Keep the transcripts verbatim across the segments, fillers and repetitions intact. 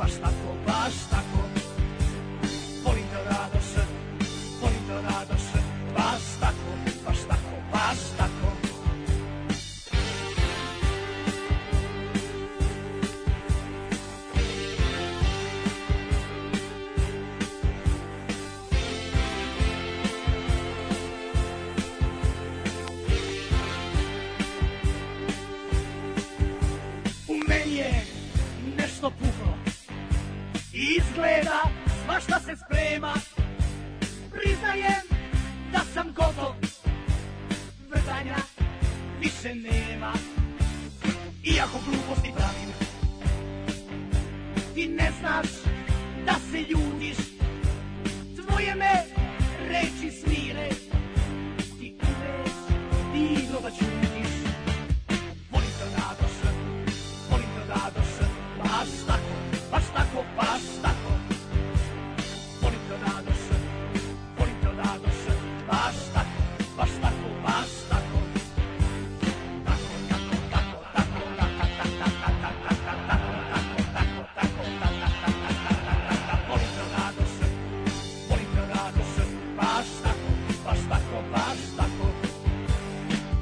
baš tako, baš tako. Volim da Radoš, volim da Radoš, baš tako, baš tako, baš tako. Puklo. Izgleda svašta se sprema. Priznajem da sam gotov. Vrdanja više nema. Iako gluposti pravim, ti ne znaš da se ljudiš. Tvoje me reči smire. Ti umeš divno da čutiš. Volim da Radoš, volim da Radoš. Baš tako, baš tako, baš tako. Volim to Radoš, volim to Radoš, baš tako, baš tako, baš tako. Tako, tako, tako, tako, tako, tako, tako, tako, tako, tako, tako, volim to Radoš, volim to Radoš, baš tako, baš tako, baš tako.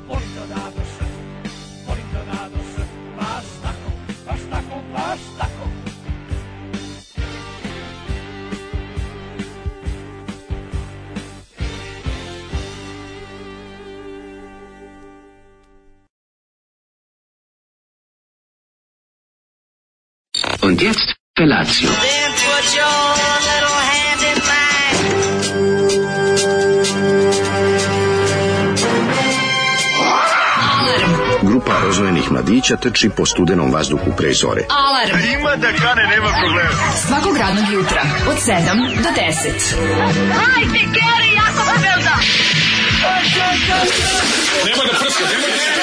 Volim to Radoš, volim to Radoš, baš tako, baš tako, baš tako. Und jetzt Felatio. Then put your little hand in mine. Grupa rozvojenih mladića trči po studenom vazduhu pre zore. Alarm. Ima da kane, nema problema. Svakog radnog jutra od sedam do deset. Hajde, Geri, jako se velda. Nema da prska, nema da prska.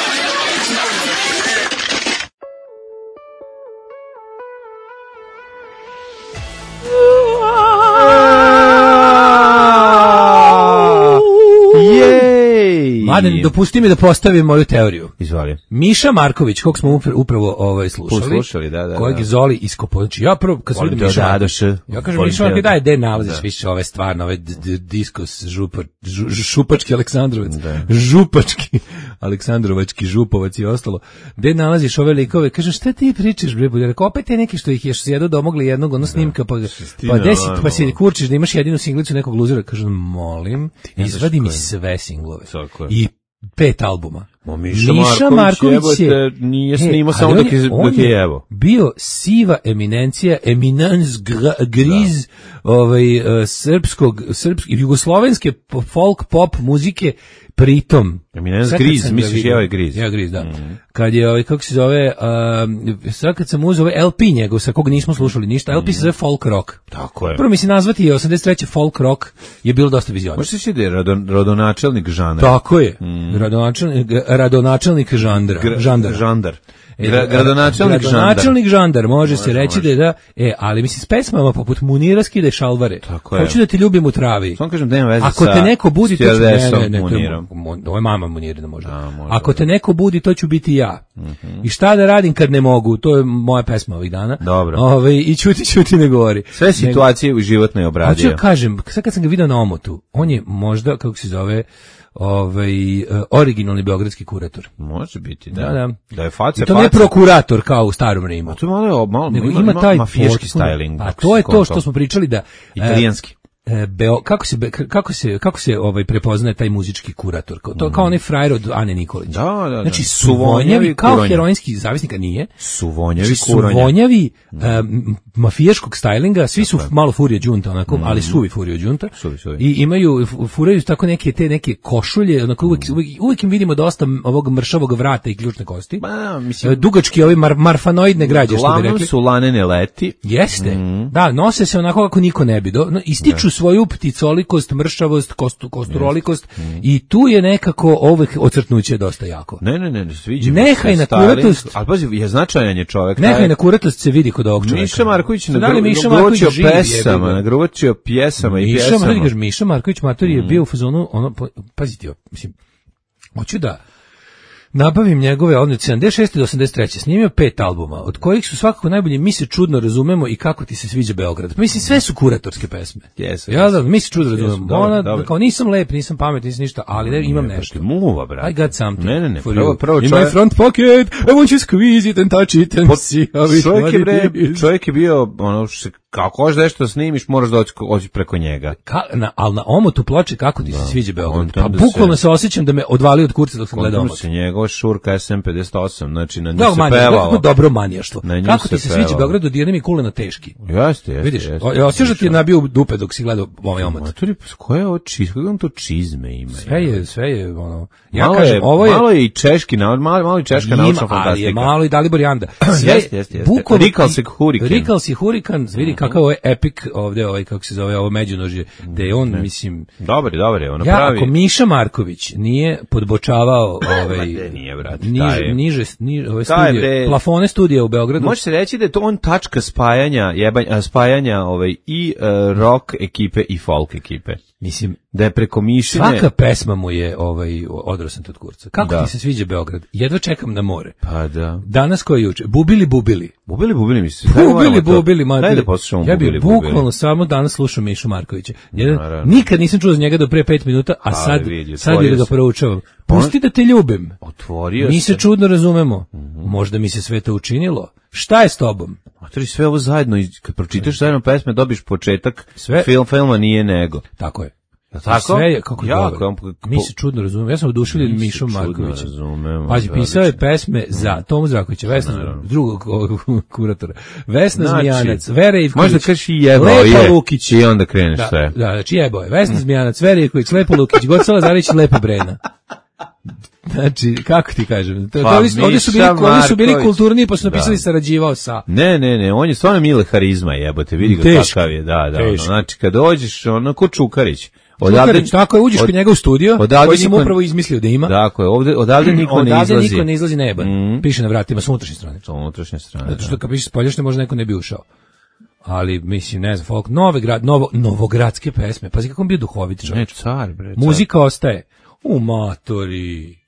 Mladen, dopusti mi da postavim moju teoriju. Izvali. Miša Marković, kog smo upravo ovaj, slušali, Poslušali, da, da, kojeg da. je Zoli iskopao. Znači, ja prvo, kad sam vidio Miša Marković, ja kažem Miša Marković, daj, gde nalaziš više ove stvarno, ove diskos, župa, žu, šupački Aleksandrovac, da. župački Aleksandrovački, župovac i ostalo, gde nalaziš ove likove, kažem, šta ti pričaš, bre, bolje, rekao, opet te neki što ih je sjedu domogli jednog, ono snimka, pa, pa desit, pa si kurčiš da imaš jedinu singlicu nekog luzera, kažem, molim, izvadi mi sve singlove. I pet albuma. O, Miša, Miša Marković, Marković je, je nije snimao samo dok je, dok je evo. Bio siva eminencija, eminence griz, da. ovaj, uh, srpskog, srpske, jugoslovenske folk pop muzike, pritom. Eminence griz, misliš je ovaj griz? Ja griz, da. Mm. Kad je, ovaj, kako se zove, uh, sad kad sam uzeo ovaj L P njegov, sa kog nismo slušali ništa, L P mm. se zove folk rock. Tako je. Prvo mislim nazvati je osamdeset treće folk rock je bilo dosta vizionarno. Možeš reći da je radon, rodonačelnik žanra. Tako je. Mm. Radonačelnik, radonačelnik žandra. Gra, žandar. Žandar. E, gradonačelnik žandar. Gradonačelnik žandar, može, može se reći može. da je da, e, ali mislim s pesmama poput Munira skide šalvare. Tako je. Hoću da te ljubim u travi. Samo kažem da nema veze. Ako sa te neko budi, to ću ne, ne, ne, Munirom. Ovo je mama Munirina možda. A, može. Ako te neko budi, to ću biti ja. Mm-hmm. I šta da radim kad ne mogu? To je moja pesma ovih dana. Dobro. Ove, i ćuti, ćuti ne govori. Sve situacije u životnoj obradio. Hoću da kažem, sad kad sam ga vidio na omotu, on je možda, kako se zove, ovaj uh, originalni beogradski kurator. Može biti, da. Da, da. Da je face, I to ne prokurator kao u starom Rimu. A to malo, malo, nego ima, ima taj mafijaški potpuno, styling. A to je to što smo pričali da italijanski. E, Beo, kako se kako se kako se ovaj prepoznaje taj muzički kurator? Kao to mm. kao onaj frajer od Ane Nikolić. Da, da, da. Znači suvonjavi kao kuronja. Heroinski zavisnika nije. Suvonjavi znači, kuronja. Suvonjavi um, mafijaškog stylinga, svi su malo furije đunta onako, mm. ali suvi furije đunta. Suvi, suvi. I imaju furaju tako neke te neke košulje, onako uvek, uvek, uvek im vidimo dosta ovog mršavog vrata i ključne kosti. Ba, mislim, dugački ovi mar, marfanoidne građe što bi rekli. Uglavnom su lanene leti. Jeste. Mm. Da, nose se onako kako niko ne bi. Do, no, ističu da. svoju pticoli kolikost, mršavost, kostu, kosturolikost yes. mm. i tu je nekako ovih ocrtnuće dosta jako. Ne, ne, ne, sviđa mi Nehaj na kuratost. Ali pazi, je značajan je čovjek. Nehaj taj... na kuratost se vidi kod ovog čovjeka. Miša Marković nagruvačio pesama, nagruvačio pjesama i Miša, pjesama. Miša, Miša Marković Mator je mm. bio u fazonu, ono, pazite, mislim, hoću da nabavim njegove od sedamdeset šeste do osamdeset treće snimio pet albuma, od kojih su svakako najbolje Mi se čudno razumemo i Kako ti se sviđa Beograd. Pa mislim, sve su kuratorske pesme. Yes, ja da, Mi se čudno razumemo. Dobro, Ona, dobro. kao nisam lep, nisam pamet, nisam ništa, ali ne, imam ne, nešto. Muva, brate. I got something ne, ne, ne, for prvo, you. prvo In čovjek... my front pocket, I want you to squeeze it and touch it and see how it Čovjek je, bre, is. čovjek je bio, ono, što kako hoćeš nešto snimiš, moraš doći oći preko njega. Ka, na, ali na omotu ploče Kako ti se da, sviđa Beograd. Pa da bukvalno se, se osjećam da me odvali od kurca dok sam gledao omot. se njegova šurka S M pedeset osam, znači na nju da, se manija, pevalo. Kako dobro manijaštvo. Kako ti se pevalo. sviđa Beograd, odjedne mi kulena teški. Jeste, jeste. Vidiš, jeste, osjećaš da ti je nabio dupe dok si gledao ovaj omot. Maturi, koje je ovo čizme, kako on to čizme ima? Sve je, sve je, ono, ja malo kažem, je, ovo je... Malo je i češki, malo, malo i češka ima, naučna fantastika. Ali je malo i Dalibor Janda. Jeste, jeste, jeste. Rikalsik Hurikan. Rikalsik Hurikan, vidi kakav ovo je epic ovde, ovaj, kako se zove, ovo međunožje, da je on, ne. mislim... Dobar je, dobar je, ono ja, pravi... ako Miša Marković nije podbočavao ovaj, nije, brat, niže, niže, niže ove studije, bre, plafone studija u Beogradu... Može se reći da je to on tačka spajanja, jebanja, spajanja ovaj, i uh, rock ekipe i folk ekipe. Mislim, da je preko Mišine... Svaka pesma mu je ovaj, odrasam od kurca. Kako da. Ti se sviđa Beograd? Jedva čekam na more. Pa da. Danas koji juče? Bubili, bubili. Bubili, bubili mi se. Bubili, bubili, Daj da poslušamo ja Bubili, bih bukvalno samo danas slušao Mišu Markovića. Jedan, Naravno. nikad nisam čuo za njega do pre pet minuta, a sad, vidi, sad je da ga proučavam. Pusti da te ljubim. Otvorio mi se. se čudno razumemo. Mm-hmm. Možda mi se sve to učinilo. Šta je s tobom? Otvori sve ovo zajedno i kad pročitaš zajedno pesme dobiš početak sve. Film, filma nije nego. Tako je. Tako? Sve je, kako jako, dobro. Mi se čudno razumemo. Ja sam oduševljen Mišom Markovićem. Pazi, pisao je pesme za Tomu Zrakovića, Vesna, drugog kuratora, Vesna znači, Zmijanac, Vera Ivković, možda kaži jebao Lepa je, Lukić. I onda kreneš da, sve. Da, znači jebao je, Vesna Zmijanac, Vera Ivković, Lepa Lukić, Goca Lazarić, Lepa Brena. Znači, kako ti kažem? To, pa, to, ovdje su bili, ovdje su bili kulturni, pa su napisali da. Sarađivao sa... Ne, ne, ne, on je stvarno mile harizma, jebote, vidi ga kakav je, da, da, ono, znači, kad dođeš, ono, ko Čukarić, odavde, Čukarić, tako je, uđeš od, kod njega u studio, koji sam upravo izmislio da ima. Tako je, ovde, odavde niko odavde ne izlazi. Odavde niko ne izlazi neban, mm. piše na vratima, s unutrašnje strane. S unutrašnje strane, zato što kad piše s poljašnje, možda neko ne bi ušao. Ali, mislim, ne znam, folk, nove grad, novo, novogradske pesme, pazi kako on bio duhovit čovjek. Ne, car, bre, car. Muzika ostaje. U matori.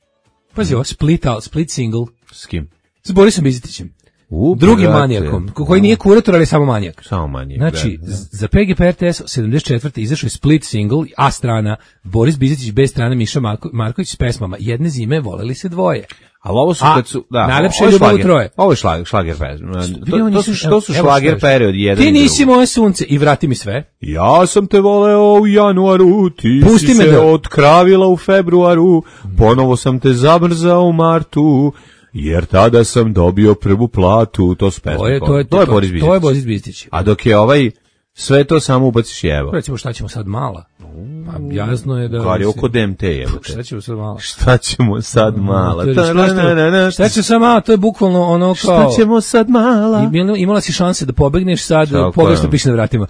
Pazi, ovo split, split single. S kim? S Borisom Bizetićem. U, drugim brate. Manijakom, koji nije kurator, ali samo manijak. Samo manijak. Znači, da, da. Za P G P R T S sedamdeset četvrte izašao je split single, A strana, Boris Bizetić, B strana, Miša Marko, Marković s pesmama Jedne zime voleli se dvoje. Ali ovo su A, kad su, da, najlepše je ljubav u troje. Ovo je šlager, šlager pesma. To, to, su, to su šlager period jedan. Ti nisi moje sunce i vrati mi sve. Ja sam te voleo u januaru, ti Pusti si me se da... otkravila u februaru, ponovo sam te zamrzao u martu, jer tada sam dobio prvu platu. To su pesme. To je, to je, to je Boris Bizetić. To je Boris Bizetić. A dok je ovaj sve to samo ubaciš jevo. Recimo šta ćemo sad mala? Pa jasno je da... Kar je oko D M T jebote. Šta ćemo sad mala? Šta ćemo sad mala? Šta ćemo sad mala? To je bukvalno ono kao... Šta ćemo sad mala? Imala si šanse da pobegneš sad, pogrešno piše na vratima.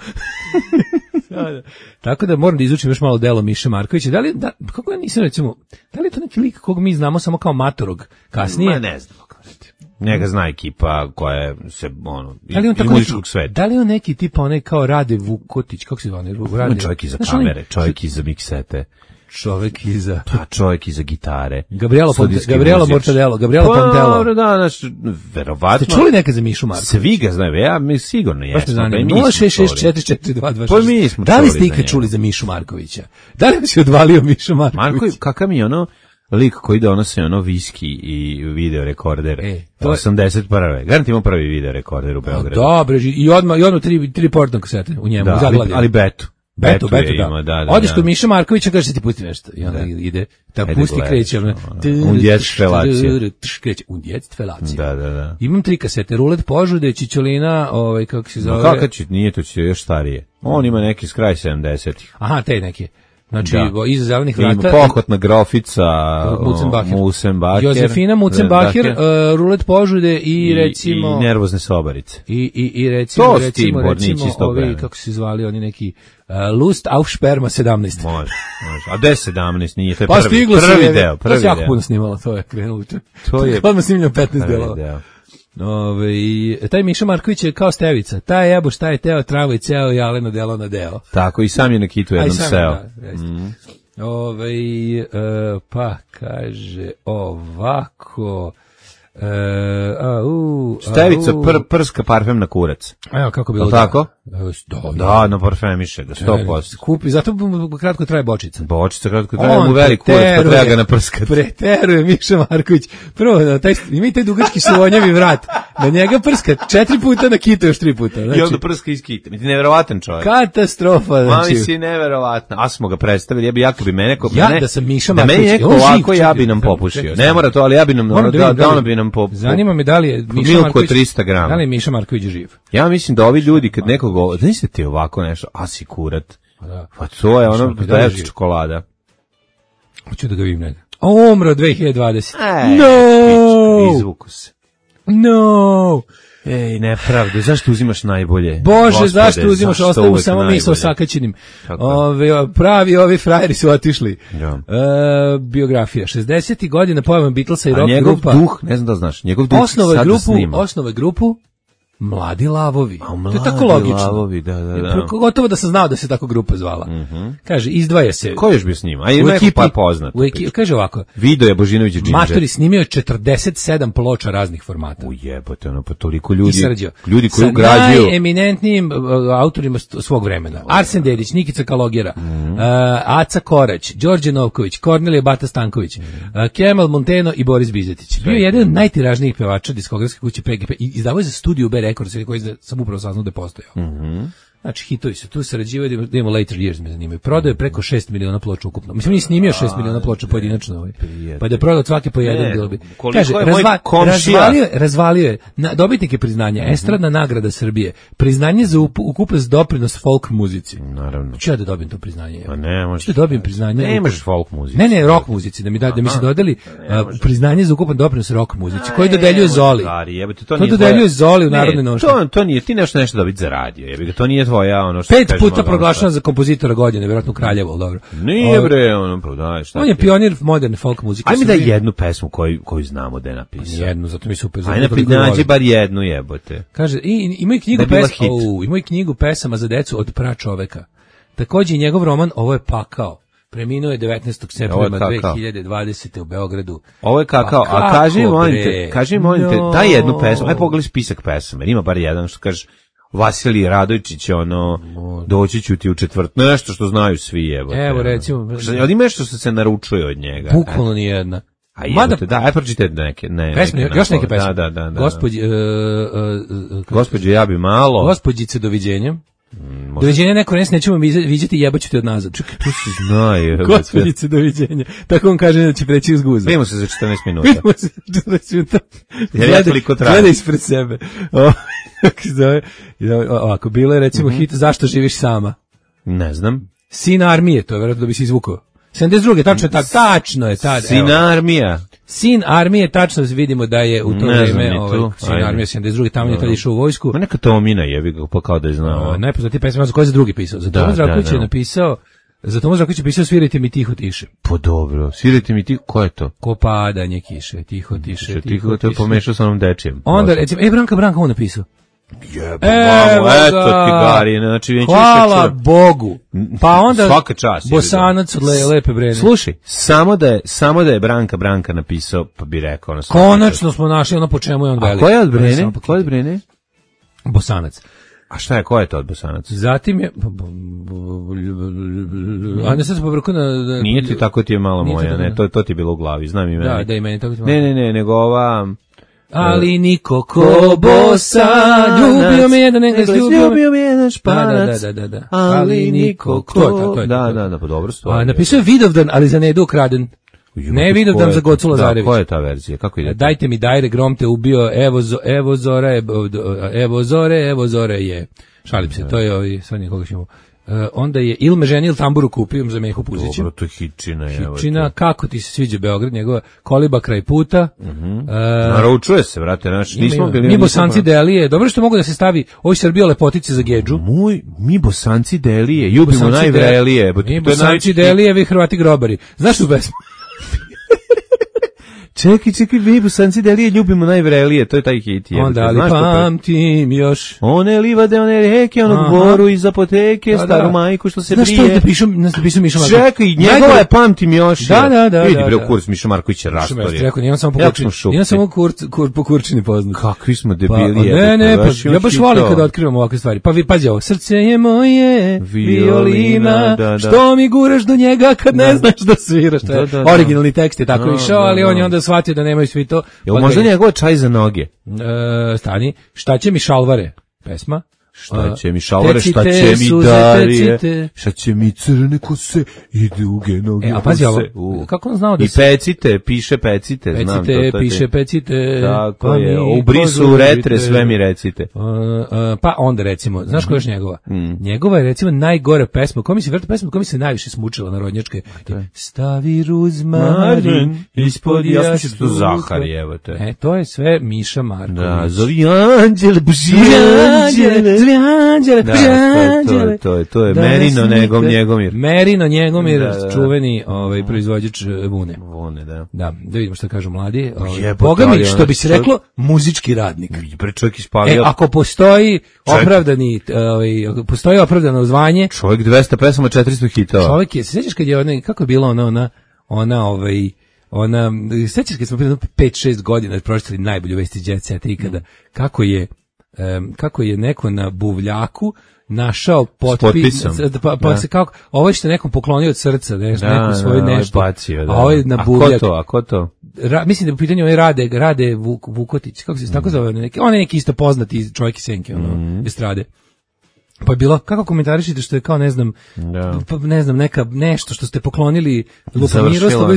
Tako da moram da izučim još malo delo Miše Markovića. Da li, da, kako ja nisam recimo, da li je to neki lik kog mi znamo samo kao matorog kasnije? Ma ne znam. Njega zna ekipa koja se, ono, da li on iz muzičkog sveta. Da li on neki tipa onaj kao Rade Vukotić, kako se zove? Rade, čovjek iza znaš, kamere, čovjek iza miksete. Čovjek iza... Pa čovjek iza gitare. Gabriela, Ponte, Gabriela Mortadelo, Gabriela pa, Pontello. Dobro, da, znaš, verovatno. Ste čuli nekad za Mišu Markovića? Svi ga znaju, ja mi sigurno jesmo. Pa nula šest šest četiri četiri dva dva šest. Pa mi smo da li ste ikad čuli za Mišu Markovića? Da li si odvalio Mišu Markovića? Marković, kakav mi je ono... lik koji donosi ono viski i video rekorder. E, to osamdeset prve. Garant ima prvi video rekorder u Beogradu. Dobro, i odmah i odmah tri tri portne kasete u njemu, da, ali, ali betu. Betu, betu, da. Ima, da, da. Odeš kod Miša Markovića, kaže ti pusti nešto. I onda da. ide, da pusti kreće. Undjec tvelacija. Kreće, undjec tvelacija. Da, da, da. Imam tri kasete, Rulet Požude, Čičolina, ovaj, kako se zove. No, kako će, nije to će još starije. On ima neki s kraj sedamdesetih. Aha, te neke. Znači, da. iza zelenih vrata... Pohotna grofica, Musenbacher. Josefina Musenbacher, uh, Rulet Požude i, I recimo... I nervozne sobarice. I, i, i recimo, to recimo, recimo, ovi, kako se zvali, oni neki... Uh, Lust auf Sperma sedamnaest. Može, može. A gde sedamnaest nije? To je pa prvi, prvi deo. Prvi to se jako puno snimalo, to je krenulo. To je... Odmah snimljeno petnaest delova. Ove, taj Miša Marković je kao Stevica. Taj jebo šta je teo, travo i ceo i aleno delo na deo. Tako, i sam je na kitu jednom seo. Da, mm. Ovaj, uh, pa kaže ovako... Uh, a, uh, Števica pr, prska parfem na kurac. Evo kako bilo. Tako? Da, da, da na parfemiše ga sto posto. Kupi, zato kratko traje bočica. Bočica kratko traje, mu velik kurac, pa treba ga naprskati. Preteruje Miša Marković. Prvo, taj, ima i taj dugački suvonjavi vrat. Na njega prska četiri puta, na kita još tri puta. Znači, i onda prska iz kita. Mi ti neverovatan čovjek. Katastrofa. Znači. Mami si neverovatna. A smo ga predstavili, ja bi jako bi mene... Ko, ja ne, da sam Miša Marković. Da meni neko ovako, ja bi nam popušio. Ne mora to, ali ja bi nam... Da, da, da ono bi nam popušio. Zanima me da li je Miša Marković... trista grama. Da li je Miša Marković živ? Ja mislim da ovi ljudi kad nekog... Znaš ti ovako nešto, asi kurat. Pa to je ono, da je čokolada. Hoću da ga vidim negdje. Umro dve hiljade dvadesete. E, no! Izvuku se. No! Ej, nepravde, zašto uzimaš najbolje? Bože, Gospode, zašto uzimaš, ostavimo samo mi sa osakaćenim. Ove, pravi ovi frajeri su otišli. Ja. E, biografija. šezdesetih godina pojavom Beatlesa i rock njegov grupa. duh, ne znam da znaš, njegov duh osnova grupu, osnova grupu Mladi lavovi. A, mladi to je tako logično. Lavovi, da, da, da. Gotovo da sam znao da se tako grupa zvala. Mm-hmm. Kaže, izdvaja se. Ko još bi s njima? A ima ekipi, pa poznat. U ekipi, kaže ovako. Video je Božinović i Džinđer. Matori snimio je četrdeset sedam ploča raznih formata. Ujebote, ono, pa toliko ljudi. Ljudi koji sa ugrađuju. Sa najeminentnijim uh, autorima svog vremena. Arsen Dedić, Nikica Kalogera, mm-hmm. uh, Aca Korać, Đorđe Novković, Kornelije Bata Stanković, uh, Kemal Monteno i Boris Bizetić. Bio je jedan od najtiražnijih pevača diskografske kuće P G P i izdavao je za studiju B Records, koji sam upravo saznao da je postojao. Mm-hmm. Znači, hitovi su tu sarađivaju, da imamo Later Years, me zanimaju. Prodao je preko šest miliona ploča ukupno. Mislim, nije snimio šest miliona ploča pojedinačno. Ovaj. Pa da je prodao svake po jedan, bilo bi. Kaže, razva, razvalio je, razvalio je na, dobitnike priznanja, mm-hmm. Estradna nagrada Srbije, priznanje za ukupan doprinos folk muzici. Naravno. Ću ja da dobijem to priznanje? Pa ne, možeš. Ću da dobijem priznanje? Ne možeš folk muzici. Ne, ne, rock muzici, da mi, da, da mi se dodali uh, priznanje za ukupan doprinos rock muzici, koji dodeljuje Zoli. To dodeljuje Zoli u Narodnoj nošnji. To, to nije, ti nešto nešto dobiti za radio, jebi, to nije tvoja ono što pet puta proglašena za kompozitora godine, vjerojatno u Kraljevo, dobro. Nije bre, ono, pa daj, šta. On je pionir moderne folk muzike. Ajme da jednu pesmu koju koju znamo da je napisao. Jednu, zato mi super. Ajde nađi bar jednu, jebote. Kaže, i ima i knjigu pesama, o, ima i knjigu pesama za decu od pračoveka. Takođe i njegov roman Ovo je pakao. Preminuo je devetnaestog septembra dve hiljade dvadesete u Beogradu. Ovo je kakao, pa a kaži molim te, kaži molim te, no. Daj jednu pesmu, aj pogledaj spisak pesama, ima bar jedan što kažeš Vasilij Radojičić, ono, doći ću ti u četvrt, nešto što znaju svi, jebote. Evo, recimo. Ali ima nešto što se naručuje od njega. Bukvalno ni jedna. A jebote, da, aj pročitajte neke, ne. Pesme, neke, još neke pesme. Da, da, da. da. Gospođi, uh, uh, Gospođe, ja bi malo. Gospođice, doviđenja. Mm, doviđenja neko nes nećemo viđati, jebaću te od nazad. Čekaj, tu se znaju. Gospođice, doviđenja. Tako on kaže da će preći uz guza. Vidimo se za četrnaest minuta. Vidimo se za četrnaest minuta. Jer toliko traje. Gleda ispred sebe. Ovako, bilo je recimo mm-hmm. hit Zašto živiš sama? Ne znam. Sin armije, to je vjerojatno da bi se izvukao. sedamdeset druge tačno je tako, tačno je tada. Sin armija. Sin armije, tačno vidimo da je u to vreme ovaj, sin armije sedamdeset druge tamo je tada išao u vojsku. Ma neka Tomina jebi ga, pa kao da je znao. O, najpoznatiji pesma za koje je drugi pisao. Za Tomo Zdravković je napisao, za Tomo Zdravković je pisao Svirajte mi tiho tiše. Pa dobro, Svirajte mi tiho, ko je to? Ko padanje kiše, tiho tiše, tiho, tiho tiše. To je pomešao sa onom dečijem. Onda recimo, e Branka Branka on napisao. Jebo, mamo, eto ti Gari, znači hvala Bogu. Pa onda svaka čast. Bosanac od le, lepe brene. Slušaj, samo da je samo da je Branka Branka napisao, pa bi rekao ono. Konačno smo našli ono po čemu je on velik. A ko je od Brene? Ko je od Brene? Bosanac. A šta je, ko je to od Bosanac? Zatim je... A ne sad se povrku na... Nije ti tako ti je malo moja, ne, to, to ti je bilo u glavi, znam i meni. Da, da i meni tako ti je malo. Ne, ne, ne, nego ova... Ali niko ko Bosanac, ljubio me jedan Engles, ljubio me jedan Španac, da, da, da, da. ali niko ko... To je, to je, da, da, da, pa dobro stvar. Napisao je Vidovdan, ali za Nedu ukraden. Ne Vidovdan za Gocu Lazarević. Da, koja je ta verzija? Kako ide? Dajte mi Dajre, Grom te ubio, evo, evo Zore, evo Zore, evo Zore je. Šalim se, to je ovi, sad nikoga ćemo... Uh, onda je il me ženi il tamburu kupio za Mehu Puzića. Dobro, to je Hičina. Hičina, kako ti se sviđa Beograd, njegova Koliba kraj puta. Uh-huh. Uh, Naručuje se, vrate, naš, nismo mi, bili... Mi Bosanci Delije, dobro što mogu da se stavi, ovo Srbija lepotice za Gedžu. Moj, mi Bosanci Delije, ljubimo najvrelije. Mi Bosanci Delije, vi Hrvati grobari. Znaš tu pesmu? Čekaj, čekaj, mi Bosanci delije ljubimo najvrelije, to je taj hit. Je, onda ali pamtim još. One livade, one reke, onog boru iz apoteke, da, staru da. majku što se znaš brije. Znaš što je da pišu Miša Marković? Čekaj, njegova je pamtim još. Da, da, da. Vidi, bre, u kurs Miša Marković je rastorije. Rekao, nijem samo po kurčini, nijem samo kur, kur, po kurčini poznat. Kakvi smo debili. Pa, ne, ne, pa, ja baš volim kada otkrivam ovakve stvari. Pa vi, pazi ovo, srce je moje, violina, da, da. Što mi guraš do njega kad ne znaš da sviraš. Da, da, da. Originalni tekst je tako da, išao, ali on je onda shvatio da nemaju svi to. Jel možda njegova čaj za noge? E, stani, šta će mi šalvare? Pesma. Šta će mi šalvare, šta će mi darije, šta će mi crne kose i duge noge. E, a pazi ovo, uh. kako on znao da I se... pecite, piše pecite, pecite, znam to. to piše pecite. Tako pa je, u brisu retre sve mi recite. Uh, uh, pa onda recimo, znaš koja je još njegova? Mm. Njegova je recimo najgore pesma, koja mi se vrta pesma, koja mi se najviše smučila narodnjačke. Stavi ruzmarin ispod jasluka. Ja sam to Zahari, evo te. E, to je sve Miša Marković. Da, zovi anđele, buži anđele. Anđele, da, anđele. To je to je, to je Merino Negom Njegomir. Merino Njegomir, da, da. čuveni ovaj proizvođač vune. Vune, da. Da, da vidimo šta kažu mladi. Ovaj, Boga mi, što bi se reklo, muzički radnik. Pre čovjek ispalio. E, ako postoji opravdani, ovaj, ako postoji opravdano zvanje. Čovjek dvesta pesama, četiristo hitova. Čovjek je, se sjećaš kad je ona, kako je bila ona, ona, ona, ovaj, ona, sjećaš kad smo prije pet šest godina pročitali najbolju vesti Jet Set ikada, kako je Um, kako je neko na buvljaku našao potpis, pa, pa se kako, ovo je što nekom poklonio od srca, nešto, da, neku svoju nešto, bacio, da. A ovo je na buvljak. A ko to, a ko to? Ra, mislim da je u pitanju ovaj Rade, Rade Vuk, Vukotić, kako se mm. tako zove, neki, on je neki isto poznati čovjek iz Senke, ono, mm. estrade. Pa je bilo, kako komentarišite što je kao, ne znam, da. pa, ne znam, neka, nešto što ste poklonili Luka Miroslavu,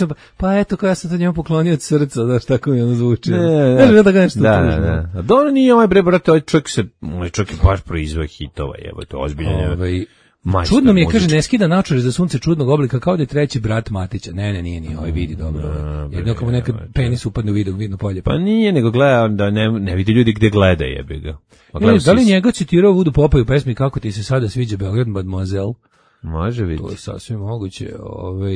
da. Pa eto, kao ja sam to njemu poklonio od srca, znaš, tako mi ono zvuči. Ne, ne, ne, da, nešto da, da, da. Dobro nije ovaj bre, brate, ovaj čovjek se, ovaj čovjek je baš proizveo hitova, evo, to je ozbiljno. Ovaj, Majstor, čudno mi je, kaže, ne skida naočare za sunce čudnog oblika, kao da je treći brat Matića. Ne, ne, nije, nije, ovaj vidi dobro. No, jedno kao nekad penis upadne u vidu, vidno polje. Pa nije, nego gleda, da ne, ne vidi ljudi gde gleda, jebi ga. Pa ne, da li njega citirao Vudu Popa u pesmi Kako ti se sada sviđa Beograd, Mademoiselle? Može vidjeti. To je sasvim moguće. Ove,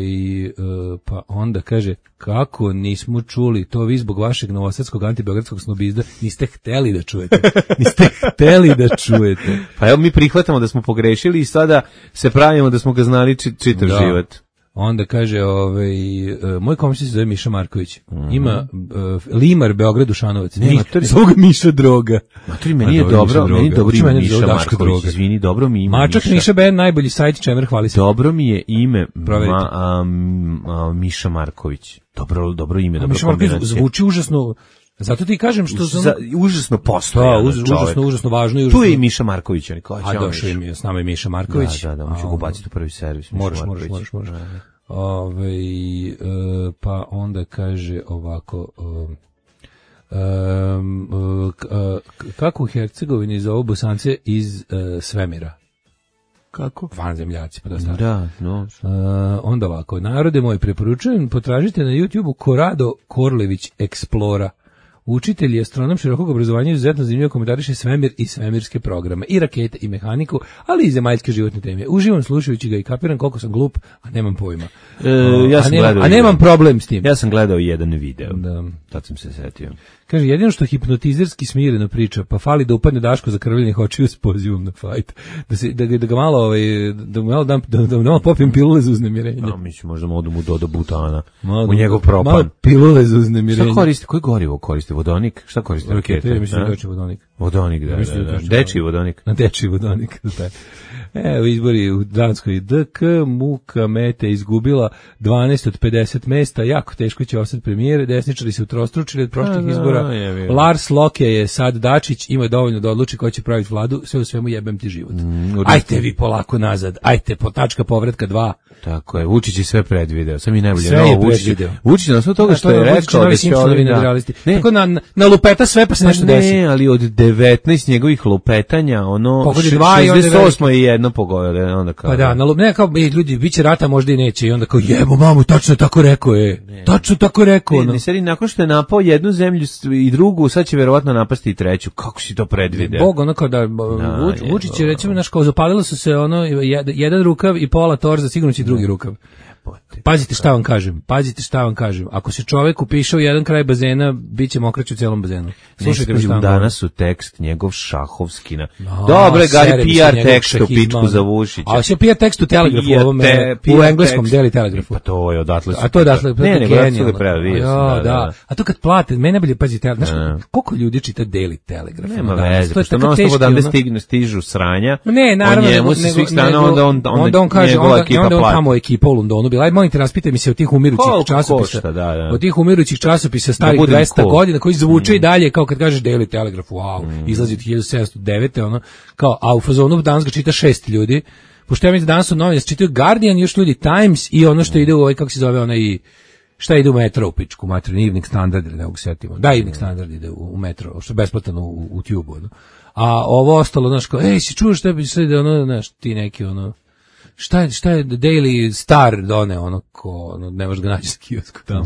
pa onda kaže, kako nismo čuli to vi zbog vašeg novosadskog antibeogradskog snobizda, niste hteli da čujete. Niste hteli da čujete. Pa evo mi prihvatamo da smo pogrešili i sada se pravimo da smo ga znali čitav da. život. Onda kaže, ovaj, uh, moj komšija se zove Miša Marković. Mm-hmm. Ima uh, Limar, Beograd, Dušanovac. Ne, matori, zove ga Miša Droga. Matori, meni je dobro, meni je dobro ime Miša Marković. Izvini, dobro mi ime Mačak Miša. Miša Ben, najbolji sajt, čemer, hvali se. Dobro mi je ime ma, a, a, Miša Marković. Dobro, dobro ime, dobro kombinacija. Zvuči užasno. Zato ti kažem što sam Za, užasno postoje, da, uz, užasno užasno važno i užasno. Tu je i Miša Marković, oni kao a došao im je s nama i Miša Marković. Da, da, da, moću ga ubaciti u prvi servis. Moraš, moraš, moraš, moraš. Ove, e, pa onda kaže ovako, um, um, kako u Hercegovini zovu Bosance iz uh, svemira? Kako? Vanzemljaci, pa da stvari. Da, no. Uh, onda ovako, narode moji, preporučujem, potražite na YouTubeu Korado Korlević Explora. Učitelj je astronom širokog obrazovanja, izuzetno zanimljivo komentariše svemir i svemirske programe, i rakete i mehaniku, ali i zemaljske životne teme. Uživam slušajući ga i kapiram koliko sam glup, a nemam pojma. E, ja sam a, nema, a nemam problem s tim. Ja sam gledao jedan video, da. Tad sam se setio. Kaže, jedino što hipnotizerski smireno priča, pa fali da upadne Daško za krvljenih očiju s pozivom na fajt. Da, se, da, da ga malo, ovaj, da mu malo, dam, da, da malo popijem pilule za uznemirenje. No, mi ćemo možda modu mu doda butana malo, u njegov propan. Malo pilule za uznemirenje. Šta koriste? Koji gorivo koriste? Vodonik? Šta koriste? Rakete, ja mislim da je vodonik. Vodonik, da, da, da. Dečiji vodonik. Na dečiji vodonik, da. Evo izbori u Danskoj. D K Muka Mete izgubila dvanaest od pedeset mesta, jako teško će ostati premijer, desničari se utrostručili od prošlih izbora. Lars Loke je sad Dačić, ima dovoljno da odluči ko će praviti vladu, sve u svemu jebem ti život. Mm, ajte vi polako nazad, ajte po tačka povratka dva. Tako je, Vučić je sve predvideo, sam i najbolje. Sve je predvideo. Vučić na sve toga što je rekao da će ovi nadrealisti. Tako na, na lupeta sve pa se nešto ne, desi. Ne, ali od devetnaest njegovih lupetanja, ono, šezdeset osam je jedno pogodilo, onda kao. Pa da, na lup, ne, kao, ljudi, bit će rata, možda i neće, i onda kao, jebo mamu, tačno tako rekao je, ne, tačno tako rekao. Ne, ne, seri, nakon što je napao jednu zemlju i drugu, sad će verovatno napasti i treću, kako si to predvideo? Bog, ono kao da, Vuč, Vučić je, recimo, naš, kao zapalilo su se, ono, jedan rukav i pola torza, sigurno će drugi rukav. Pazite šta vam kažem, pazite šta vam kažem. Ako se čovek upiše u jedan kraj bazena, bit će mokrać u celom bazenu. Slušajte, danas u tekst njegov šahovski na... No, dobre, Gari, P R tekst u pičku za Vušića. A će P R tekst u Telegrafu, ovome, u engleskom deli Telegrafu. Pa to je odatle. A to je odatle. Ne, nego odatle ga preva, vidio sam. Da, a to kad plate, mene najbolje pazite, znaš, koliko ljudi čita deli Telegraf? Nema veze, pošto non stop odavde stigne, stižu sranja. Ne, naravno, nego, svih strana, onda on, onda on kaže, onda, onda on tamo ekipa u Londonu bila, aj molim te, raspitaj mi se od tih umirućih časopisa, košta, da, da. od tih umirućih časopisa starih da dvesta godina, koji zvuče mm. i dalje, kao kad kažeš Daily Telegraph, wow, mm. izlazi od hiljadu sedamsto devete ono, kao, a u fazonu danas ga čita šest ljudi, pošto ja mislim danas u novine čitaju Guardian, još ljudi Times i ono što ide u ovaj, kako se zove, onaj, šta ide u metro u pičku, matru, Evening Standard, ne mogu setimo, da, Evening Standard ide u, u metro, što je besplatno u, u Tube, ono. A ovo ostalo, znaš, kao, ej, si čuo šta bi sve da, ono, znaš, ti neki, ono, šta je, šta je Daily Star done, ono, ko, ono, ne možeš ga naći sa kiosku tamo.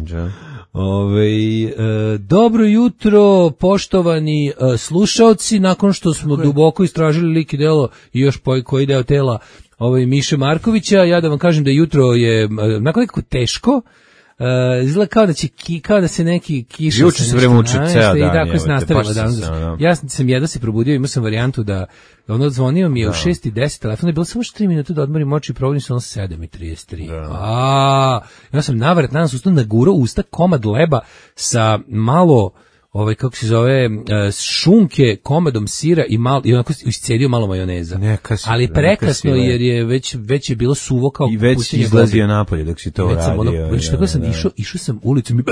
Ove, e, dobro jutro, poštovani e, slušaoci, nakon što smo Kako duboko istražili lik i delo i još po, koji deo tela ovaj, Miše Markovića, ja da vam kažem da jutro je, e, nakon nekako teško, Uh, izgleda kao da će ki, kao da se neki kiša juče se vreme uči ceo dan i tako se nastavilo danas. Ja sam jedno se probudio, imao sam varijantu da ono zvonio mi je da. u šest i deset, telefon je bilo samo tri minute da odmorim oči i probudim se ono sedam i trideset tri. Da. A, ja sam navrat danas ustao nagurao usta komad leba sa malo ovaj kako se zove šunke, komadom sira i malo i onako iscedio malo majoneza. Neka si, ali prekasno neka si, jer je već već je bilo suvo kao i već si izlazio napolje dok si to radio. Ono, ja, tako ja, sam ja. išao, išao sam ulicom i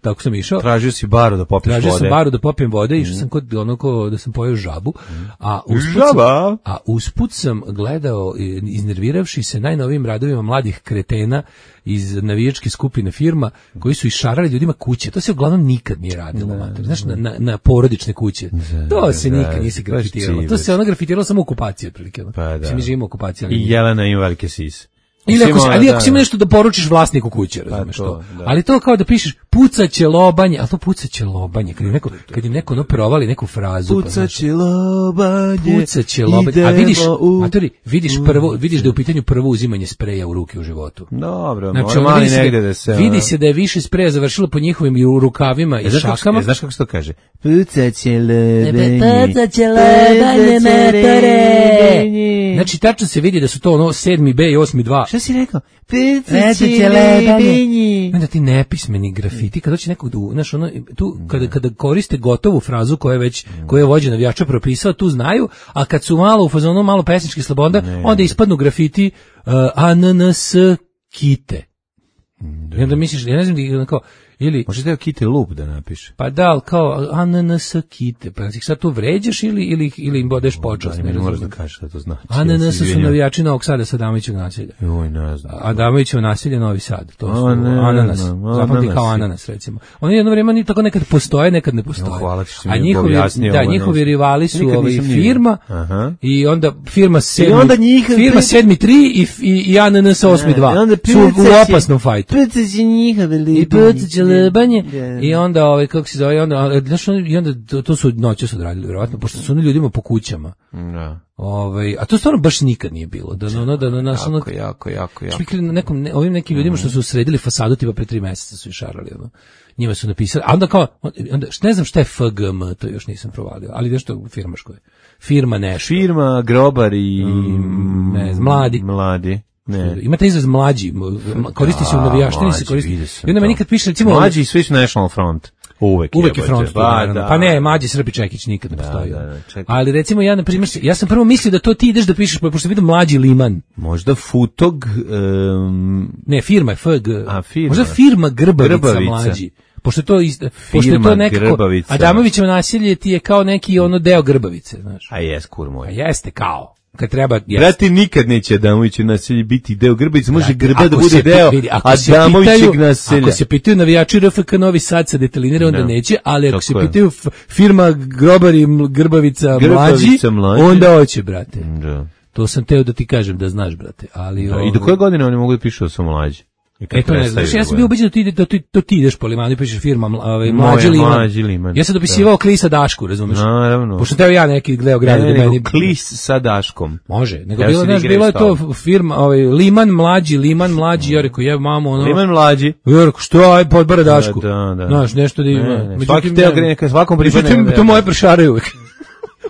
tako sam išao. Tražio si baru da popiješ vode. Tražio sam baru da popijem vode, mm. išao sam kod onako da sam pojeo žabu, a usput Žaba. Sam, a usput sam gledao iznerviravši se najnovijim radovima mladih kretena iz navijačke skupine firma koji su išarali ljudima kuće. To se uglavnom nikad nije radilo, mater. Znaš, na, na, na porodične kuće. To se nikad nije se grafitiralo. To se ono grafitiralo samo u okupaciji, otprilike. Pa da. Mi živimo u okupaciji. I Jelena ima velike sise. Ili ako, ali da, ako si ima nešto da poručiš vlasniku kuće, razumeš to. to. Da. Ali to kao da pišeš pucaće lobanje, ali to pucaće lobanje, kad im neko, kad im neko no provali neku frazu. Pucaće pa, lobanje, pucaće lobanje, a vidiš, matori, vidiš prvo, vidiš da je u pitanju prvo uzimanje spreja u ruke u životu. Dobro, znači, mora mali negde da se... Vidi se da je više spreja završilo po njihovim rukavima i e, šakama. E, znaš kako se to kaže? Pucaće lobanje, pucaće lobanje, matore. Znači, tačno se vidi da su to ono sedmi B i osmi dva. Šta si rekao? Pucaće lebanje. Onda ti nepismeni grafiti, kada će nekog, znaš, ono, tu, kada, kada koriste gotovu frazu koja je već, koja je vođa navijača propisao, tu znaju, a kad su malo u fazonu, malo pesnički sloboda, onda ispadnu grafiti uh, A N N S kite. I onda misliš, ja ne znam da kao, ili može da je kite lup da napiše. Pa da, ali kao ananas kite. Pa ih sad tu vređaš ili ili ili im bodeš počast, ne možeš da kažeš šta to znači. Ananas su navijači Novog Sada sa Adamovićevog naselja. Joj, ne znam. Adamovićevo naselje Novi Sad, to su ananas. Zapamti kao ananas recimo. Oni jedno vrijeme ni tako nekad postoje, nekad ne postoje. A njihovi da, njihovi rivali su ovaj firma i onda firma sedmi, firma sedmi tri i i ananas osmi dva. Su u opasnom fajtu. Pucaće njihove lebanje i onda ovaj kako se zove onda znaš i onda to, to su noće su odradili verovatno pošto su oni ljudima po kućama. Da. Ovaj a to stvarno baš nikad nije bilo. Da ono da na nas ono jako jako jako jako. Čekali na nekom ne, ovim nekim ljudima što su sredili fasadu tipa pre tri meseca su išarali ono. Njima su napisali, a onda kao onda ne znam šta je F G M, to još nisam provalio, ali nešto firmaško je. Firma nešto. Firma Grobar i mm, ne znam, mladi. Mladi. Ne. Imate izraz mlađi, koristi se u navijaštini, se koristi. I onda meni kad piše recimo mlađi Swiss National Front. Uvek, Uvek je front, pa, da. Pa ne, Mađi Srpi Čekić nikad ne da, postoji. Da, da, ali recimo ja na primjer, ja sam prvo mislio da to ti ideš da pišeš, pošto vidim Mlađi Liman. Možda Futog... Um... Ne, firma je F G. A, firma. Možda firma Grbavica, Grbavica. Mlađi. Pošto to ist, pošto je to nekako Adamovićevo naselje ti je kao neki ono deo Grbavice, znaš. A jes, kur moj. A jeste kao. Kad treba, jeste. Brati, nikad neće Adamovićevo naselje biti deo Grbavice, može Grba da bude deo Adamovićeg naselja. Ako se pitaju navijači R F K Novi Sad sa detalinira, onda no. neće, ali ako se pitaju firma Grobar i Grbavica, Grbavica mlađi, onda hoće, brate. Da. To sam teo da ti kažem da znaš, brate. Ali, da, i do koje godine oni mogu da pišu da su mlađi? E to ne znam, ja sam bio ubeđen da ti, da, ti, da ti ideš po limanu i pišeš firma ovaj, mlađi liman. Mlađi liman. Ja sam dopisivao Klisa Dašku, razumeš? Naravno. Pošto teo ja neki gleo grad. Ne, ne, nego Klis sa Daškom. Može, nego ja bilo, znaš, bilo je to firma, ovaj, Liman mlađi, Liman mlađi, ja rekao, jeb mamu, ono. Liman mlađi. Ja rekao, što, aj, podbara Dašku. Da, da, da. Znaš, nešto da ima. Ne, ne, svaki teo gre, neka svakom pripadne. Međutim, to moje prešare uvek.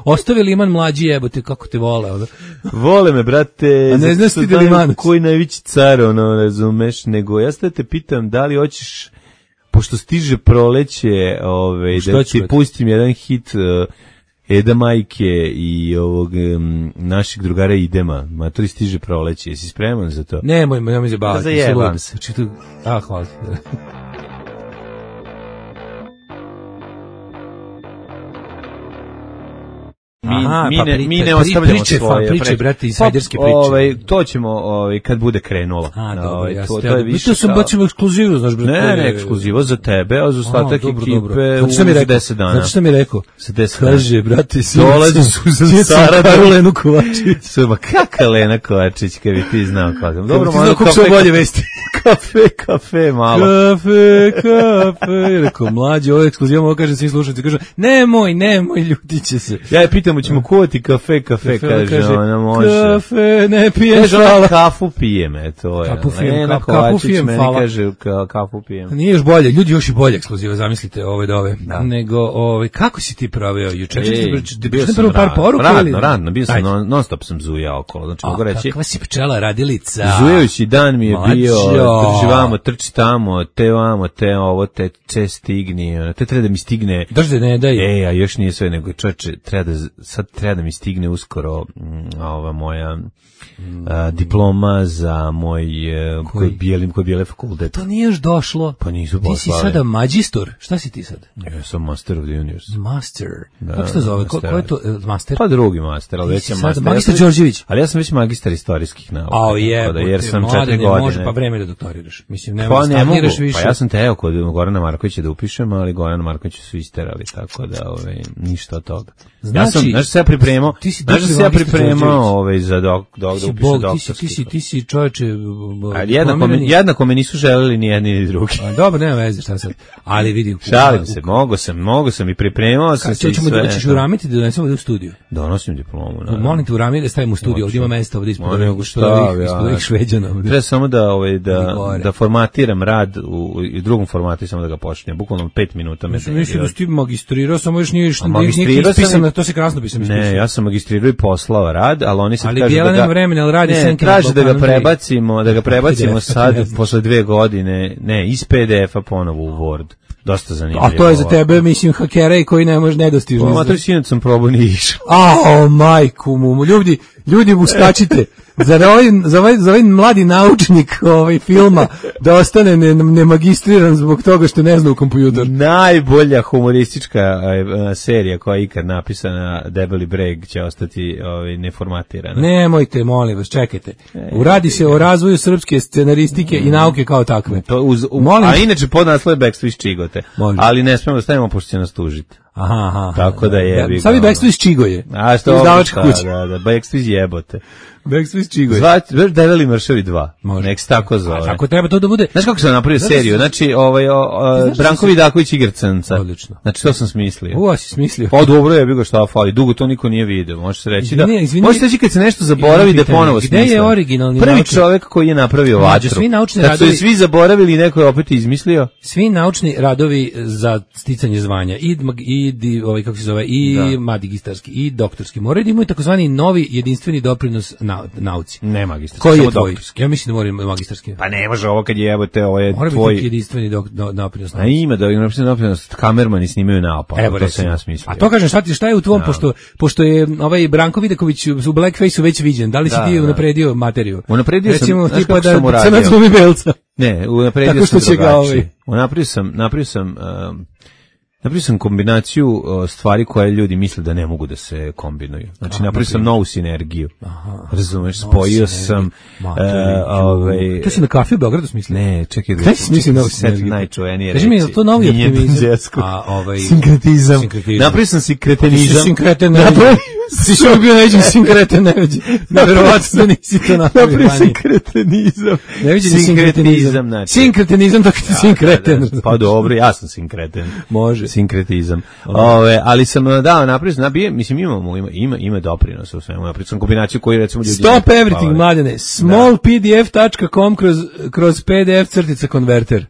Ostavi Liman mlađi, jebote, kako te vole, ono. Vole me, brate. A ne znaš ti da Liman? Koji najveći car, ono, razumeš, nego ja sad te pitam da li hoćeš, pošto stiže proleće, ovaj, da ti pustim jedan hit uh, Eda Majke i ovog um, našeg drugara Idema. Matori, stiže proleće, jesi spreman za to? Nemoj, nemoj se baviti. Da zajebam se. A, hvala ti. Mi, Aha, mi, pa ne, pri, mi ne pri, ostavljamo priče, svoje. Priče, priče, brate, insajderske priče. Ovaj, to ćemo ovaj, kad bude krenulo. A, dobro, ovaj, ja to, to, to je više kao... sam bacimo ekskluzivu, znaš, brate. Ne, ne, ekskluzivo za tebe, a za ostatak ekipe u deset dana. Znači što mi rekao? Za deset dana. Kaže, brate, dolazi Suzan Sarada. Lenu Kovačić. Suma, kaka Lena Kovačić, kad bi ti znao kako. Dobro, malo kako su bolje vesti. Kafe, kafe, malo. Kafe, kafe. Rekao, mlađe, ovo je ekskluzivo, ovo kaže svi slušalci. Kaže, nemoj, nemoj, ljudi će se. Ja je pitam, ćemo kuvati kafe, kafe, kaže, kaže ona može. Kafe, ne pijem, kaže, ona kafu pijem, eto je. Kafu pijem, Lena kafu, kafu pijem, meni hvala. kaže, ka, kafu pijem. Nije još bolje, ljudi još i bolje ekskluziva, zamislite ove dove. Da. Nego, ove, kako si ti proveo juče? Bio sam prvo par poruka radno, ili? radno, bio sam non, non stop sam zujao okolo, znači mogu reći. Kakva si pčela radilica? Zujajući dan mi je Mačo. bio, trči vamo, trči tamo, te vamo, te ovo, te, te stigni, te treba da mi stigne. Držde ne daj. E, a još nije sve, nego čoveče, treba da, sad treba da mi stigne uskoro m, ova moja a, diploma za moj koji bijelim, koji bijele fakultet. To nije još došlo. Pa nisu poslali. Ti si sada magistor. Šta si ti sad? Ja sam master of the universe. Master. Da, kako se to zove? Ko, ko je to uh, master? Pa drugi master, ali već je master. Magistar ja Đorđević. Ali ja sam već magistar istorijskih nauka. A je, da, jer sam mlade, četiri ne godine. Može, pa vreme da doktoriraš. Mislim, nema pa ne mogu, više. Pa ja sam teo kod Gorana Markovića da upišem, ali Gorana Markovića su isterali, tako da ovaj, ništa od toga. Znači, ja sam, znaš se ja pripremao, znaš se ja pripremao ovaj, za dok, dok, da upišem doktorski. Ti si, ti si čovječe... Ali jednako me, jednako me nisu želeli ni jedni ni drugi. A, dobro, nema veze, šta sad. Ali vidi... Šalim se, mogo sam, mogo sam i pripremao sam se i sve. Da ćeš uramiti da donesemo da u studiju? Donosim diplomu, naravno. Molim te uramiti da stavimo u studiju, ovdje ima mesta, ovdje ispod ovih šveđana. Treba samo da, ovaj, da, da formatiram rad u, u drugom formatu i samo da ga počnem. Bukvalno pet minuta. Mislim, mislim da si ti magistrirao, samo još nije ispisano, to se krasno pisam ispisano. Ne, ja sam magistrirao i poslao rad, ali oni sad ali kažu da ga... vremena, ali radi ne, traže da ga prebacimo, da ga prebacimo sad, posle dve godine, ne, iz P D F-a ponovo u Word. Dosta zanimljivo. A to je za tebe, mislim, hakera i koji ne može nedostižno. Pa, mater, sinac sam probao, nije išao. A, majku mu, ljudi, ljudi uskačite. Za ovaj, za, ovaj, za ovaj mladi naučnik ovaj filma da ostane ne, ne magistriran zbog toga što ne zna u kompjuter. Najbolja humoristička uh, serija koja je ikad napisana, Debeli breg, će ostati ovaj, neformatirana. Nemojte, molim vas, čekajte. Uradi se o razvoju srpske scenaristike mm. i nauke kao takve. To uz, um, a inače podnaslov je Backstreet Čigote. Može. Ali ne smemo da stavimo pošto će nas tužiti. Aha, aha. Tako da je. Da, Savi Backstreet Čigoje. A što izdavačka kuća. Da, da, Backstreet jebote. Backstreet Čigoje. Zvati, već Develi mršavi dva. Nek se tako zove. Tako treba to da bude. Znaš kako sam napravio seriju? Znači, ovaj, o, o, Branko Vidaković igra crnca. Odlično. Znači, to sam smislio. Uo, si smislio. Pa dobro je, bilo šta fali. Dugo to niko nije video. Može se reći izvini, da... Izvini, može se reći kad se nešto zaboravi da ponovo smisli. Gde je originalni Prvi naučni... čovjek koji je napravio vatru. Svi naučni kad radovi... su svi zaboravili i neko je opet izmislio. Svi naučni radovi za sticanje zvanja i, i, i ovaj, kako se zove, i da. Magisterski, i doktorski. Moraju da imaju takozvani novi jedinstveni doprinos na, nauci. Ne magistarski. Koji je tvoj? Ja mislim da moram magistarski. Pa ne može ovo kad je, evo te, ovo je mora tvoj... Mora biti jedinstveni do, do, doprinos nauci. A ima da jedinstveni doprinos, kamermani snimaju naopako. Evo, to sam ja smislio. A to kažem, šta, ti, šta je u tvom, no. pošto, pošto je ovaj Branko Vidaković u Blackfaceu već viđen, da li si da, ti da. unapredio materiju? Unapredio Recimo, sam, tipa da crnac glumi belca. Ne, unapredio sam drugačije. Unapredio sam, napravio sam... Um, Napravio sam kombinaciju uh, stvari koje ljudi misle da ne mogu da se kombinuju. Znači, napravio sam novu sinergiju. Aha, razumeš, spojio sam... Uh, ovaj, to si na kafi u Beogradu smislio? Ne, čekaj. Kaj si smislio novu sinergiju? Najčuvenije reći. Kaži mi, je to novi optimizam? A, ovaj, sinkretizam. Napravio sam sinkretenizam. Sinkretenizam. Ti si bio neđen sinkreten, neđen. Neverovatno da nisi to napravio. Napravio sinkretenizam. Neviđen sinkretenizam. Znači. Sinkretenizam, dok ti sinkreten. Da, da, pa dobro, ja sam sinkreten. Može. Sinkretizam. Ove, ali sam dao napravio, nabije, mislim imamo, ima, ima, ima doprinosa u svemu. Napravio sam kombinaciju koju recimo ljudi... Stop everything, mladene. small p d f dot com kroz, kroz p d f crtica konverter.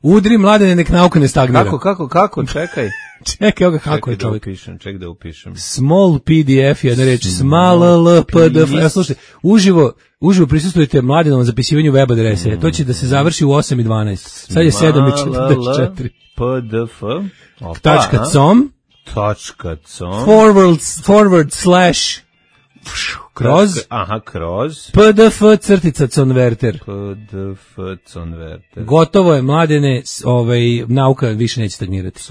Udri, mladene, nek nauka ne stagnira. Kako, kako, kako, čekaj. Čekaj, evo ga kako je čovjek. Upišem, ček da upišem. Small P D F, jedna reč, small L P D F. Ja, slušajte, uživo, uživo prisustujete mladenovom zapisivanju web adrese. Mm. To će da se završi u osam i dvanaest. Sad je sedam i četrdeset četiri. P D F. Tačka com. Tačka com. Forward, forward slash. Kroz. Aha, kroz. P D F crtica converter. P D F converter. Gotovo je, mladene, ovaj, nauka više neće stagnirati.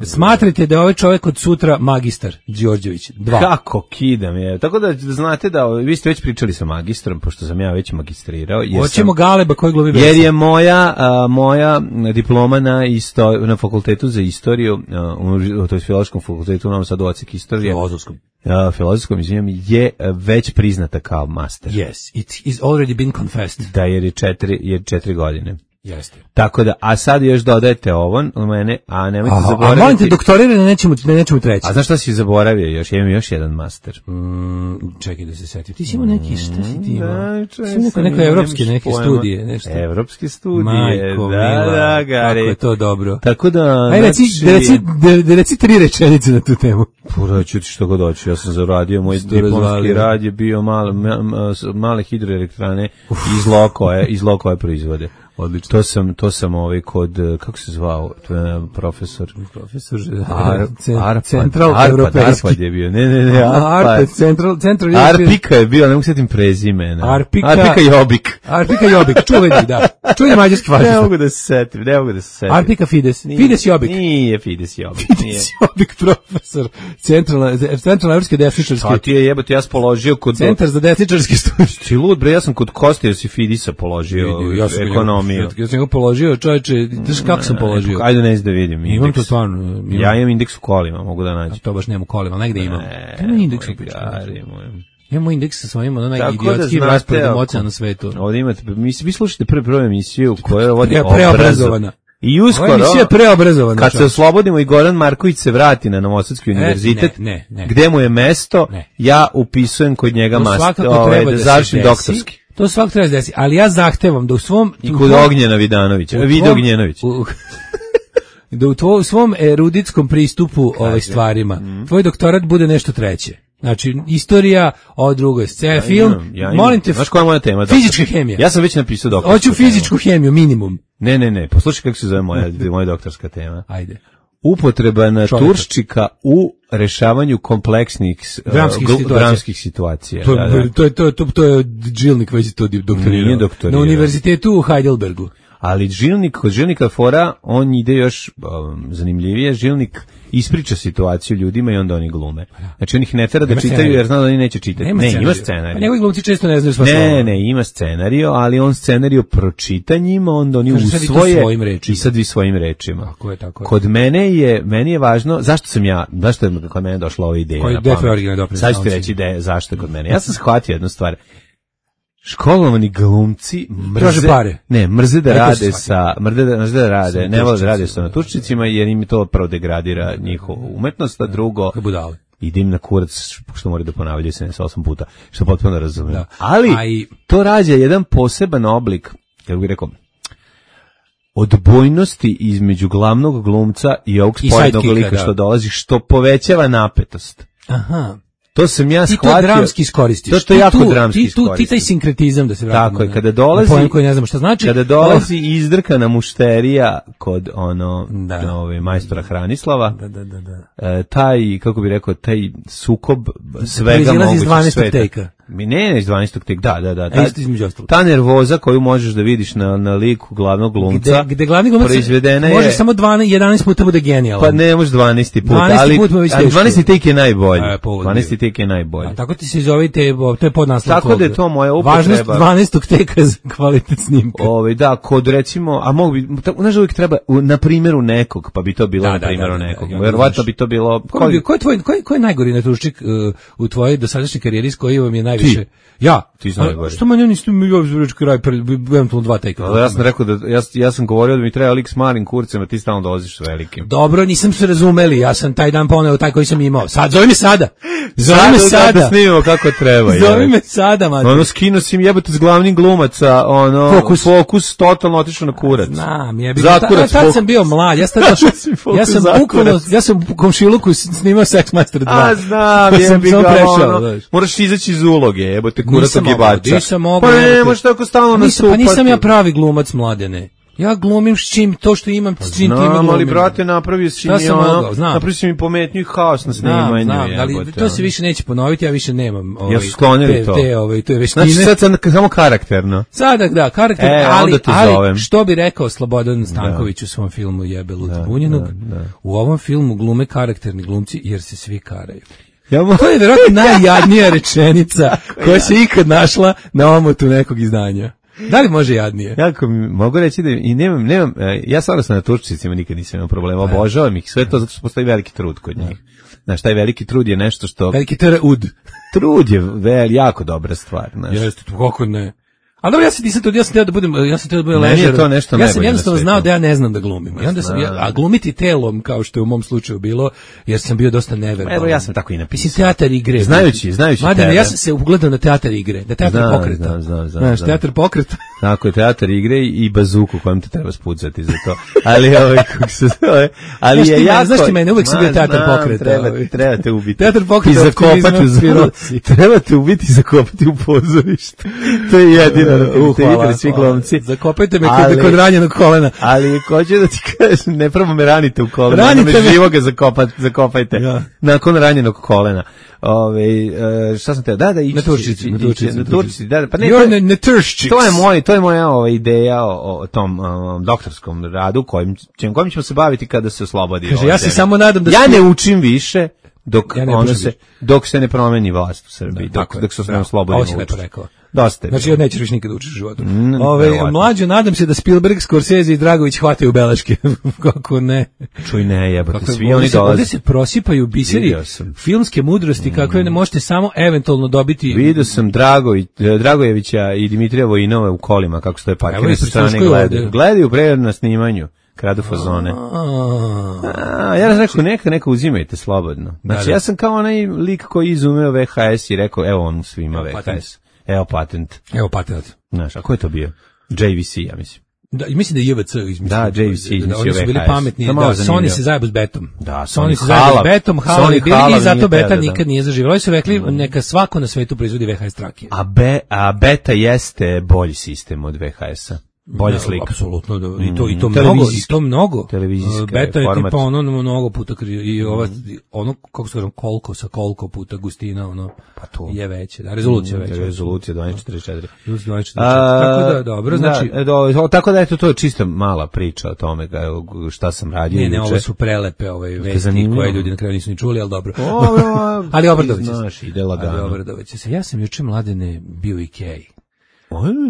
Smatrajte da je ovaj čovjek od sutra magistar, Đorđević. Dva. Kako kidam je. Tako da znate da, vi ste već pričali sa magistrom, pošto sam ja već magistrirao. Hoćemo Galeba koji glumi Besa. Jer je moja, a, moja diploma na, isto, na fakultetu za istoriju, a, to je filološkom fakultetu, u Novom Sadu, odsek istorije. Filozofskom. Uh, filozofskom, izvinjam, je već priznata kao master. Yes, it is already been confessed. Da, jer je četiri, jer četiri godine. Jeste. Tako da, a sad još dodajete ovo u mene, a nemojte a, zaboraviti... A molim te, doktorirane nećemo, nećemo treći. A znaš šta si zaboravio još? Ja imam još jedan master. Mm, čekaj da se setim. Ti si imao neki, šta si ti imao? Da, si neko, neko evropske, neke studije, nešto. Evropske studije, Majko, da, mila, da, Gari. kako je to dobro. Tako da... Aj, reci, znači, da, reci, da, da reci tri rečenice na tu temu. Pura, ću ti što god doći. Ja sam zaradio, moj diplomski rad je bio male, male hidroelektrane iz Lokove, iz Lokove proizvode. Odlično. To sam, to sam ovaj kod, kako se zvao, profesor? Profesor, Ar, Arpad, Central Arpad, Evropejski. Arpad je bio, ne, ne, ne, Arpad. Arpad, Central, Central Arpika je bio, ne mogu sjetim prezimena. Arpika, Arpika Jobik. Arpika Jobik, čuveni, da. Čuveni mađarski fašista. Ne mogu da se setim, ne mogu da se setim. Arpika Fides, Nije, Fides Jobik. Nije Fides Jobik. Fides Jobik, profesor, Centralna, Centralna Evropske desničarske. Šta ti je jebote, ja sam položio kod... Centar za desničarske studije. Ti lud, bre, ja sam kod Kostija Sifidisa položio ja ekonomiju. Ja sam ga položio, čovječe, znaš kako sam položio? Ajde, ne znam da vidim. Indeks. Imam to stvarno. Imam. Ja imam indeks u kolima, mogu da nađem. A to baš nema u kolima, negde imam. Ne, imam indeks u Imamo indeks sa svojim, onaj idiotski da rasporedom oceana na svetu. Ovdje imate, mi, vi slušate prvu prvu emisiju koja vodi ja, preobrazovana. I uskoro, emisija je preobrazovana. Kad se oslobodimo i Goran Marković se vrati na Novosadski univerzitet, e, ne, ne, ne. gde mu je mesto, ne. Ja upisujem kod njega master, ovaj, da završim doktorski. To svak treba da desi, ali ja zahtevam da u svom... I kod Ognjena Vidanovića, Vida Ognjenović. Da u, tvoj, u svom eruditskom pristupu ovaj stvarima, mm. tvoj doktorat bude nešto treće. Znači, istorija, ovo drugo je scena, ja film, imam, ja molim te, znaš koja je moja tema? Fizička hemija. Ja sam već napisao doktorsku Hoću fizičku temu. hemiju, minimum. Ne, ne, ne, poslušaj kako se zove moja, moja doktorska tema. Ajde. Upotreba naturščika u rešavanju kompleksnih dramskih, uh, situacija. dramskih situacija. To, da, da. to je to, to, to je Džilnik već to doktorirao. Nije doktorirao. Na univerzitetu u Heidelbergu. Ali Žilnik, kod Žilnika fora, on ide još um, zanimljivije. Žilnik ispriča situaciju ljudima i onda oni glume. Znači on ih ne tera da čitaju scenariju. Jer zna da oni neće čitati. Nema ne, scenariju. Ima scenariju. Pa njegovi glumci često ne znaju sva slova. Ne, ne, ima scenariju, ali on scenariju pročita njima, onda oni usvoje i sad vi svojim rečima. Tako je, tako je. Kod mene je, meni je važno, zašto sam ja, zašto je kod mene došla ova ideja na pamet? Sad ću ti reći de, zašto je kod mene. Ja sam shvatio jednu stvar. Školovani glumci mrze, pare. ne, mrze da rade sa, mrze da, mrze da rade, ne vole da rade sa naturščicima jer im to prvo degradira njihovu umetnost, a drugo ide im na kurac, što moraju da ponavljaju sedamdeset osam puta, što potpuno razumijem. Da. Ali i... to rađa jedan poseban oblik, kako bih rekao, odbojnosti između glavnog glumca i ovog sporednog lika da. Što dolazi, što povećava napetost. Aha. To sam ja shvatio. Ti to dramski iskoristiš. To, to je jako tu, dramski ti, tu, ti taj sinkretizam da se vratimo. Tako je, kada dolazi, pojem koji ne znamo šta znači. Kada dolazi izdrkana mušterija kod ono, da. Ove, majstora Hranislava, da, da, da, da. E, taj, kako bi rekao, taj sukob svega mogućeg sveta. Mi ne, ne, iz dvanaestog tek, da, da, da. Ta, isto između ostalog. Ta nervoza koju možeš da vidiš na, na liku glavnog glumca, gde, gde glavni glumac proizvedena je... Može samo dvanaest, jedanaest puta bude genijalan. Pa ne, može dvanaesti put, ali put dvanaesti tek je najbolji. E, dvanaesti tek je najbolji. A tako ti se zovite, to je podnaslov. Tako da je to moja upotreba. Važnost dvanaestog teka za kvalitet snimka. Ove, da, kod recimo, a mogu bi, znaš, uvijek treba na primjeru nekog, pa bi to bilo da, na da, primjeru da, da, nekog. da, Verovatno bi to bilo... Ko je, ko je, tvoj, ko je, ko je najgori natuščik uh, u tvojoj dosadašnjoj karijeri s koji vam je najviše... Ti. Ja. Ti si najgori. Što manje niste mi ja zvreć kraj, eventualno dva teka. Ali ja sam rekao da, ja, ja sam govorio da mi treba lik s malim kurcem, a ti stalno dolaziš s velikim. Dobro, nisam se razumeli, ja sam taj dan poneo taj koji sam imao. Sad, zove me sada. Zove me sada. Da snimimo kako treba. Zove me sada, mate. Ono skino si im jebote s glavnim glumaca, ono, fokus, fokus totalno otišao na kurac. Znam, jebi. Zakurac, tad sam bio mlad, ja sam došao, ja sam bukvalno, ja sam u komšiluku snimao Sex Master dva. A znam, jebi ga, ono, moraš izaći iz uloge, jebote, kurac ogibača. Nisam mogao. Pa ne, možeš tako stalno nastupati. Pa nisam ja pravi glumac, Mladene. Ja glumim s čim, to što imam, s čim ti mi glumim. Ali, brate, napravio si mi ono, napravio si mi pometnju i haos na snimanju. Znam, znam, ali to se više neće ponoviti, ja više nemam ovaj, ja su sklonili to. Te, ovaj, to je veštine. Znači sad sam samo karakterno. Sada, da, karakter, e, ali, ali što bi rekao Slobodan Stanković da. U svom filmu Jebe Luta Bunjenog, da, da. U ovom filmu glume karakterni glumci jer se svi karaju. Ja mo... To je vjerojatno najjadnija rečenica koja se ikad našla na omotu nekog izdanja. Da li može jadnije? Jako mi mogu reći da i nemam, nemam, ja stvarno sam na turčicima nikad nisam imao problema, obožavam ih, sve to zato što postoji veliki trud kod njih. Znaš, taj veliki trud je nešto što... Veliki trud. Trud je vel, jako dobra stvar, znaš. Jeste, kako ne. A dobro, ja sam nisam to, ja sam teo da budem, ja sam teo da budem ležer. Meni je to nešto ja sam jednostavno znao da ja ne znam da glumim. I onda sam, ja, a glumiti telom, kao što je u mom slučaju bilo, jer sam bio dosta neverbalan. Evo, ja sam tako i napisao. Mislim, teatar igre. Znajući, znajući Mada, tebe. Ja sam se ugledao na teatar igre, da teatar znam, pokreta. Znam, znam, znam. Znaš, teatar pokreta. Tako je, teatar igre i bazuku kojom te treba spucati za to. Ali, ovaj, kako se zove, ali znaš je jako... Znaš ti mene, uvek sam bio teatar pokreta. Treba, treba te ubiti. Teatar pokreta. I zakopati u zviroci. Treba te ubiti i zakopati u pozorištu. To je jedino. Uh, svi glumci. Zakopajte me ali, kod ranjenog kolena. Ali hoću da ti kažem, ne prvo me ranite u kolena, ranite me živoga zakopati, zakopajte. Ja. Nakon ranjenog kolena. Ove, šta sam te, da, da, ići. Na Turčici. Na Turčici, na Turčici, da, pa ne. Na, na Turščiks. To je moj, to je moja ova ideja o, o tom um, doktorskom radu, kojim, kojim ćemo se baviti kada se oslobodi. Kaže, ja se samo nadam da... Ja ne učim više dok, ja ne ono se, dok se ne promeni vlast u Srbiji, da, dok, dok se ne oslobodimo učiti. Ovo si lepo rekao. Dosta. Znači, ja nećeš više nikad učiš u životu. Mm, Ove, mlađo, nadam se da Spielberg, Scorsese i Dragović hvataju beleške. Kako ne? Čuj ne, jebate, svi oni dolaze. Ovdje se prosipaju biseri filmske mudrosti, kakve ne možete samo eventualno dobiti. Vidio sam Dragović, Dragojevića i Dimitrija Vojinova u kolima, kako stoje parkirane sa strane gledaju. Gledaju pre na snimanju. Kradu fazone. A, ja sam rekao, neka, neka uzimajte slobodno. Znači, da, da. Ja sam kao onaj lik koji izumeo V H S i rekao, evo on svima V H S. Evo patent. Evo patent. Znaš, a ko je to bio? J V C, ja mislim. Da, mislim da je J V C izmislio. Da, J V C izmislio da, oni su bili V H S. pametni, da, Sony se zajebo s betom. Da, Sony se zajebo s betom, Halav bili i zato beta nikad nije zaživjela. Oni su rekli, neka svako na svetu proizvodi V H S trake. A, be, a beta jeste bolji sistem od V H S-a. Bolja slika. Apsolutno, da, i to i to mnogo, i to mnogo. Televizijska beta je format. tipa ono mnogo puta i ova ono kako se kaže koliko sa koliko puta gustina ono pa to je veće, da rezolucija mm, veća. Rezolucija dvanaest četrdeset četiri. dvanaest četrdeset četiri. Tako da dobro, znači da, do, tako da eto to je čisto mala priča o tome šta sam radio. Ne, ne, ovo su prelepe ove vesti koje ljudi na kraju nisu ni čuli, al dobro. Ali Obradović, znaš, ide lagano. Ali Obradović, ja sam juče Mladene bio u Ikei.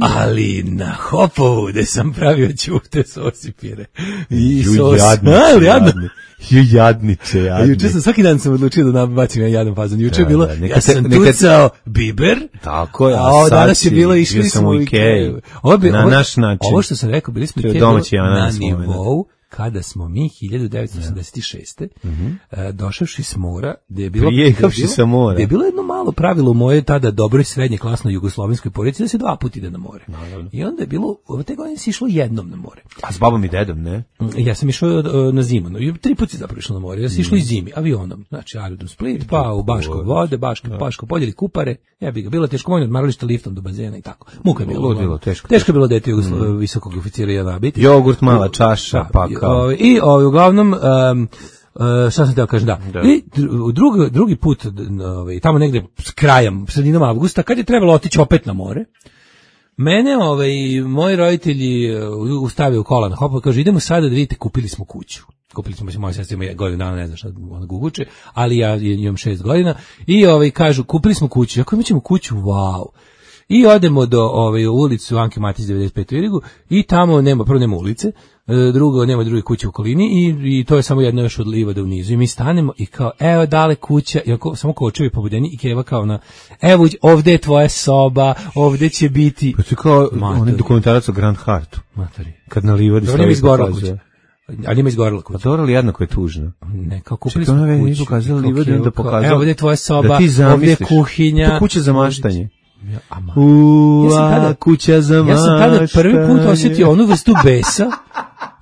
Ali na Hopovu gde sam pravio ćute sosipire i sos. Ali jadni. Ju jadniče, jadni. Juče sam svaki dan sam odlučio da nabacim ja jadan fazon. Juče je bilo, ja sam tucao biber. Tako je. A ovo danas je bilo, išli smo u Ikeju. Na naš način. Ovo što sam rekao, bili smo u Ikeju na nivou kada smo mi hiljadu devetsto osamdeset šeste Mm-hmm. Uh, došavši s mora, gde je bilo, Prijekavši sa mora. Gde je bilo jedno malo pravilo u moje tada dobroj srednje klasnoj jugoslovenskoj porodici da se dva puta ide na more. Naravno. I onda je bilo, ove te godine se išlo jednom na more. A s babom i dedom, ne? Ja sam išao uh, na zimu, no, tri puta si zapravo išao na more. Ja sam mm. išao i zimi, avionom. Znači, aerodrom Split, pa u Baško vode, Baško, no. Baško polje ili Kupare. Ja bih ga bilo teško, moj odmaralište liftom do bazena i tako. Muka je bilo. bilo teško. Teško je bilo dete Jugoslo- mm. visokog oficira jedna biti. Jogurt, mala čaša, pa kao. I ovi, uglavnom, um, Uh, šta sam teo kažem, da. da. I drugi, drugi put, ovaj, tamo negde s krajem, sredinom avgusta, kad je trebalo otići opet na more, mene, ovaj, moji roditelji ustavio kola na hopu, kaže, idemo sada da vidite, kupili smo kuću. Kupili smo, moja sestra ima godinu dana, ne znam šta ona guguče, ali ja imam šest godina, i ovaj, kažu, kupili smo kuću, ako imat ćemo kuću, wow. I odemo do ovaj, ulicu Anke Matić devedeset pet u Irigu i tamo nema, prvo nema ulice, drugo nema druge kuće u okolini i, i to je samo jedno još od livada u nizu i mi stanemo i kao evo dale kuća i ako, samo kočevi pobudeni i Keva kao na evo ovde je tvoja soba, ovde će biti pa to kao onaj dokumentarac o Grand Hartu Matori. Kad na livadi stavi izgorela kuća. Ali ima izgorela kuća. Pa dobro li jednako je tužno? Ne, kao kupili smo kuću. Nisu pokazali livadi, onda pokazali. Evo ovde je tvoja soba, da ovde je kuhinja. To kuća za maštanje. Ja, ama. Ua, ja tada, kuća za maštanje. Ja sam tada prvi put osjetio onu vrstu besa,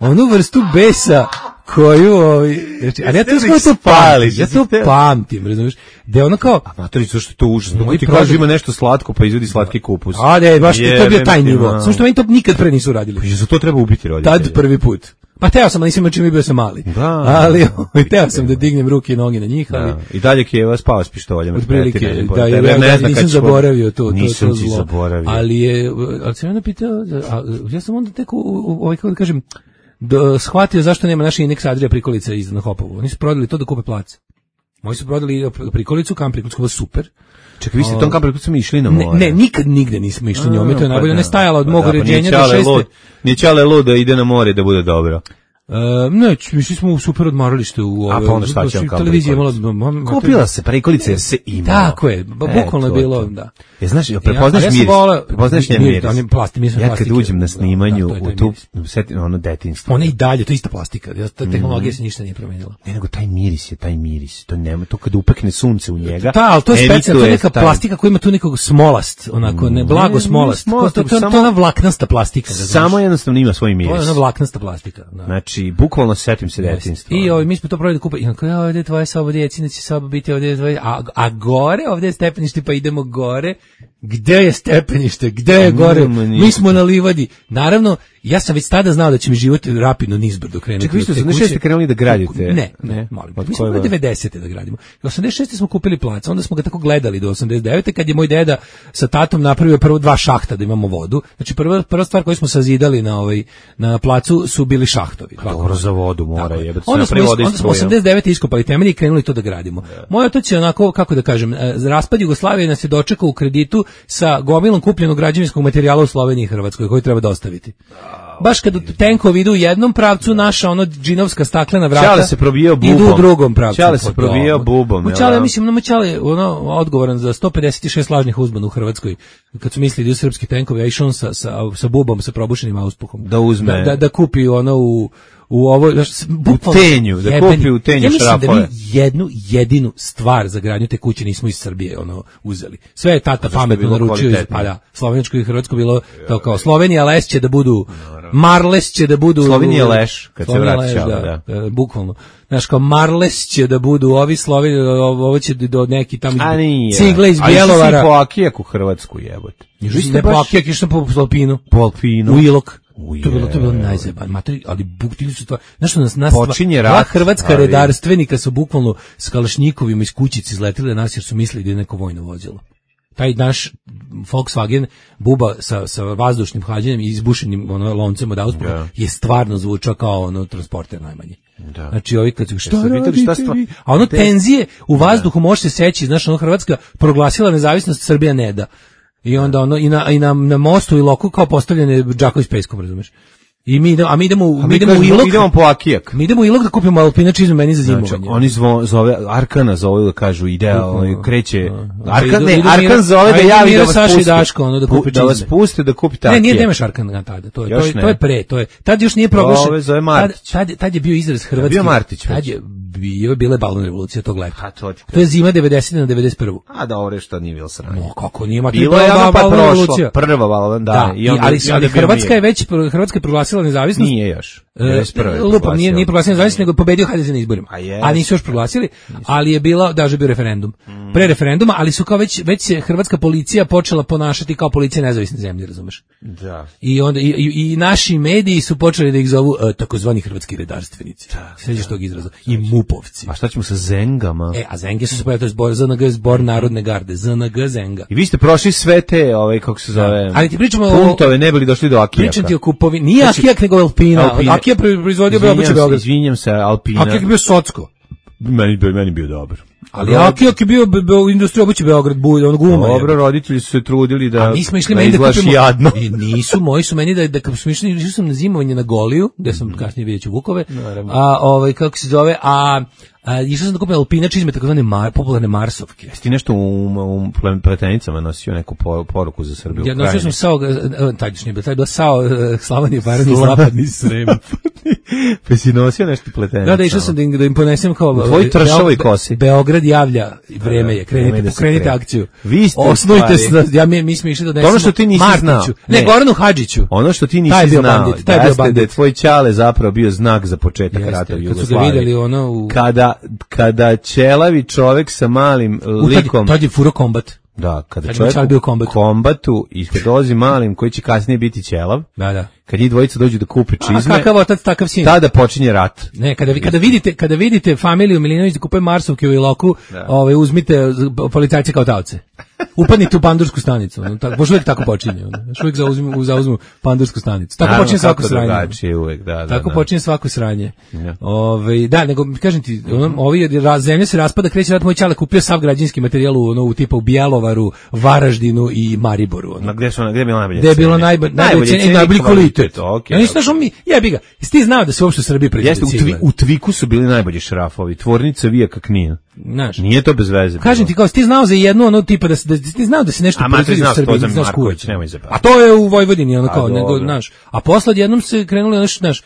onu vrstu besa koju, ovaj, ali ja to to pamtim, ja to pamtim, razumiješ, da je ono kao... A matori, zašto je to užasno, dok ti kaže ima nešto slatko, pa izvodi slatki kupus. A ne, baš to je bio taj nivo, samo što meni to nikad pre nisu radili. Pa za to treba ubiti roditelje. Tad prvi put. Pa teo sam, ali nisam čim bio sam mali. Da, ali teo sam da dignem ruke i noge na njih, ali da. I dalje Keva spava s pištoljem. Otprilike, da, ja, ja, ja nisam zaboravio to, nisam to, to ti zaboravio. Ali je, ali sam onda pitao, a, ja sam onda tek, ovaj, kako da kažem, do, shvatio zašto nema naše indeks Adrija prikolica iz na Hopovu. Oni su prodali to da kupe plac. Moji su prodali prikolicu, kam prikolicu, super. Čekaj, vi ste tom kam prikolicu išli na more? Ne, ne, nikad nigde nismo išli njome, to je najbolje, ne stajala od mog uređenja do šeste. Nije Čale lud da ide na more da bude dobro. Uh, ne, mišli smo u super odmaralište u ove, a pa onda šta će vam kao televizija malo, kupila se prikolica jer se ima. Tako je, bukvalno je bilo, da. Je, znaš, prepoznaš ja, miris, prepoznaš njen miris. Ja kad uđem na snimanju da, da, u tu, setim ono detinjstvo. Ona i dalje, to je ista plastika, ta tehnologija mm. se ništa nije promenila. Ne, nego taj miris je, taj miris, to nema, to kad upekne sunce u njega. Da, ali to je specijalno, to je neka taj... plastika koja ima tu nekog smolast, onako, ne, blago smolast. To, to, to, to je ona vlaknasta plastika. Samo jednostavno ima svoj miris. To je ona vlaknasta plastika. Znači, bukvalno setim se detinjstva. I ovaj mi smo to probali da kupe. I onako, ja, ovdje je tvoja soba, djecina će soba biti ovdje, tvoje, a, a gore, ovdje je stepenište, pa idemo gore. Gde je stepenište? Gde je gore? Mi smo na livadi. Naravno, ja sam već tada znao da će mi život rapidno nizbrdo krenuti. Čekaj, vi ste osamdeset šeste krenuli da gradite? Ne, ne, molim. Mi smo devedesete da gradimo. osamdeset šeste smo kupili plac, onda smo ga tako gledali do osamdeset devete kad je moj deda sa tatom napravio prvo dva šahta da imamo vodu. Znači prva prva stvar koju smo sazidali na ovaj na placu su bili šahtovi. Dobro za vodu mora je. Onda smo onda smo osamdeset devete iskopali temelje i krenuli to da gradimo. Moj otac je onako, kako da kažem, raspad Jugoslavije nas je dočekao u kreditu sa gomilom kupljenog građevinskog materijala u Sloveniji i Hrvatskoj koji treba dostaviti. Baš kad tenkovi idu u jednom pravcu, naša ono džinovska staklena vrata Čale se probijao bubom. Idu u drugom pravcu. Čale se probijao bubom. Čale, mislim, no Čale ono odgovoran za sto pedeset šest lažnih uzbuna u Hrvatskoj. Kad su mislili da idu srpski tenkovi, a išao on sa, sa, sa bubom, sa probušenim auspuhom. Da uzme. Da, da, da kupi ono u u ovo u tenju, da kupi u tenju ja šrafove. Da mi jednu jedinu stvar za gradnju te kuće nismo iz Srbije ono uzeli. Sve je tata pametno naručio iz, pa da, slovensko i hrvatsko bilo to kao Slovenija les će da budu Marles će da budu Slovenija leš kad se vraća, da, da. E, bukvalno. Znaš kao Marles će da budu ovi Sloveni, ovo će do neki tamo cigle iz Bjelovara. A i po Akijaku Hrvatsku jebote. Ne po Akijaku, išao po Alpinu. Po Alpinu. U Ilok. Uje. To je bilo, to je bilo najzajeban materi, ali buktili su to. Znaš što nas, nas počinje rat, hrvatska ali... redarstvenika su bukvalno s kalašnjikovima iz kućice izletili na nas jer su mislili da je neko vojno vozilo. Taj naš Volkswagen buba sa, sa vazdušnim hlađenjem i izbušenim ono, loncem od auspuha yeah. je stvarno zvučao kao ono transporter najmanje. Da. Znači ovi kad su šta ja radite šta stva... A ono te... tenzije u vazduhu da. Može se seći, znaš, ono Hrvatska proglasila nezavisnost, Srbija ne da. I onda ono i na i na, na mostu i loku kao postavljene džakovi s peskom, razumeš? I mi idemo, a mi idemo, a mi idemo u Ilok. Idemo po Akijak. Mi idemo u Ilok da kupimo Alpina čizmu meni za zimovanje. Znači, oni zvo, zove Arkana zove da kažu ide, on kreće. Arkan ne, Arkan zove da javi da vas pusti. Daško, ono da kupi da vas puste da kupite Akijak. Ne, nije nemaš Arkan tada, to je to je, to je pre, to je. Tad još nije proglašen. Ove zove Martić. Tad, tad je bio izraz hrvatski. Bio Martić. Tad je bio bile balon revolucija tog leta. A to, to je zima devedesete na devedeset prvu. A dobro što nije bilo sranje. No kako nije Martić. Bilo je pa prošlo. Prva balon, da. I ali ali Hrvatska je već Hrvatska je proglasila nezavisnost. Nije još. Uh, Lupom nije, nije proglasio nezavisnost, nego je pobedio H D S na izborima. A, yes. a nisu još proglasili, ali je bilo, da je bio referendum. Mm. Pre referenduma, ali su kao već, već se hrvatska policija počela ponašati kao policija nezavisne zemlje, razumeš? Da. I onda i, i, i naši mediji su počeli da ih zovu uh, takozvani hrvatski redarstvenici. Sećaš tog izraza? I mupovci. A šta ćemo sa zengama? E, a zenge su se pojavili, to je zbor, Z N G, zbor narodne garde, Z N G zenga. I vi ste prošli sve te, ovaj, kako se zove, ali ti pričamo puntove, ne bili došli do Akijaka. Pričam ti o kupovi, nije znači, Akijak nego Alpina. Alpine. Akija proizvodio bio obično Beograd. Izvinjam se, Alpina. Akijak je bio Socko. Meni, meni bio dobar. Ali Akijak je bio be, be, u industriji obuće Beograd, bulj, on guma. Dobro, je. Roditelji su se trudili da, a mi smo išli da izgledaš da jadno. I nisu, moji su meni da, da kad smo išli, išli sam na zimovanje na Goliju, gde sam mm. kasnije vidjet ću Vukove, naravno. A ovaj, kako se zove, a... A, išao sam da kupim Alpina čizme, takozvane mar, popularne Marsovke. Jesi ti nešto u, u pletenicama nosio neku poruku za Srbiju? Ja nosio sam sao, taj još nije bilo, taj je bila sao Slavonije Baranje, Zapadni Srem. Pa si nosio nešto pletenica? Da, da, išao sam da im, da im ponesem kao... Tvoj tršovi kosi. Beograd javlja, vreme je, krenite, vreme pokrenite akciju. Vi ste osnujte se, ja, mi, mi smo išli da donesemo ono što ti nisi Martiću. Znao. Ne, ne, Goranu Hadžiću. Ono što ti nisi znao, jeste da je tvoj ćale zapravo bio znak za početak rata u Jugoslaviji. Kad su ga vidjeli ono u... Kada, kada ćelavi čovjek sa malim likom... Tad je furo kombat. Da, kada čovjek u kombatu. kombatu i kad dolazi malim koji će kasnije biti ćelav, da, da. Kad njih dvojica dođu da kupe čizme, a kakav otac, takav sin. Tada počinje rat. Ne, kada, kada, vidite, kada vidite familiju Milinović da kupuje Marsovke u Iloku, ovaj, uzmite policajce kao taoce. Upadnite u pandursku stanicu. No, tako, boš uvijek tako počinje. Još uvijek zauzmu, zauzmu pandursku stanicu. Tako počinje svako sranje. Uvijek, da, da, tako da. počinje svako sranje. Ja. Ove, da, nego, kažem ti, on, ovi zemlja se raspada, kreće rat, moj ćale kupio sav građanski materijal u, ono, u tipa u Bjelovaru, Varaždinu i Mariboru. Ono. Na gde su gde je bilo najbolje? Gde je bilo najbolje, najbolje cene i najbolji kvalitet. Okay, ja nisam okay. mi, jebi ga. Jesi ti znao da se uopšte u Srbiji proizvodi cigle? Jeste, u, u Tviku su bili najbolji šrafovi. Tvornica Vijaka Knin. Znaš, nije to bez veze. Kažem ti kao, ti znao za jednu ono tipa da se da ti znao da se nešto proizvodi u Srbiji, znaš Marković, nemoj se. A to je u Vojvodini ono kao, nego znaš. A posle jednom se krenuli ono znaš,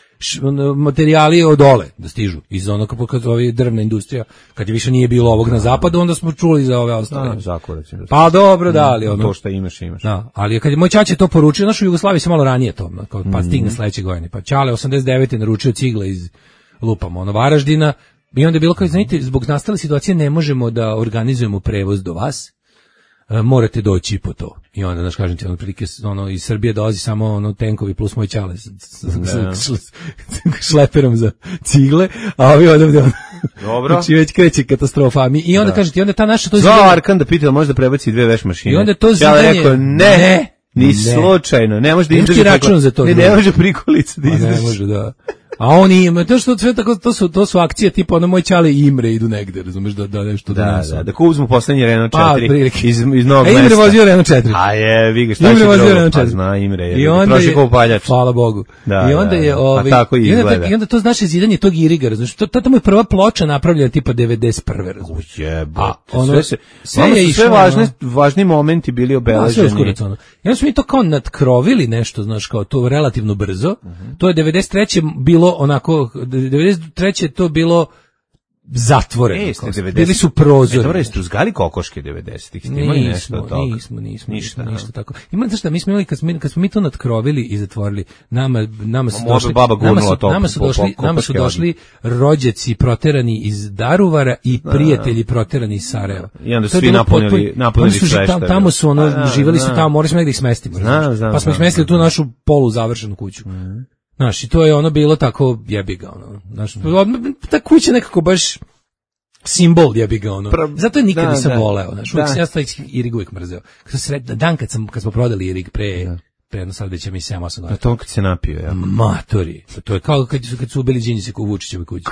materijali od dole da stižu iz onog kad ovi drvna industrija, kad je više nije bilo ovog na zapadu, onda smo čuli za ove ostale. Da, zakoraci. Pa dobro, da, ali ono to što imaš, imaš. Da, ali kad je moj ćaća to poručio, naš u Jugoslaviji se malo ranije to, kao pa stigne sledeće godine. Pa ćale osamdeset devete naručio cigle iz lupamo ono Varaždina. I onda je bilo kao, znate, zbog nastale situacije ne možemo da organizujemo prevoz do vas, e, morate doći po to. I onda, znaš, kažem ti, ono, prilike, ono, iz Srbije dolazi samo ono, tenkovi plus moj ćale s, s, s, s šleperom za cigle, a ovi odavde, ono, dobro. Znači već kreće katastrofa. A mi, I onda, kažem ti, onda ta naša... to Zvao Arkan da pita da može da prebaci dve veš mašine. I onda to zidanje... Ja rekao, ne, ne, ni ne. Slučajno, ne može da izdrži račun za to. Ne, ne može prikolica da izdrži. Ne može, da. A oni ima, to što sve tako, to su to su akcije tipa ono moj ćale i Imre idu negde, razumeš, da da nešto da donesu. Da, da, da uzmu poslednji Renault četiri pa, iz iz Novog Mesta. Imre vozio Renault četiri. A je, vi ga šta Imre vozio Renault četiri. Pa zna Imre, je. I onda troši kao paljač. Hvala Bogu. Da, I onda je ovaj pa tako i izgleda. I onda to znači zidanje tog iriga, razumeš. To tamo je prva ploča napravljena tipa devedeset prve, razumeš. Jebote. Sve se sve je sve važne važni momenti bili obeleženi. Ja smo mi to kao natkrovili nešto, znaš, kao to relativno brzo. To je devedeset treće bilo onako devedeset treće je to bilo zatvoreno. E, bili su prozori. Dobro, jeste uzgali kokoške devedesetih. Ste imali nešto od toga? Nismo, nismo, ništa, ništa tako. Ima znaš šta, mi smo imali kad smo, kad smo mi to natkrovili i zatvorili, nama, nama su došli, nama su, nama su došli, nama su došli rođaci proterani iz Daruvara i prijatelji proterani iz Sarajeva. I onda su svi napunili, napunili sve što. Tamo su ono, živeli su tamo, morali smo negdje ih smestimo. Pa smo ih smestili tu našu polu završenu kuću. Znaš, i to je ono bilo tako jebiga, ono, znaš, ta kuća nekako baš simbol jebiga, ono, zato je nikad da, nisam da, voleo, znaš, uvijek sam ja taj Irig uvijek mrzeo. Kad sred, dan kad, sam, kad smo prodali Irig pre, da. pre jedno sad već ja mi sedam osam godina. Na tom kad se napio, ja. Matori, to je kao kad su, kad su ubili Đinđića u Vučićevoj kući.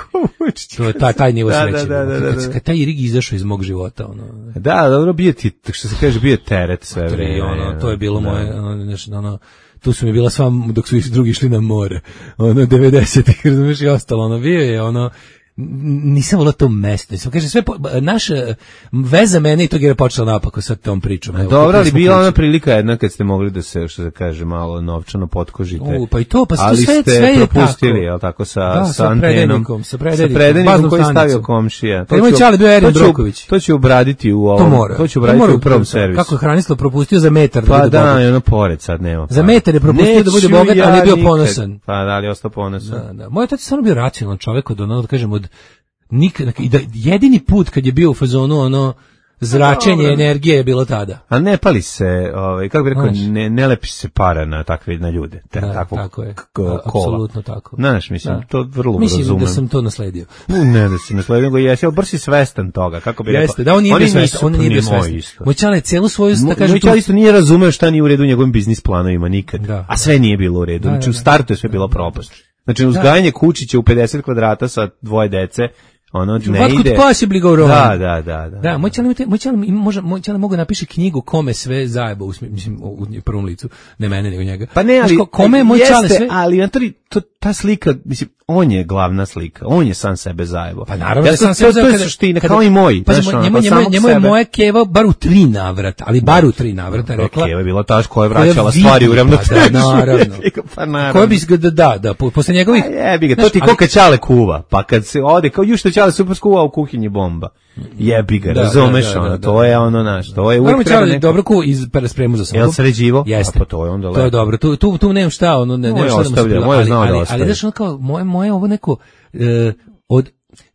To je taj, taj nivo sreće. Da, da, da, da, da. Kad, kad taj Irig izašao iz mog života, ono. Da, dobro, bio ti, što se kaže, bio teret sve vreme. Ono, to je bilo da. moje, ono, nešto, ono, tu su mi bila sva dok su drugi išli na more, ono devedesetih, razumiješ, i ostalo, ono bio je ono nisam volao to mesto. Nisam, kaže, sve, po, naša veza mene i tog je počela napako sa tom pričom. Evo, dobro, ali bila ona prilika jedna kad ste mogli da se, što se kaže, malo novčano potkožite. U, pa i to, pa ali sve, ste sve je propustili, je li tako, sa, da, sa, sa antenom. Sa predajnikom, sa predajnikom koji je stavio komšija. To, to, ću, bio Erin Broković. to će obraditi u ovom, to, mora. to će obraditi to u prvom servisu. Kako je Hranislav propustio za metar da pa bude da, bogat. Pa da, ono pored sad nema. Pa. Za metar je propustio da bude bogat, ali je bio nikad. ponosan. Pa da, ali je ostao ponosan. Da, da. Moj otac je stvarno bio racionalan čovjek od ono, da kažem, od nikad, i da jedini put kad je bio u fazonu ono zračenje no, energije je bilo tada. A ne pali se, ovaj kako bih rekao, ne ne lepi se para na takve na ljude, te, da, takvog tako je. kola. Apsolutno tako. Znaš, mislim, da. To vrlo mislim razumem. Mislim da sam to nasledio. Ne, da si nasledio, nego jesi, ali brsi svestan toga, kako bih rekao. Jeste, da on nije bio svestan, on nije bio svestan. Moj čale celu svoju, da kažem, moj čale isto nije razumeo šta nije u redu u njegovim biznis planovima nikad, da, a sve nije bilo u redu. Da, znači, da, da, u startu je sve bilo propast. Znači, uzgajanje kučića u pedeset kvadrata sa dvoje dece, ono ne What ide. Possibly go wrong. Da, da, da, da. Da, moj čale, moj čale može, moj čale mogu napiše knjigu kome sve zajeba, u mislim u prvom licu, ne mene nego njega. Pa ne, ali Znaš, kome je moj jeste, čale sve? Ali Antoni, to ta slika, mislim, on je glavna slika, on je sam sebe zajebao. Pa naravno ja, da sam sebe zajebao. To je suština, kao i moj. Pa njemu, njemu, njemu je moja keva bar u tri navrata, ali bar u tri navrata rekla. Keva je bila ta koja je vraćala stvari u ravnotežu. Pa naravno. Pa naravno. Koja bi da, da, da, posle njegovih... Jebi ga, to ti ko kad Ćale kuva, pa kad se ode, kao ju što Ćale super skuva u kuhinji bomba. Jebi ga, razumeš, ono, to je ono naš, to je uvijek treba neko... dobro ku iz spremu za sobom. Jel sređivo? Jeste. A pa to je onda lepo. To je dobro, tu, tu, tu nemam šta, ono, ne, ne šta da mu se bilo, ali, ali, ali znaš, ono kao, moje, moje ovo neko, uh, od,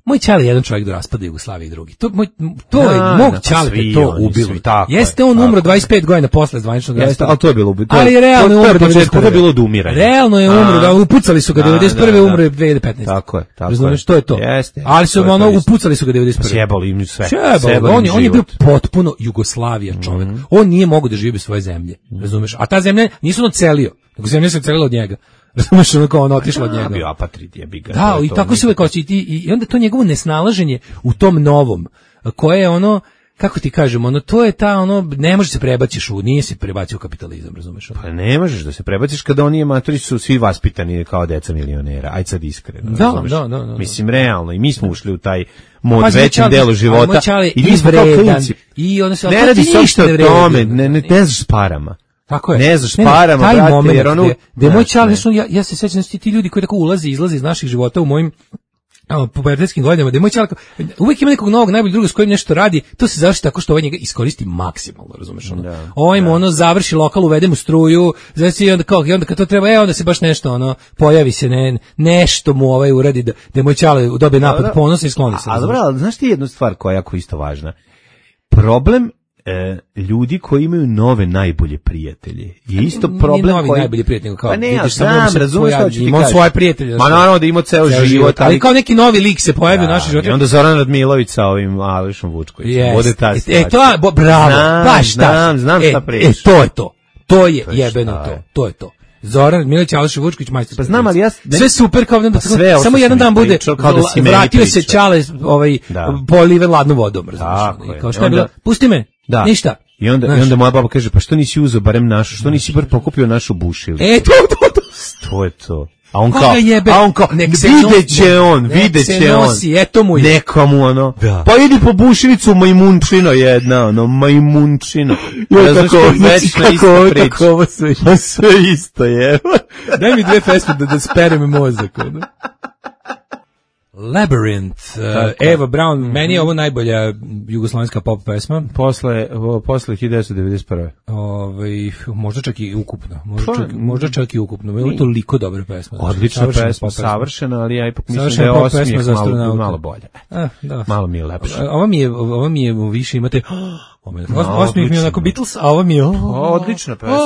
moj čale je jedan čovjek do raspada Jugoslavije i drugi. To, moj, to je, da, mog da, čale te to ubilo. Svi, tako Jeste, on umro dvadeset pet godina posle zvaničnog raspada. Ali to je bilo ubilo. Ali realno je umro devedeset prve. To je bilo od umiranja. Realno je umro, da upucali su ga devedeset prve. umro je dve hiljade petnaeste. Tako je, tako je. Što je to? Jeste. Ali su ono upucali su ga devedeset prve. Sjebali im sve. Sjebali, on je on je bio potpuno Jugoslavija čovjek. On nije mogao da živi bez svoje zemlje. Razumeš? A ta zemlja nisu on celio, nego zemlja se celila od njega. Razumeš, ono kao ono otišlo od njega. Bio apatrid, jebi ga. Da, i tako se uvek osjeti. I onda to njegovo nesnalaženje u tom novom, koje je ono, kako ti kažem, ono, to je ta, ono, ne možeš se prebaciš u, nije se prebacio u kapitalizam, razumeš? Pa ne možeš da se prebaciš kada oni amatori su svi vaspitani kao deca milionera, aj sad iskreno, da, razumeš? Da, da, da. Mislim, realno, i mi smo ušli u taj mod većem delu života. I mi smo kao klinci. I onda se, ne radi se uopšte o tome, ne, ne, ne znaš s parama. Tako je. Ne znaš parama, taj brate, moment jer ono... Gde moj čale, ja, ja se sećam ti, ti ljudi koji tako ulaze i izlaze iz naših života u mojim pubertetskim godinama, da moj čale, uvijek ima nekog novog najboljeg druga s kojim nešto radi, to se završi tako što ovaj njega iskoristi maksimalno, razumeš ono. Da, ovaj mu ono završi lokal, uvede mu struju, znači i onda kao, i onda kad to treba, e, onda se baš nešto ono, pojavi se ne, nešto mu ovaj uradi da, da moj čale dobije napad ponosa i skloni se. A dobro, ali znaš ti jednu stvar koja je jako isto važna? Problem E, ljudi koji imaju nove najbolje prijatelje. Je isto problem Nije novi koji... najbolji prijatelj, kao pa ne, vidiš, znam, razumeš što ću ti imao svoje prijatelje. Ma naravno da imao ceo, ceo život, život, ali kao neki novi lik se pojavi u našem životu. I onda Zoran Radmilović sa ovim Alešom Vučkovićem. Yes. Bude ta e, to je, bo, bravo, znam, baš ta. Znam, znam e, šta pričaš. E, to je to. To je jebeno to. To je to. Zoran Milić, Aleš Vučković, majstor. Pa znam, ali ja sve super kao da pa samo jedan dan bude kao da si vratio se Ćale ovaj poliven ladnom vodom, razumiješ. Kao šta je bilo? Pusti me. Da. Ništa. I onda, i onda moja baba kaže, pa što nisi uzeo barem našu, što nisi bar pokupio našu bušilicu? E, to, to, to. To je to. A on Koga kao, jebe? a on kao, vidjet će on, vidjet će on. Eto mu je. Neka mu ono, da. Pa idi po bušilicu majmunčino jedna, ono, majmunčino. Ja, kako, znači, kako, kako ovo sve, sve isto je. Daj mi dve pesme da, da sperem mozak, ono. Labyrinth, uh, Eva Braun, mm-hmm. Meni je ovo najbolja jugoslovenska pop pesma. Posle, posle hiljadu devetsto devedeset prve. Ovaj, možda čak i ukupno, možda čak, možda čak i ukupno. Ovo je toliko dobra pesma. Odlična pesma, pesma, savršena, ali ja ipak mislim da je osmijeh malo, malo bolje. A, da. Malo mi je lepše. Ovo mi je, ovo mi je više imate... Osmijeh mi je onako Beatles, a ovo mi je... Odlična pesma.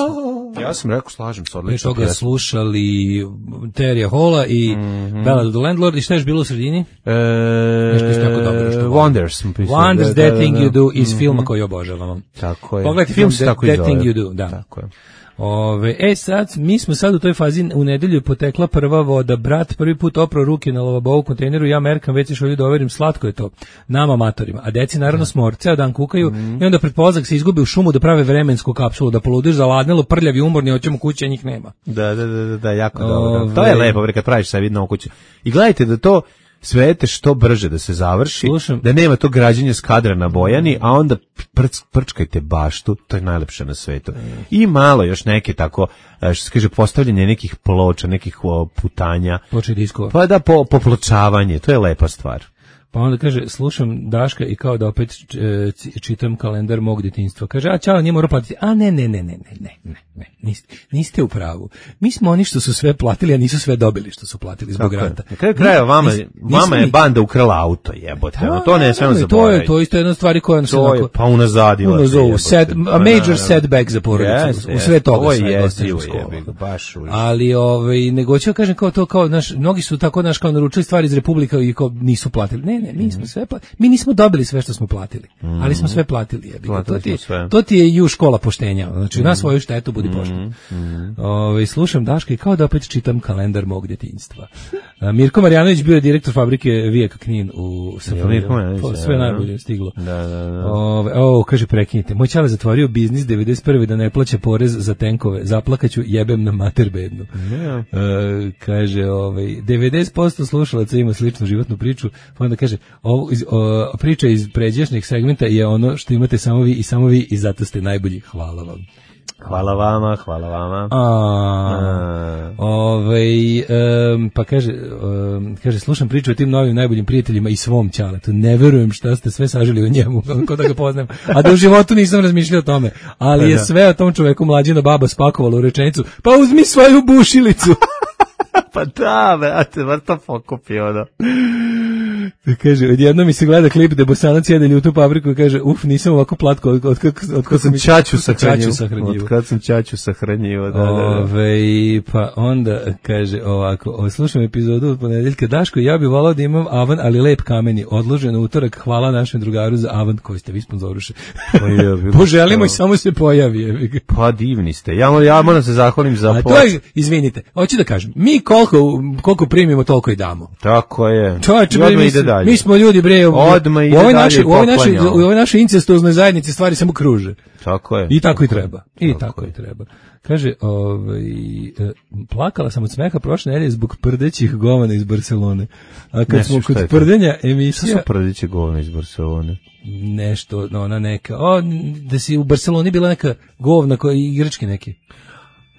Ja sam rekao, slažem se, odlično. Mi toga slušali Terija Halla i mm-hmm. Ballad of the Landlord i šta je bilo u sredini? E, Nešto isto tako dobro. Što Wonders. Wonders, da, That da, Thing da, You Do iz mm-hmm. filma koji obožavamo. Tako je. Pogledajte film That, that Thing You Do. Da. Tako je. Ove, e sad, mi smo sad u toj fazi, u nedelju potekla prva voda, brat prvi put oprao ruke na lavabovu kontejneru, ja merkam, već još ovdje doverim, slatko je to, nama amatorima, a deci naravno smor, ceo dan kukaju mm. i onda pred polazak se izgubi u šumu da prave vremensku kapsulu, da poludiš zaladnelo, prljavi, umorni, hoćemo kući, a njih nema. Da, da, da, da, jako Ove... dobro. To je lepo, kad praviš sad vidno kuću. I gledajte da to svete što brže da se završi, slušam, da nema to građenje s kadra na Bojani, a onda prc, prčkajte baštu, to je najlepše na svetu. I malo još neke tako, što se kaže, postavljanje nekih ploča, nekih putanja. Ploče diskova. Pa da, po, popločavanje, to je lepa stvar. Pa onda kaže, slušam Daška i kao da opet čitam kalendar mog djetinjstva. Kaže, a čao, nije morao platiti. A ne, ne, ne, ne, ne, ne, ne, niste, niste u pravu. Mi smo oni što su sve platili, a nisu sve dobili što su platili zbog rata. Na kraju kraja vama, nis, vama je banda ukrala auto, jebote. Pa, to ne smemo zaboraviti. To je, to isto jedna stvari koja nas to je, pa unazadila. Unazovu, set, a major setback za porodicu. Yes, u sve toga sve je baš ali, ovaj, nego ću kažem kao to, kao, naš, mnogi su tako, naš, kao naručili stvari iz Republika i kao nisu platili. Ne, ne, mi smo sve platili. Mi nismo dobili sve što smo platili, mm. ali smo sve platili. To ti, to ti je ju škola poštenja. Znači, mm. na svoju štetu budi pošten. Mm. Ove, slušam Daška i kao da opet čitam kalendar mog djetinjstva. Mirko Marjanović bio je direktor fabrike Vijeka Knin u Srpnju. Sve najbolje stiglo. Da, da, da. Ove, o, kaže, prekinite. Moj čale zatvorio biznis devedeset prve da ne plaća porez za tenkove. Zaplakaću, jebem na mater bednu. Yeah. E, kaže, ovaj, devedeset posto slušalaca ima sličnu životnu priču, pa onda kaže, ovo, iz, o, priča iz pređašnjeg segmenta je ono što imate samo vi i samo vi i zato ste najbolji. Hvala vam. Hvala vama, hvala vama. A, A. Ovaj, um, pa kaže, um, kaže, slušam priču o tim novim najboljim prijateljima i svom ćaletu. Ne verujem šta ste sve sažili o njemu, kako da ga poznajem. A da u životu nisam razmišljao o tome. Ali da, je sve o tom čoveku mlađina baba spakovala u rečenicu. Pa uzmi svoju bušilicu. Pa da, brate, var to pokupi, ono. Kaže, odjedno mi se gleda klip da Bosanac jede ljutu papriku i kaže, uf, nisam ovako platko od, od, od, od, od sam čaču sahranjivo. Od kad sam čaču sahranjivo, da, da, da. Ove, pa onda, kaže ovako, slušam epizodu od ponedeljka, Daško, ja bih volao da imam avan, ali lep kameni, odložen u utorak, hvala našem drugaru za avan koji ste vi sponzoruše. Poželimo i samo se pojavi. Pa divni ste, ja, ja moram se zahvalim za pomoć. Izvinite, hoću da kažem, mi koliko, koliko primimo, toliko i damo. Tako je. Čovječe, mi smo ljudi, bre, u ovoj našoj u ovoj našoj u ovoj našoj incestuoznoj zajednici stvari samo kruže. Tako je. I tako i treba. I tako, tako i treba. Kaže, ovaj, plakala sam od smeha prošle nedelje zbog prdećih govana iz Barcelone. A kad ne, smo kod prdenja emisija... Šta su prdeće govana iz Barcelone? Nešto, no, ona neka... O, da si u Barceloni bila neka govna, koja, igračke neke.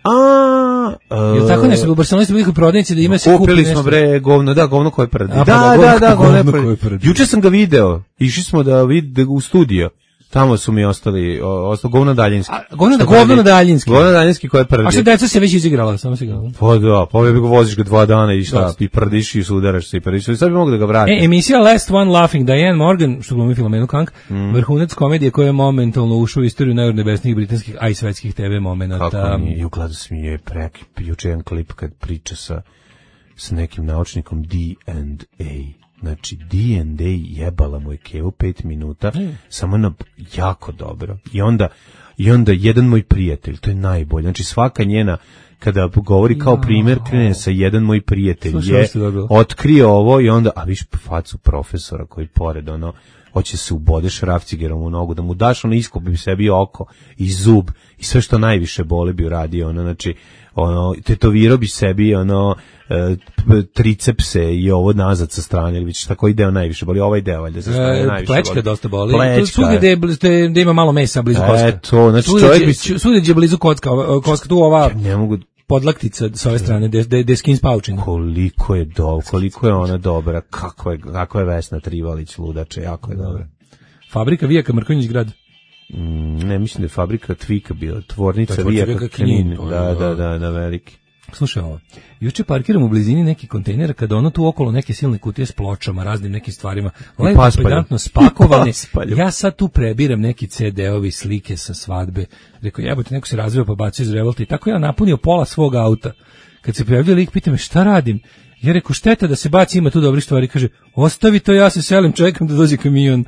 A, uh, jel tako nešto, u Barceloni ste bili kod prodavnice da ima se kupi kupili nešto. smo bre govno, da, govno koje prdi. A, da, da, da, da, govno, govno koje prdi. Juče sam ga video, išli smo da vide u studio. Tamo su mi ostali, ostalo govno daljinski. A, govno, govno daljinski. Govno daljinski koje prdi. A što deca se već izigrala, samo se igrala. Pa da, pa ga voziš ga dva dana i šta, i prdiš i sudaraš se i prdiš. Sad bi mogu da ga vratim. E, emisija Last One Laughing, Diane Morgan, što glumi Filomenu Kank, mm. vrhunac komedije koja je momentalno ušao u istoriju najurnebesnijih britanskih, a i svetskih te ve momenata. Kako mi je, u gladu smije preki, juče jedan klip kad priča sa, sa nekim naučnikom D and A. Znači, D and A jebala moj kevu pet minuta, mm. samo na jako dobro. I onda, i onda jedan moj prijatelj, to je najbolje. Znači, svaka njena, kada govori kao primjer, krene sa jedan moj prijatelj, slušaj, je otkrio ovo i onda, a viš facu profesora koji pored, ono, hoće se ubode šrafcigerom u nogu, da mu daš, ono, iskopi bi sebi oko i zub i sve što najviše boli bi uradio, ono, znači, ono, tetovirao bi sebi, ono, e, tricepse i ovo nazad sa strane, ili vidiš tako deo najviše boli, ovaj deo valjda sa strane najviše boli. Plečka dosta boli. Svugdje gde, gde ima malo mesa blizu koska. Eto, znači čovjek bi... Svugdje gdje je blizu kocka, koska, tu ova... Ne mogu... podlaktica s ove strane, gde je skin spaučina. Koliko je do, koliko je ona dobra, kako je, kako je Vesna Trivalić ludače, jako je dobra. Fabrika Vijaka Mrkonjić grad. Mm, ne, mislim da je fabrika Tvika bila, tvornica Vijaka Knin, da, da, da, da, veliki. Slušaj ovo, juče parkiram u blizini neki kontejnera kada ono tu okolo neke silne kutije s pločama, raznim nekim stvarima, lepo pedantno spakovane, ja sad tu prebiram neki ce de-ovi, slike sa svadbe, rekao jebote, neko se razvio pa bacio iz revolta i tako ja napunio pola svog auta. Kad se pojavljuje lik, pita me šta radim, ja rekao šteta da se baci, ima tu dobrih stvari, kaže ostavi to, ja se selim, čekam da dođe kamion.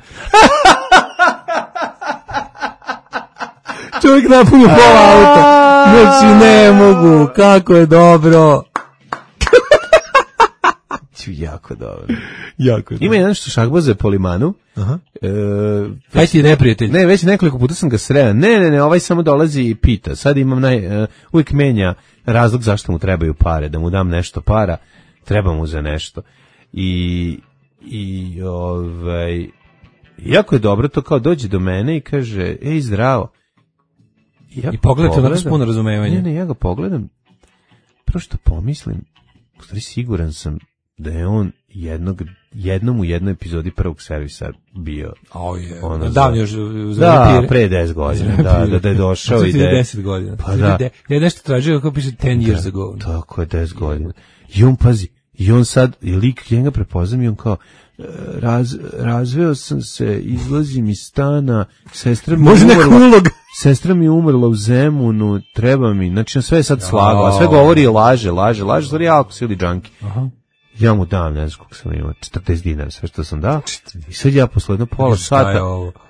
Čovjek napunio pola auta. Znači ne mogu, kako je dobro. Jako dobro. Jako je dobro. Ima jedan što šahbaze po limanu. Aha. E, Aj ti je neprijatelj. Ne, već nekoliko puta sam ga sreo. Ne, ne, ne, ovaj samo dolazi i pita. Sad imam naj, uh, uvijek menja razlog zašto mu trebaju pare. Da mu dam nešto para, treba mu za nešto. I i ovaj, jako je dobro to kao dođe do mene i kaže, ej, zdravo. Ja I pogledate onako s puno razumevanja. Ne, ne, ja ga pogledam, prvo što pomislim, u stvari siguran sam da je on jednog, jednom u jednoj epizodi prvog servisa bio. O je, ono davno još za da, repire. pre deset godina, da, da, da je došao i da je... deset godina. Pa da. Ja nešto tražio kako piše ten years da, ago. Tako je, deset godina. I on, pazi, i on sad, i lik, ja ga prepoznam i on kao, raz, razveo sam se, izlazim iz stana, sestra mi Može umrla, ulog. sestra mi umrla u Zemunu, treba mi, znači sve je sad slago, a sve govori i laže, laže, laže, stvari ja ako sili džanki. Aha. Ja mu dam, ne znam koliko sam imao, četrdeset dinara, sve što sam dao. I sad ja posle jedno pola sata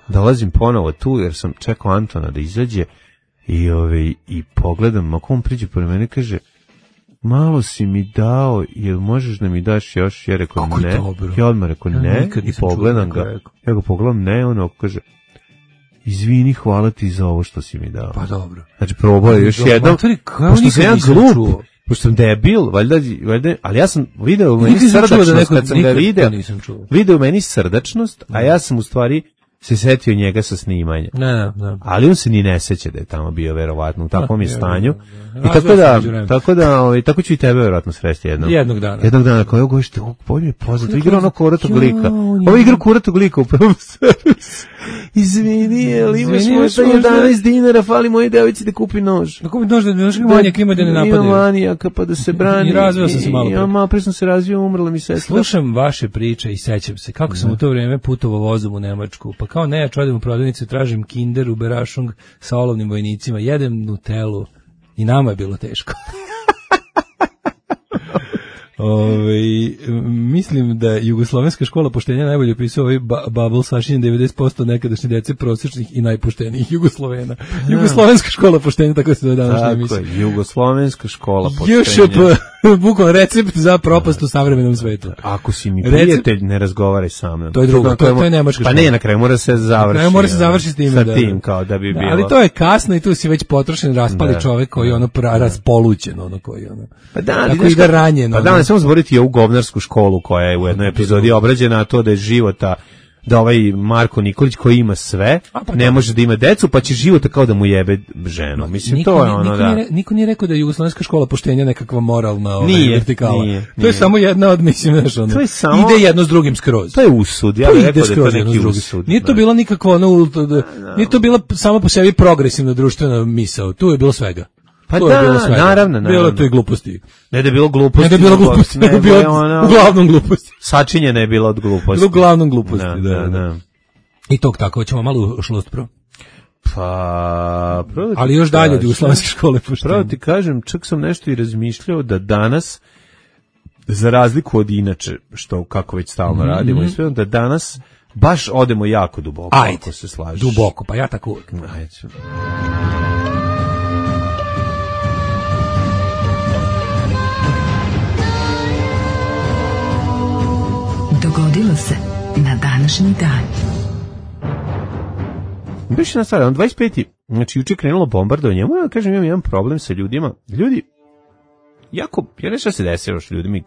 dolazim ponovo tu, jer sam čekao Antona da izađe i, ove, i pogledam, ako on priđe pored mene, kaže, malo si mi dao, jel možeš da mi daš još? Ja rekao kako ne, ja odmah rekao ne, ja i pogledam ga, rekao. Ja ga pogledam ne, ono kaže, izvini, hvala ti za ovo što si mi dao. Pa dobro. Znači, probao je još jednom, pošto sam ja glup, pošto sam debil, valjda, valjda, ali ja sam video u meni srdačnost, da neko, kad sam ga video, video u meni srdačnost, a ja sam u stvari se setio njega sa snimanja. Ne, ne, ne. Ali on se ni ne seća da je tamo bio verovatno u takvom je stanju. I tako da, tako da, ovaj, tako ću i tebe verovatno sresti jednom. Jednog dana. Jednog dana, kao, evo gošte, ovog bolje je poznato, igra ono kuratog lika. Ovo igra kuratog lika u prvom servisu. Izvini, ali imaš možda jedanaest dinara, fali moje devici da kupi nož. Da kupi nož, da još manijak ima da ne napadaju. Ima manijaka, pa da se brani. I razvio sam se malo pre. Ja malo pre sam se razvio, umrla mi sestra. Slušam vaše priče i sećam se kako sam u to vrijeme putovao vozom u Nemačku, pa kao nejač odem u prodavnicu, tražim Kinder u Berašung sa olovnim vojnicima, jedem Nutellu i nama je bilo teško. Ove, mislim da Jugoslovenska škola poštenja najbolje opisuje ovaj ba bubble sašinjen devedeset posto nekadašnje dece prosječnih i najpoštenijih Jugoslovena. Jugoslovenska škola poštenja, tako se to današnja emisija. Tako je, Jugoslovenska škola poštenja. J Š P, bukvalno recept za propast u savremenom svetu. Ako si mi prijatelj, ne razgovaraj sa mnom. To je drugo, to je, to je nemačka škola. Pa ne, na kraju mora se završiti. Na kraju mora se završiti s tim, sa da, tim, kao da bi da, bilo. Ali to je kasno i tu si već potrošen, raspali da, čovjek koji je ono pra, raspolućen, ono koji ono. Pa da, tako i da ranjen. Pa da, ne samo zboriti ovu govnarsku školu koja je u jednoj epizodi obrađena, a to da je života, da ovaj Marko Nikolić koji ima sve, pa ne može da ima decu, pa će života kao da mu jebe ženu. Mislim, niko, to je ono niko da... Nije, niko nije rekao da je Jugoslovenska škola poštenja nekakva moralna ovaj, nije, vertikala. Nije, to nije. je samo jedna od, mislim, znaš, ono, to je samo... ide jedno s drugim skroz. To je usud, ja bih rekao da je to neki usud. Nije to bila nikakva, ono, nije to bila samo po sebi progresivna društvena misao, tu je bilo svega. Pa to da, je bilo svega. Naravno, naravno. Bilo to i gluposti. Ne da je bilo gluposti. Ne da je bilo gluposti, ne da je bilo ono, uglavnom gluposti. Sačinjena je bila od gluposti. Bilo uglavnom gluposti, da, da, da. I tog tako, ćemo malo u šlost pro. Pa, pravo ali još dalje od Jugoslovenske škole poštenja. Pravo ti kažem, čak sam nešto i razmišljao da danas, za razliku od inače, što kako već stalno mm-hmm. radimo, i sve, da danas baš odemo jako duboko, ajde, ako se slažeš. Duboko, pa ja tako uvijek. Ajde. Dogodilo se na današnji dan. Biš na stvar, on dvadeset peti Znači, juče krenulo bombardovanje. Moram da kažem, imam jedan problem sa ljudima. Ljudi, jako, ja ne šta se desilo s ljudima,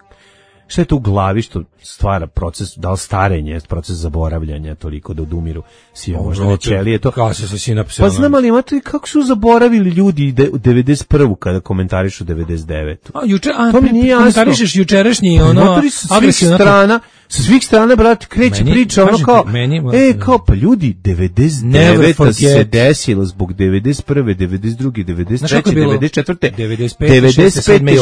šta je to u glavi što stvara proces, da li starenje, proces zaboravljanja, toliko da odumiru siromašne ćelije, to. Kako se sinapse. Pa znam, ali imate kako su zaboravili ljudi de, devedeset prvu kada komentarišu devedeset devetu A juče, a to mi nije komentarišeš jučerašnji ono agresivna strana, sa svih strana, brate, kreće meni, priča ono kao, meni, e, kao, pa ljudi, devedeset deveta se desilo zbog devedeset prve, devedeset druge, devedeset treće, devedeset četvrte, devedeset pete,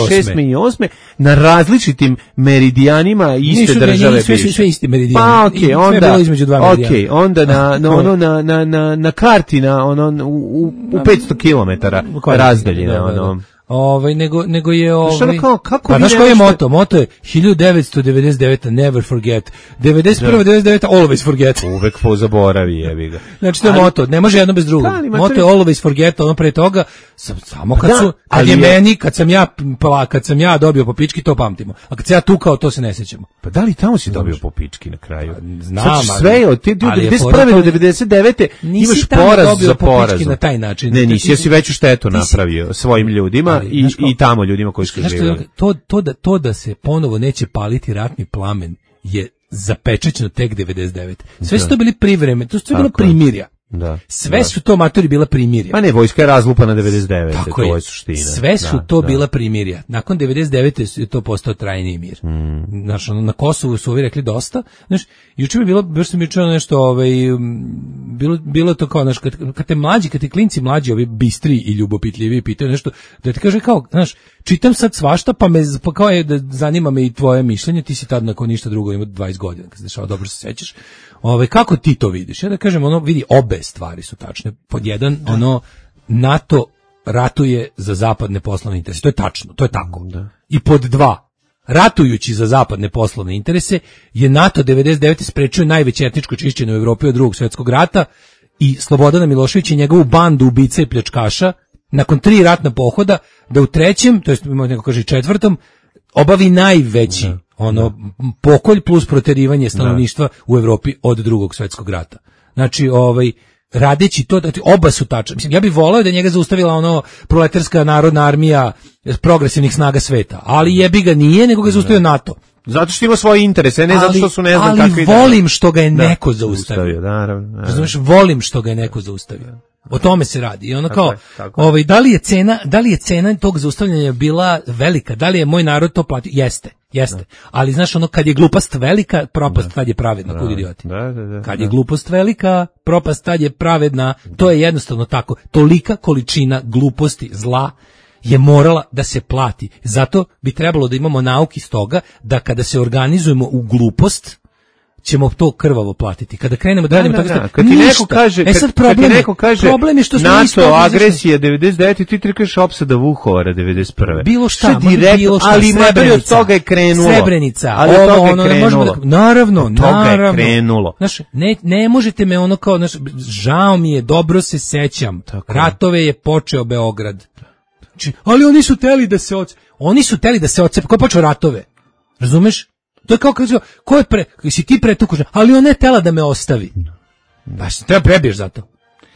šesme i osme na različitim meridijanima iste nisu, države nisu, sve, sve isti meridijani. Pa, okej, okay, onda, sve između dva meridijana. Okej, okay, onda na, na, ono, na, na, na, na karti, na, ono, u, u petsto kilometara razdaljina, ono. Ovaj nego nego je ovaj kao, kako pa znaš koji je moto? Moto je hiljadu devetsto devedeset deveta never forget. devedeset prva devedeset deveta always forget. Uvek pozaboravi, jebi ga. Znači to je ali, moto, ne može jedno bez drugog. Da, moto je always forget, ono pre toga samo kad da, su kad je meni, kad sam ja pa kad sam ja dobio po pički, to pamtimo. A kad se ja tukao, to se ne sećamo. Pa da li tamo si dobio po pički na kraju? Znam, sve od te devedeset prve do devedeset devete imaš poraz za poraz na taj način. Ne, nisi, jesi veću štetu napravio svojim ljudima i i tamo ljudima koji su živjeli. To, to, da, to da se ponovo neće paliti ratni plamen je zapečećeno tek devedeset devete. Sve su to bili privremeni, to su sve bilo primirja. Da, sve da. su to matori bila primirja. Pa ne, vojska je razlupana devedeset devete. Tako to je, je suština. sve su da, to da. bila primirja. Nakon devedeset devete je to postao trajni mir. Mm. Znaš, ono, na Kosovu su ovi rekli dosta. Znaš, juče mi bilo, baš sam mi čuo nešto, ovaj, bilo, bilo to kao, znaš, kad, kad te mlađi, kad te klinci mlađi, ovi bistri i ljubopitljivi pitaju nešto, da ti kaže kao, znaš, čitam sad svašta, pa me, pa kao je da zanima me i tvoje mišljenje, ti si tad nakon ništa drugo ima dvadeset godina, kad se dešava, dobro se sećaš. Ove, kako ti to vidiš? Ja da kažem, ono, vidi, obe stvari su tačne. Pod jedan, ono, NATO ratuje za zapadne poslovne interese. To je tačno, to je tako. Da. I pod dva, ratujući za zapadne poslovne interese, je NATO devedeset devete sprečio najveće etničko čišćenje u Evropi od drugog svjetskog rata i Slobodana Milošević i njegovu bandu ubica i pljačkaša, nakon tri ratna pohoda, da u trećem, to jest neko kaže četvrtom, obavi najveći da, ono da. pokolj plus proterivanje stanovništva da. u Evropi od drugog svjetskog rata. Znači, ovaj radeći to, znači, oba su tačne. Mislim, ja bih voleo da njega zaustavila ono proletarska narodna armija progresivnih snaga sveta, ali jebi ga nije, nego ga zaustavio NATO. Zato što ima svoje interese, ne ali, zato što su ne znam ali kakvi. Ali volim što ga je da, neko zaustavio. Naravno. Razumeš, volim što ga je neko zaustavio. O tome se radi. I ono tako kao, je, tako ovaj, da li je cena, da li je cena tog zaustavljanja bila velika? Da li je moj narod to platio? Jeste, jeste. Da. Ali znaš, ono, kad je glupost velika, propast da. tad je pravedna, kud idioti. Da, da, da, kad da. je glupost velika, propast tad je pravedna. To je jednostavno tako. Tolika količina gluposti, zla je morala da se plati. Zato bi trebalo da imamo nauki iz toga da kada se organizujemo u glupost, ćemo to krvavo platiti. Kada krenemo da radimo da, tako da, kad ti neko kaže, e sad problem, kad ti neko kaže problem je što smo NATO isto agresija devedeset devete ti trkaš opsada Vukovara devedeset prve. Bilo šta, direkt, bilo šta, ali materija od toga je krenulo. Srebrenica, ali od toga je ono, krenulo. Da, naravno, od toga naravno. je krenulo. Znaš, ne, ne možete me ono kao, znaš, žao mi je, dobro se sećam. Tako. Ratove je počeo Beograd. Znači, ali oni su teli da se oce... Oni su teli da se ocepe. Ko je počeo ratove? Razumeš? To je kao kaže, ko je pre, si ti pretukužen, ali ona je tela da me ostavi. Baš treba prebiješ za to.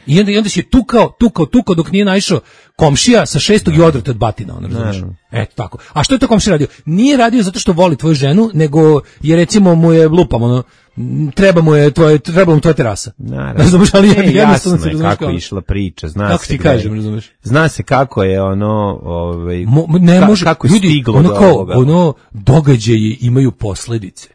I onda, i onda si je tukao, tukao, tukao dok nije naišao komšija sa šestog i odvrte od batina, ono, razumiješ? Eto tako. A što je to komšija radio? Nije radio zato što voli tvoju ženu, nego je recimo mu je lupam, ono, treba mu je tvoje, treba mu tvoja terasa. Naravno. Razumeš, ali e, jasno se je kako je išla priča, zna kako se. Kako ti kažem, razumeš? Zna se kako je ono, ovaj, Mo, ne ka, može, kako je ljudi, stiglo ono do kao, ovoga. ono, događaji imaju posledice.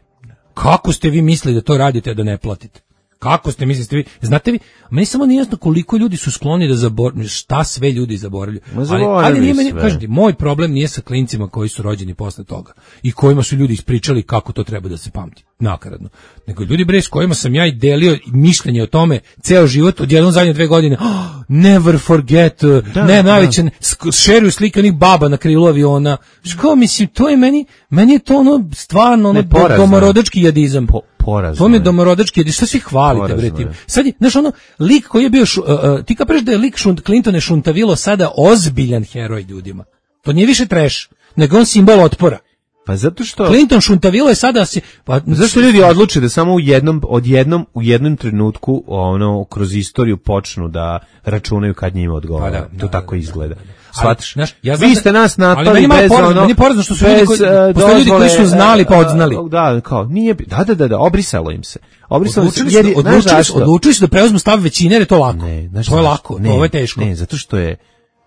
Kako ste vi mislili da to radite, a da ne platite? Kako ste mislili, ste vi, znate vi, meni samo nije jasno koliko ljudi su skloni da zaboravljaju, šta sve ljudi zaboravljaju. Ali, ali nije meni, kažete, moj problem nije sa klincima koji su rođeni posle toga i kojima su ljudi ispričali kako to treba da se pamti, nakaradno. Nego ljudi bre s kojima sam ja i delio mišljenje o tome ceo život, od jednom zadnje dve godine, oh, never forget, da, ne, najveće, šeruju slike onih baba na krilu aviona. Što mislim, to je meni, meni je to ono stvarno ono domorodački jadizam. Po, Porazno to mi je domorodački jadizam, što svi hvalite bre tim. Sad je, znaš ono, lik koji je bio, šu, uh, uh, ti kapiš da je lik šunt, Clinton je Šuntavilo sada ozbiljan heroj ljudima. To nije više trash, nego on simbol otpora. Pa zato što Clinton Šuntavilo je sada si pa zašto ljudi odluče da samo u jednom odjednom u jednom trenutku ono kroz istoriju počnu da računaju kad njima odgovara. Pa da, to da, tako da, izgleda. Shvatiš? Ja vi ste nas napali bez porazno, ono. Meni porazno što su ljudi koji, uh, ljudi koji su znali pa odznali. Da, kao nije da da da da obrisalo im se. Obrisalo se jer odlučili su odlučili su da preuzmu stav većine, jer je to lako. Ne, znaš, to je lako, ne, to je teško. Ne, zato što je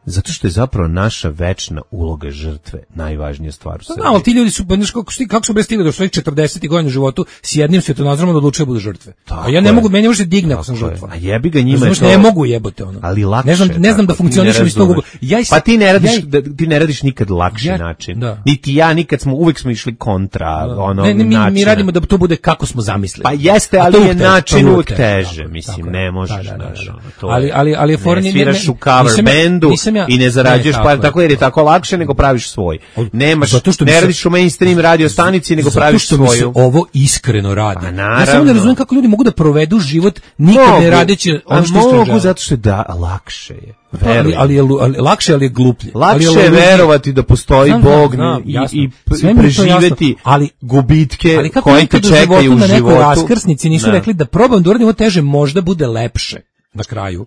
Zato što je zapravo naša večna uloga žrtve najvažnija stvar u Srbiji. Da, ali ti ljudi su, znaš, kako, kako su bre stigli do svojih četrdesetih godina u životu s jednim svjetonazorom da odlučuju da budu žrtve. Tako a ja ne je. mogu, meni može digne ako sam žrtva. A jebi ga njima je to. Ne mogu jebote ono. Ali lakše. Ne znam, ne znam da funkcionišem iz tog. Ja pa ti ne radiš, ja, da, ti ne radiš nikad lakši ja, način. Da. Niti ja, nikad smo, uvek smo išli kontra da. ono ne, ne, mi, načina. Mi radimo da to bude kako smo zamislili. Pa jeste, ali je način uvek teže, mislim, ne možeš, znaš. Ali, ali, ali je for ne sviraš u cover bandu i ne zarađuješ pa tako jer je tako lakše nego praviš svoj. Nemaš, ne radiš u mainstream radio stanici nego praviš svoju. Zato što mi se ovo iskreno radi. Pa naravno. Ja samo ne razumijem kako ljudi mogu da provedu život nikad mogu, ne radeći ono što mogu, mogu zato što je da, lakše je. Ali, ali, je, ali lakše, ali je gluplje. Lakše ali je verovati da postoji znam, Bog znam, i, i, i preživeti ali, gubitke ali koje te čekaju u životu. Na nekoj raskrsnici nisu ne. rekli da probam da uradim ovo teže, možda bude lepše na kraju.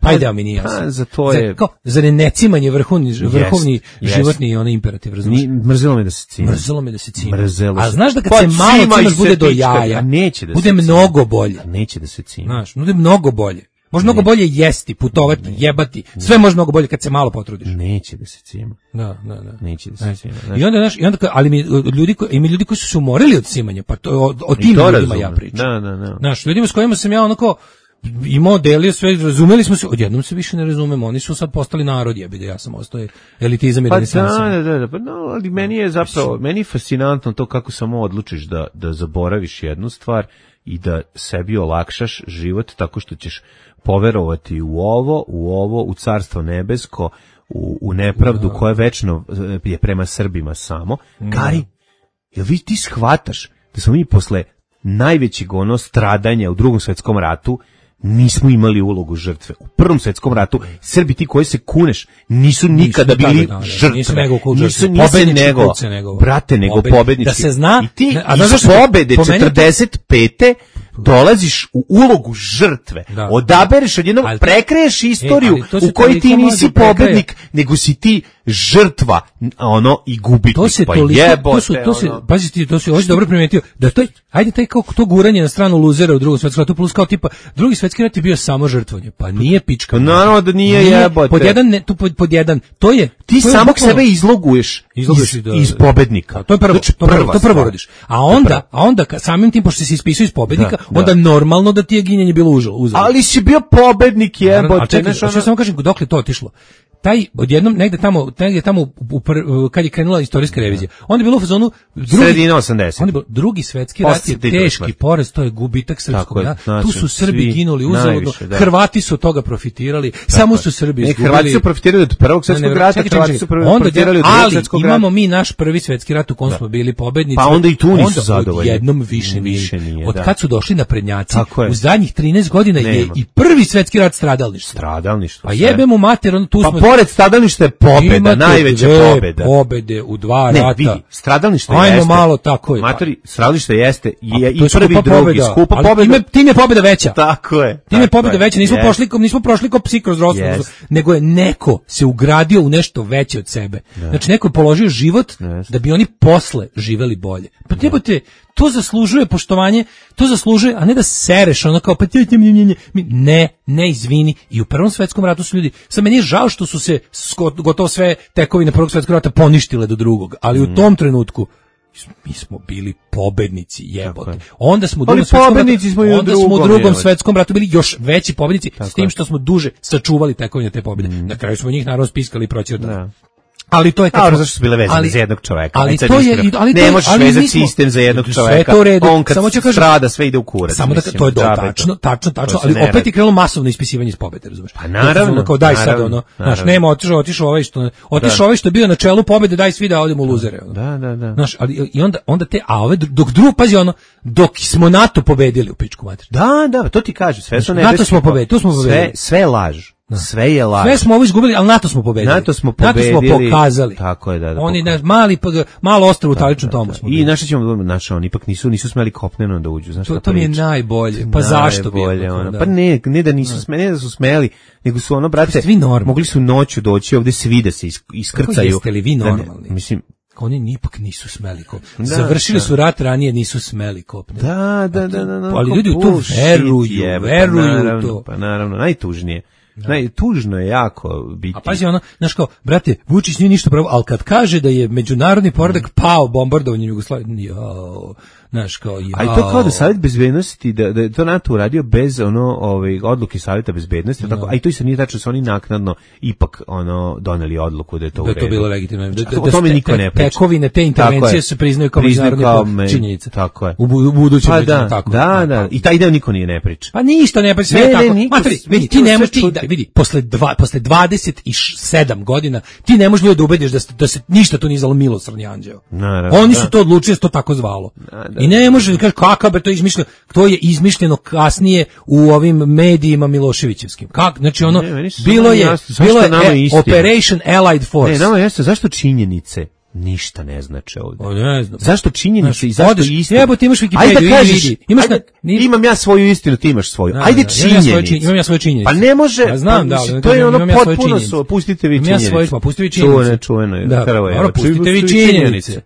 taj deo mi nije jasan. Pa, za to je... Za, kao, za necimanje vrhovni, vrhovni yes, životni yes. onaj imperativ, razumiješ? Mrzelo me da se cima. Mrzelo me da se cima. Mrzelo a znaš da kad pa, se malo cimaš bude do jaja, neće da bude mnogo bolje. A neće da se cima. Znaš, bude mnogo bolje. Može mnogo bolje jesti, putovati, ne, jebati. Sve može mnogo bolje kad se malo potrudiš. Neće da se cima. Da, da, da. Neće da se cima. I onda, znaš, i onda, ali mi ljudi, ima ljudi koji su se umorili od cimanja, pa to, o, o tim ljudima razume. Ja pričam. Da, da, da. Znaš, ljudima s kojima sam ja onako imao, delio sve, razumeli smo se, odjednom se više ne razumemo, oni su sad postali narod, jebi da ja sam ostao elitizam i pa renesansa. Da, da, da, pa no, ali meni je zapravo, meni je fascinantno to kako samo odlučiš da, da zaboraviš jednu stvar i da sebi olakšaš život tako što ćeš poverovati u ovo, u ovo, u carstvo nebesko, u, u nepravdu koja večno je prema Srbima samo. Gari, jel vi ti shvataš da smo mi posle najvećeg ono stradanja u Drugom svetskom ratu nismo imali ulogu žrtve. U Prvom svetskom ratu Srbi ti koji se kuneš nisu nikada nisu bili da, žrtve. Nisu nego kult žrtve. Nisu nego, nego, brate, nego pobednički. pobednički. Da se zna. I ti a iz pobede četrdeset pete dolaziš u ulogu žrtve. Da. Odabereš odjednom, prekreješ istoriju e, u kojoj ti nisi pobednik, nego si ti žrtva, ono, i gubitnik. To se pa toliko, jebote, to su, to se, ono. pazi ti, to se hoće dobro primetio, da to je, ajde taj kao to guranje na stranu luzera u Drugom svetskom ratu, plus kao tipa, Drugi svetski rat je bio samo žrtvovanje, pa nije pička. Naravno da nije, nije jebote. Pod jedan, ne, tu pod, pod jedan, to je... Ti to je samog bukvalno, sebe izloguješ iz, da, iz pobednika. To je prvo, znači, to, prvo, to prvo rodiš. A onda, a onda samim tim, pošto si ispisao iz pobednika, da, onda da. normalno da ti je ginjanje bilo uzalud. Ali si bio pobednik, jebote. A čekaj, što samo kažem, dokle to otišlo? Taj odjednom negde tamo negde tamo u, u, kad je krenula istorijska revizija. Onda je bilo u fazonu drugi sredina osamdesetih. Onda je bilo drugi svetski rat je teški poraz, to je gubitak srpskog naroda. Znači, tu su Srbi ginuli uzaludno. Hrvati su od toga profitirali. Tako samo su Srbi izgubili. Hrvati su profitirali od Prvog svjetskog rata, Hrvati su profitirali od Drugog svjetskog rata. Imamo mi naš prvi svetski rat u kom smo bili pobednici. Pa onda i tu nisu zadovoljni. Jednom više nije. Od kad su došli naprednjaci u zadnjih trinaest godina je i prvi svetski rat stradalništvo. Stradalništvo. Pa jebemo mater, on tu smo. Pa pored stradalništva pobeda, imate najveća pobeda. Pobede u dva ne, rata. Vidi, stradalništvo Ajmo jeste. malo tako je. Matori, stradalništvo jeste je i prvi i drugi skupa pobeda. Time, tim je pobeda veća. Tako je. Tim je pobeda veća. Nismo yes. pošli, nismo prošli kao psi kroz rosnu, yes. nego je neko se ugradio u nešto veće od sebe. Yes. Znači neko je položio život yes. da bi oni posle živeli bolje. Pa jebote, to zaslužuje poštovanje, to zaslužuje, a ne da sereš ono kao pa ti ne, ne izvini. I u Prvom svetskom ratu su ljudi, sad meni je žao što su se gotovo sve tekovine Prvog svetskog rata poništile do drugog, ali u tom trenutku mi smo bili pobednici, jebote. Onda smo u drugom svetskom ratu, smo onda drugom, smo u drugom svetskom ratu bili još veći pobednici, tako s tim što smo duže sačuvali tekovine te pobjede. Mm. Na kraju smo njih naravno spiskali i proćerdali. Ali to je tako. Ali zašto su bile vezane ali, za jednog čoveka? Ali to je, ali ne možeš vezati sistem za jednog čoveka. On kad samo kažem, strada sve ide u kurac. Samo da to je do, tačno, tačno, tačno, ali opet je krenulo masovno ispisivanje iz pobede, razumeš? Pa naravno. Kao daj sad ono, znaš, nema otišao, otišao ovaj što otišao ovaj što je bio na čelu pobede, daj svi da odemo u luzere. Da, da, da. Znaš, ali i onda onda te a ove dok drugo pazi ono, dok smo NATO pobedili u pičku mater. Da, da, to ti kažem, sve su NATO smo pobedili, tu smo pobedili. Sve, sve laž. Da. Sve je laž. Sve smo ovo izgubili, ali NATO smo pobedili. NATO smo pobedili. NATO smo pokazali. Tako je, da, da. Oni naš mali malo ostrvo u Taličnom tomu smo. I naši ćemo naši oni ipak nisu nisu smeli kopneno da uđu, znaš. To, to mi je najbolje. Pa zašto bi ono? Pa ne, ne da nisu smeli, ne da su smeli, nego su ono brate, mogli su noću doći ovde svi da se iskrcaju. Jeste li vi normalni? Mislim oni ipak nisu smeli kopne. Da, Završili da. su rat ranije, nisu smeli kopne. Da, da, da, da, da. Ali ljudi u to veruju, je, veruju pa naravno, to. Pa naravno, najtužnije. Da. Naj, tužno je jako biti. A pazi ono, znaš kao, brate, Vučić nije ništa pravo, ali kad kaže da je međunarodni poredak pao bombardovanjem Jugoslavije, jao, znaš kao, jao. A i to kao da Savjet bezbednosti, da, da je to NATO uradio bez ono, ovaj, odluke Savjeta bezbednosti, no. tako, a i to isto nije tačno, su oni naknadno ipak ono, doneli odluku da je to da u redu. Da je to bilo legitimno. Da, da, o tome niko ne priča. Tekovine, te intervencije se priznaju kao međunarodne činjenice. Tako je. U, u budućem pa da, tako. Da, da, i taj deo niko nije ne priča. Pa ništa ne priča, sve je tako. Matri, vidi, ti ne možeš, vidi, posle dva, posle dvadeset sedam godina ti ne možeš da ubediš da, da se ništa tu nije zvalo milosrdni anđeo. Naravno, oni da. su to odlučili da se to tako zvalo. Da, da, I ne možeš da kažeš kakav be to izmišljeno, to je izmišljeno kasnije u ovim medijima Miloševićevskim. Kako? Znači ono ne, bilo je jasno, bilo je e, Operation Allied Force. Ne, nama jeste zašto činjenice ništa ne znače ovde. O, ne znam. Zašto činjenice i zašto istina? Jebo, ti imaš Wikipediju, ajde da kažeš, vidi. Imaš ajde, na, imam ja svoju istinu, ti imaš svoju. Da, ajde da, činjenice. Imam ja svoje, imam ja svoje činjenice. Pa ne može, ja znam, pa, da, to je ono ja potpuno su, pustite vi činjenice. Ja svoje, pa pustite vi činjenice. Čuvene, čuvene. Da, dobro, pustite vi činjenice.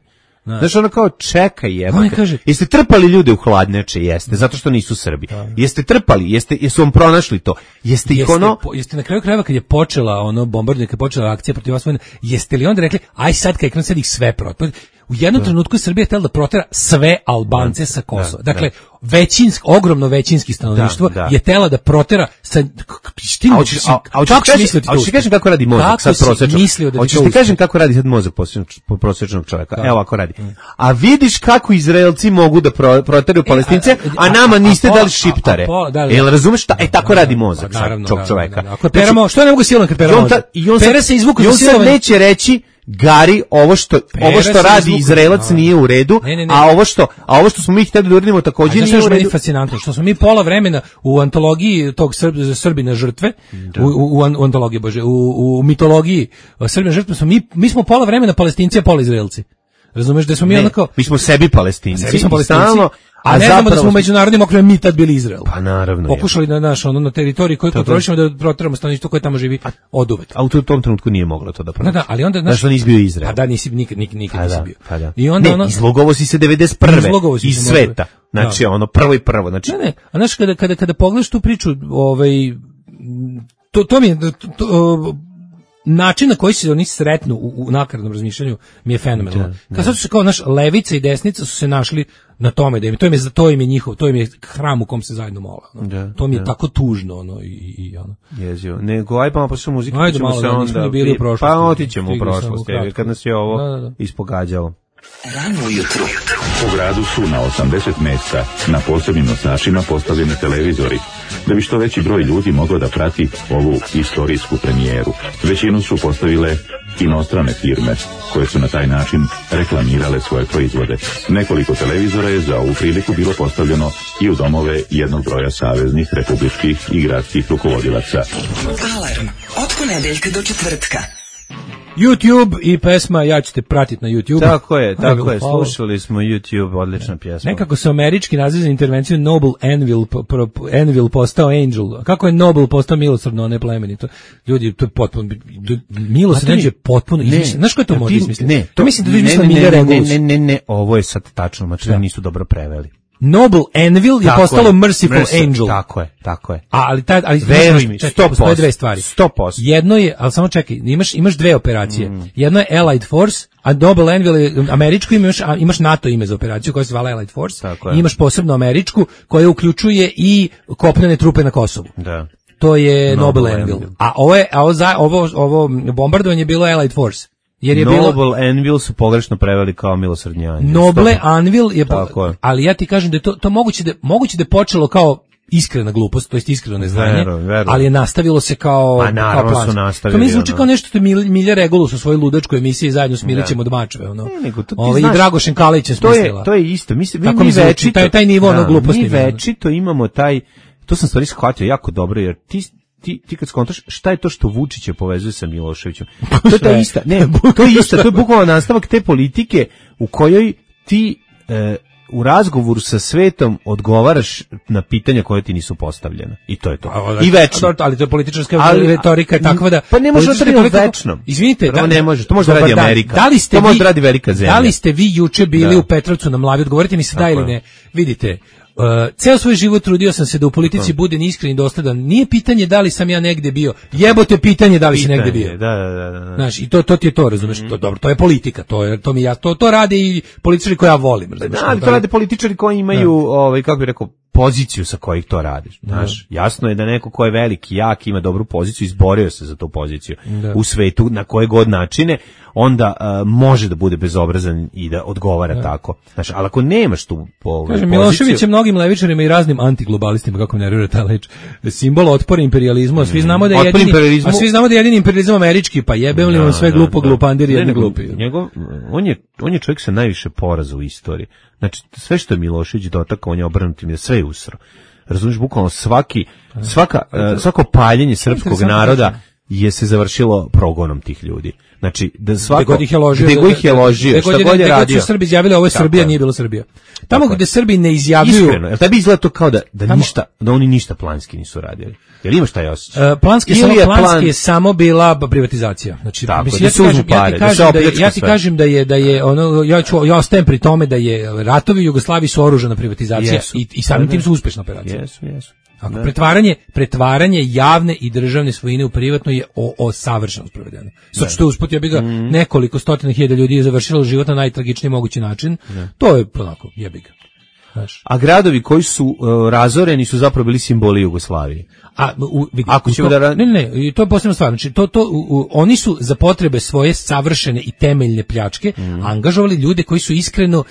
Znaš, ono kao, čekaj jebaka. Jeste trpali ljude u hladnjače? Jeste, zato što nisu Srbi. Da. Jeste trpali, jeste, jesu vam pronašli to. Jeste, jeste ih ono... Po, jeste na kraju krajeva kad je počela ono bombardovanje, kad je počela akcija protiv vas, jeste li onda rekli, aj sad kad je sad ih sve protiv? U jednom da. trenutku Srbija je htjela da protera sve Albance da. sa Kosova. Da. Dakle, da. većinsk, ogromno većinski stanovništvo da, da. je htjela da protera sa... Štim, a, a, a, kako si mislio ti to? A ti kažem kako radi mozak kako sad prosječnog? Hoćeš ti kažem kako radi sad mozak prosječnog čovjeka? Da. Evo ako radi. A vidiš kako Izraelci mogu da pro, proteraju Palestince, a, a, a nama niste a, a, dali šiptare. Da, da. Jel razumeš šta? E tako radi mozak sad tog čovjeka. Ako peramo, što ne mogu silom kad peramo? Pere se izvuku za silovanje. I on sad neće reći Gari, ovo što Pere ovo što radi izvuku, Izraelac no. nije u redu, ne, ne, ne. a ovo što a ovo što smo mi hteli da uradimo takođe nije u redu. Je fascinantno što smo mi pola vremena u antologiji tog Srb, Srbina žrtve, u, u, u antologiji bože, u, u mitologiji Srbina žrtve smo mi mi smo pola vremena Palestinci, a pola Izraelci. Razumeš da smo mi onako mi smo sebi Palestinci, sebi smo Palestinci. Stalno, a, a ne znamo da smo u međunarodnim okvirima mi tad bili Izrael. Pa naravno. Pokušali da naš ono na teritoriji koju kontrolišemo da proteramo stanovništvo koje tamo živi oduvek. A u tom trenutku nije moglo to da prođe. Da, da, ali onda znaš, nisi bio Izrael. Pa da, nisi nikad nikad nikad nisi bio. Pa da. I onda ne, ono izlogovo si se devedeset prve iz sveta. Znači da. ono prvo i prvo, znači. Ne, ne. A znaš kada kada kada pogledaš tu priču, ovaj to to mi je to, to, način na koji se oni sretnu u, u nakaradnom razmišljanju mi je fenomenalan. Kad sad su se kao naš levica i desnica su se našli na tome da im to im je za to im je njihov, to im je hram u kom se zajedno mole. No. Da, to mi je da. tako tužno ono i i ono. Jezio. Nego aj pa posle muzike Ajde, ćemo malo, se onda bili u prošlosti. Pa otićemo u prošlost, kad nas je ovo da, da, da. ispogađalo. Rano ujutru. U gradu su na osamdeset mesta na posebnim nosačima postavljeni televizori, da bi što veći broj ljudi moglo da prati ovu istorijsku premijeru. Većinu su postavile inostrane firme, koje su na taj način reklamirale svoje proizvode. Nekoliko televizora je za ovu priliku bilo postavljeno i u domove jednog broja saveznih, republičkih i gradskih rukovodilaca. Alarm od ponedeljka do četvrtka. YouTube i pesma Ja ću te pratiti na YouTube. Tako je, tako je, slušali smo YouTube, odlična pjesma. Nekako se američki naziv za intervenciju Noble Anvil, pro, Anvil postao Angel. Kako je Noble postao milosrdno, a ne plemenito? Ljudi, to je potpuno, milosrdno je potpuno izmišljeno. Znaš ko je to može izmisliti? Ne, to mislim da vi mislite Milja Regulus. Ne, ne, ne, ovo je sad tačno, znači nisu dobro preveli. Noble Anvil je tako postalo je. Merciful Mercy, Angel. Tako je, tako je. A, ali taj ali veruj mi, sto posto dve stvari. sto posto Jedno je, al samo čekaj, imaš imaš dve operacije. Mm. Jedno je Allied Force, a Noble Anvil je američko ime, imaš imaš NATO ime za operaciju koja se zvala Allied Force. I imaš posebno američku koja uključuje i kopnene trupe na Kosovu. Da. To je Noble, Noble Anvil. Anvil. A ovo je a ovo ovo, ovo bombardovanje je bilo Allied Force. Jer je Noble bilo Anvil su pogrešno preveli kao milosrdni anđeo. Noble Anvil je, po, je, ali ja ti kažem da je to to moguće da moguće da je počelo kao iskrena glupost, to jest iskreno neznanje, veru, veru. ali je nastavilo se kao pa, naravno, kao plan. To mi zvuči kao nešto što je Milja Regulus u svojoj ludačkoj emisiji zajedno s Milićem od Mačve, ono. Ne, nego, to Ovo, znaš, i Dragošen Kalić je smislila. To je to je isto. Mi se mi, mi, mi večito taj taj nivo ono gluposti. Mi večito imamo taj, to sam stvari shvatio jako dobro jer ti Ti, ti kad skontaš šta je to što Vučića povezuje sa Miloševićem. To je ta ista, ne, to je ista, to je bukvalno nastavak te politike u kojoj ti e, u razgovoru sa svetom odgovaraš na pitanja koje ti nisu postavljena. I to je to. I večno. Ali to je političarska ali, retorika je takva da... Pa ne može da radi večno. Izvinite. Da, ne može, to može da radi Amerika. Da li ste to vi, može da radi velika zemlja. Da li ste vi juče bili da. u Petrovcu na Mlavi? Odgovorite mi se da ili ne. Vidite, Uh, ceo svoj život trudio sam se da u politici budem iskren i dosledan. Nije pitanje da li sam ja negde bio. Jebote pitanje da li pitanje, si negde bio. Da, da, da, da. Znaš, i to to ti je to, razumeš? Mm. To dobro, to je politika, to je to mi ja to to rade i političari koje ja volim, razumeš? Da, ali to rade političari koji imaju, da. ovaj kako bih rekao, poziciju sa kojih to radiš. Znaš, da. Jasno je da neko ko je veliki, jak, ima dobru poziciju, izborio se za tu poziciju da. u svetu na koje god načine, onda uh, može da bude bezobrazan i da odgovara da. tako. Znaš, ali ako nemaš tu ovaj, poziciju... Milošević je mnogim levičarima i raznim antiglobalistima, kako me nervira ta leč, simbol otpora imperializmu, a svi znamo da je jedini, a svi znamo da je jedini imperializam američki, pa jebem li on sve glupo, glupandiri, jedni glupi. Njegov, on, je, on je čovjek sa najviše poraza u istoriji. Znači, sve što je Milošević dotakao, on je obrnutim, sve je usro. Razumiješ, bukvalno svaki, svaka, uh, svako paljenje srpskog naroda je se završilo progonom tih ljudi. Znači, da svako, gde god ih je ložio, gde god ih je ložio, šta god je radio. Gde su Srbi izjavili, ovo je Srbija, nije bilo Srbija. Tamo gde Srbi ne izjavljuju... Iskreno, jel tebi izgleda to kao da, da, tamo, ništa, da oni ništa planski nisu radili? Jel imaš taj osjećaj? Uh, planski, samo, je planski plan... je samo bila privatizacija. Znači, tako, mislim, da ja, se kažem, pare, ja ti kažem da, da, ja ti kažem da je, da je ono, ja, ću, ja ostajem pri tome da je ratovi u Jugoslaviji su oružana privatizacija i, i samim tim su uspešna operacija. Jesu, jesu. Ako pretvaranje, pretvaranje javne i državne svojine u privatno je o, o savršeno sprovedeno. Sad što usput ja bi ga mm. nekoliko stotina hiljada ljudi je završilo život na najtragičniji mogući način. Ne. To je onako jebi ga. Znaš. A gradovi koji su uh, razoreni su zapravo bili simboli Jugoslavije. A u, vidi, ako ćemo to, da ne, ne, ne, to je posebna stvar. Znači to to u, u, oni su za potrebe svoje savršene i temeljne pljačke mm. angažovali ljude koji su iskreno uh,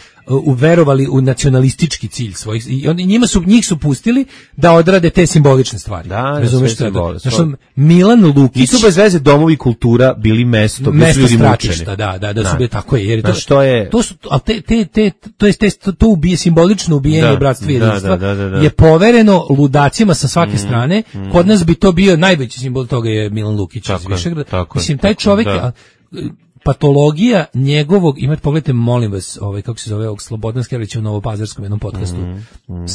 uverovali u nacionalistički cilj svojih i oni njima su njih su pustili da odrade te simbolične stvari. Da, razumeš šta? Znači Milan Lukić. Nisu bez veze domovi kultura bili mesto gde su ljudi mučeni. Da, da, da, da su bili tako je, jer to što je to su al te te te to jest te, to ubije simbolično ubijanje bratstva i jedinstva da, da, da, da. je povereno ludacima sa svake mm, strane. Mm. Kod nas bi to bio najveći simbol toga je Milan Lukić iz Višegrada. Mislim taj čovjek da. patologija njegovog, imate pogledajte molim vas, ovaj kako se zove ovog Slobodan Skerlića u Novopazarskom jednom podcastu. Mm, mm,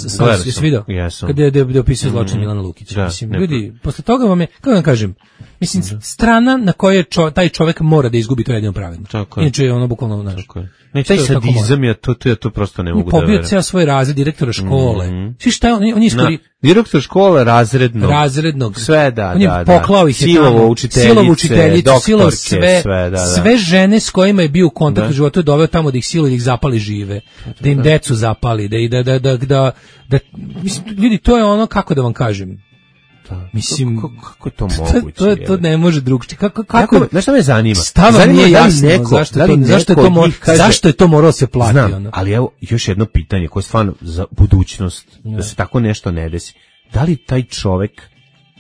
Jesi vidio? Kada je da opisuje zločin mm, Milana Lukića. Da, mislim, ljudi, posle toga vam je, kako vam kažem, mislim, da. strana na kojoj čo, taj čovjek mora da izgubi to jedino pravedno. Inače je ono bukvalno naš. Ne, taj sadizam je to, to ja to prosto ne mogu da verujem. Pobio ceo svoj razred direktora škole. Mm. Svi šta je on, on je iskori... Direktor škole razrednog. Razrednog. Sve, da, on je da. Poklao ih je silovo učiteljice, silovo učiteljice, doktorke, silovo sve, sve, da, da. sve žene s kojima je bio u kontaktu u životu je doveo tamo da ih siluju, da ih zapali žive, da im decu zapali, da, da, da, da, da, da, mislim, ljudi, to je ono, kako da vam kažem, Da. Mislim, kako, kako je to moguće? To, to, to ne može drugčije. Kako, kako, znaš šta me zanima? Stava nije jasno, neko, zašto, to, zašto, je to mor, kaže, zašto je to moralo se platiti? Znam, ono? Ali evo, još jedno pitanje koje je stvarno za budućnost, ne. da se tako nešto ne desi. Da li taj čovek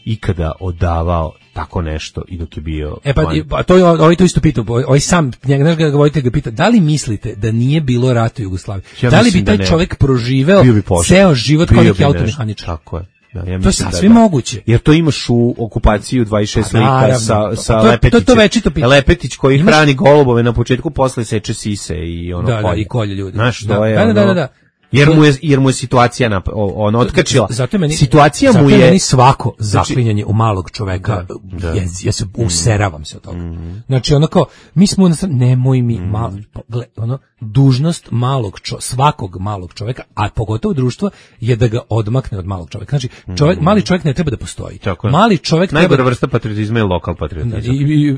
ikada odavao tako nešto i dok je bio... E pa, pa to je, ovaj to isto pitao, ovaj sam, njega ga voditelj ga pita, da li mislite da nije bilo rata u Jugoslaviji? Ja da li bi taj čovek proživeo ceo život kao neki automehaničar? Tako je. Da, ja to je sasvim da, moguće. Jer to imaš u okupaciju dvadeset šest pa, lika sa, sa to, Lepetićem. To, to večito pitanje. Lepetić koji imaš... hrani golubove na početku, posle seče sise i ono da, kolje. Da, i kolje ljudi. Znaš, to da, je da, ono... Da, da, da. Jer mu je, jer mu je situacija na, on otkačila. Zato meni, situacija zato mu je... meni svako zaklinjanje u malog čoveka, da, da. Ja, ja se useravam se od toga. Mm. Znači, ono kao, mi smo, nemoj mi, mm. malo, gle, ono, dužnost malog čo, svakog malog čoveka, a pogotovo društva, je da ga odmakne od malog čoveka. Znači, čovjek, mali čovjek ne treba da postoji. Tako mali čovjek treba... Najgora vrsta patriotizma je lokal patriotizam.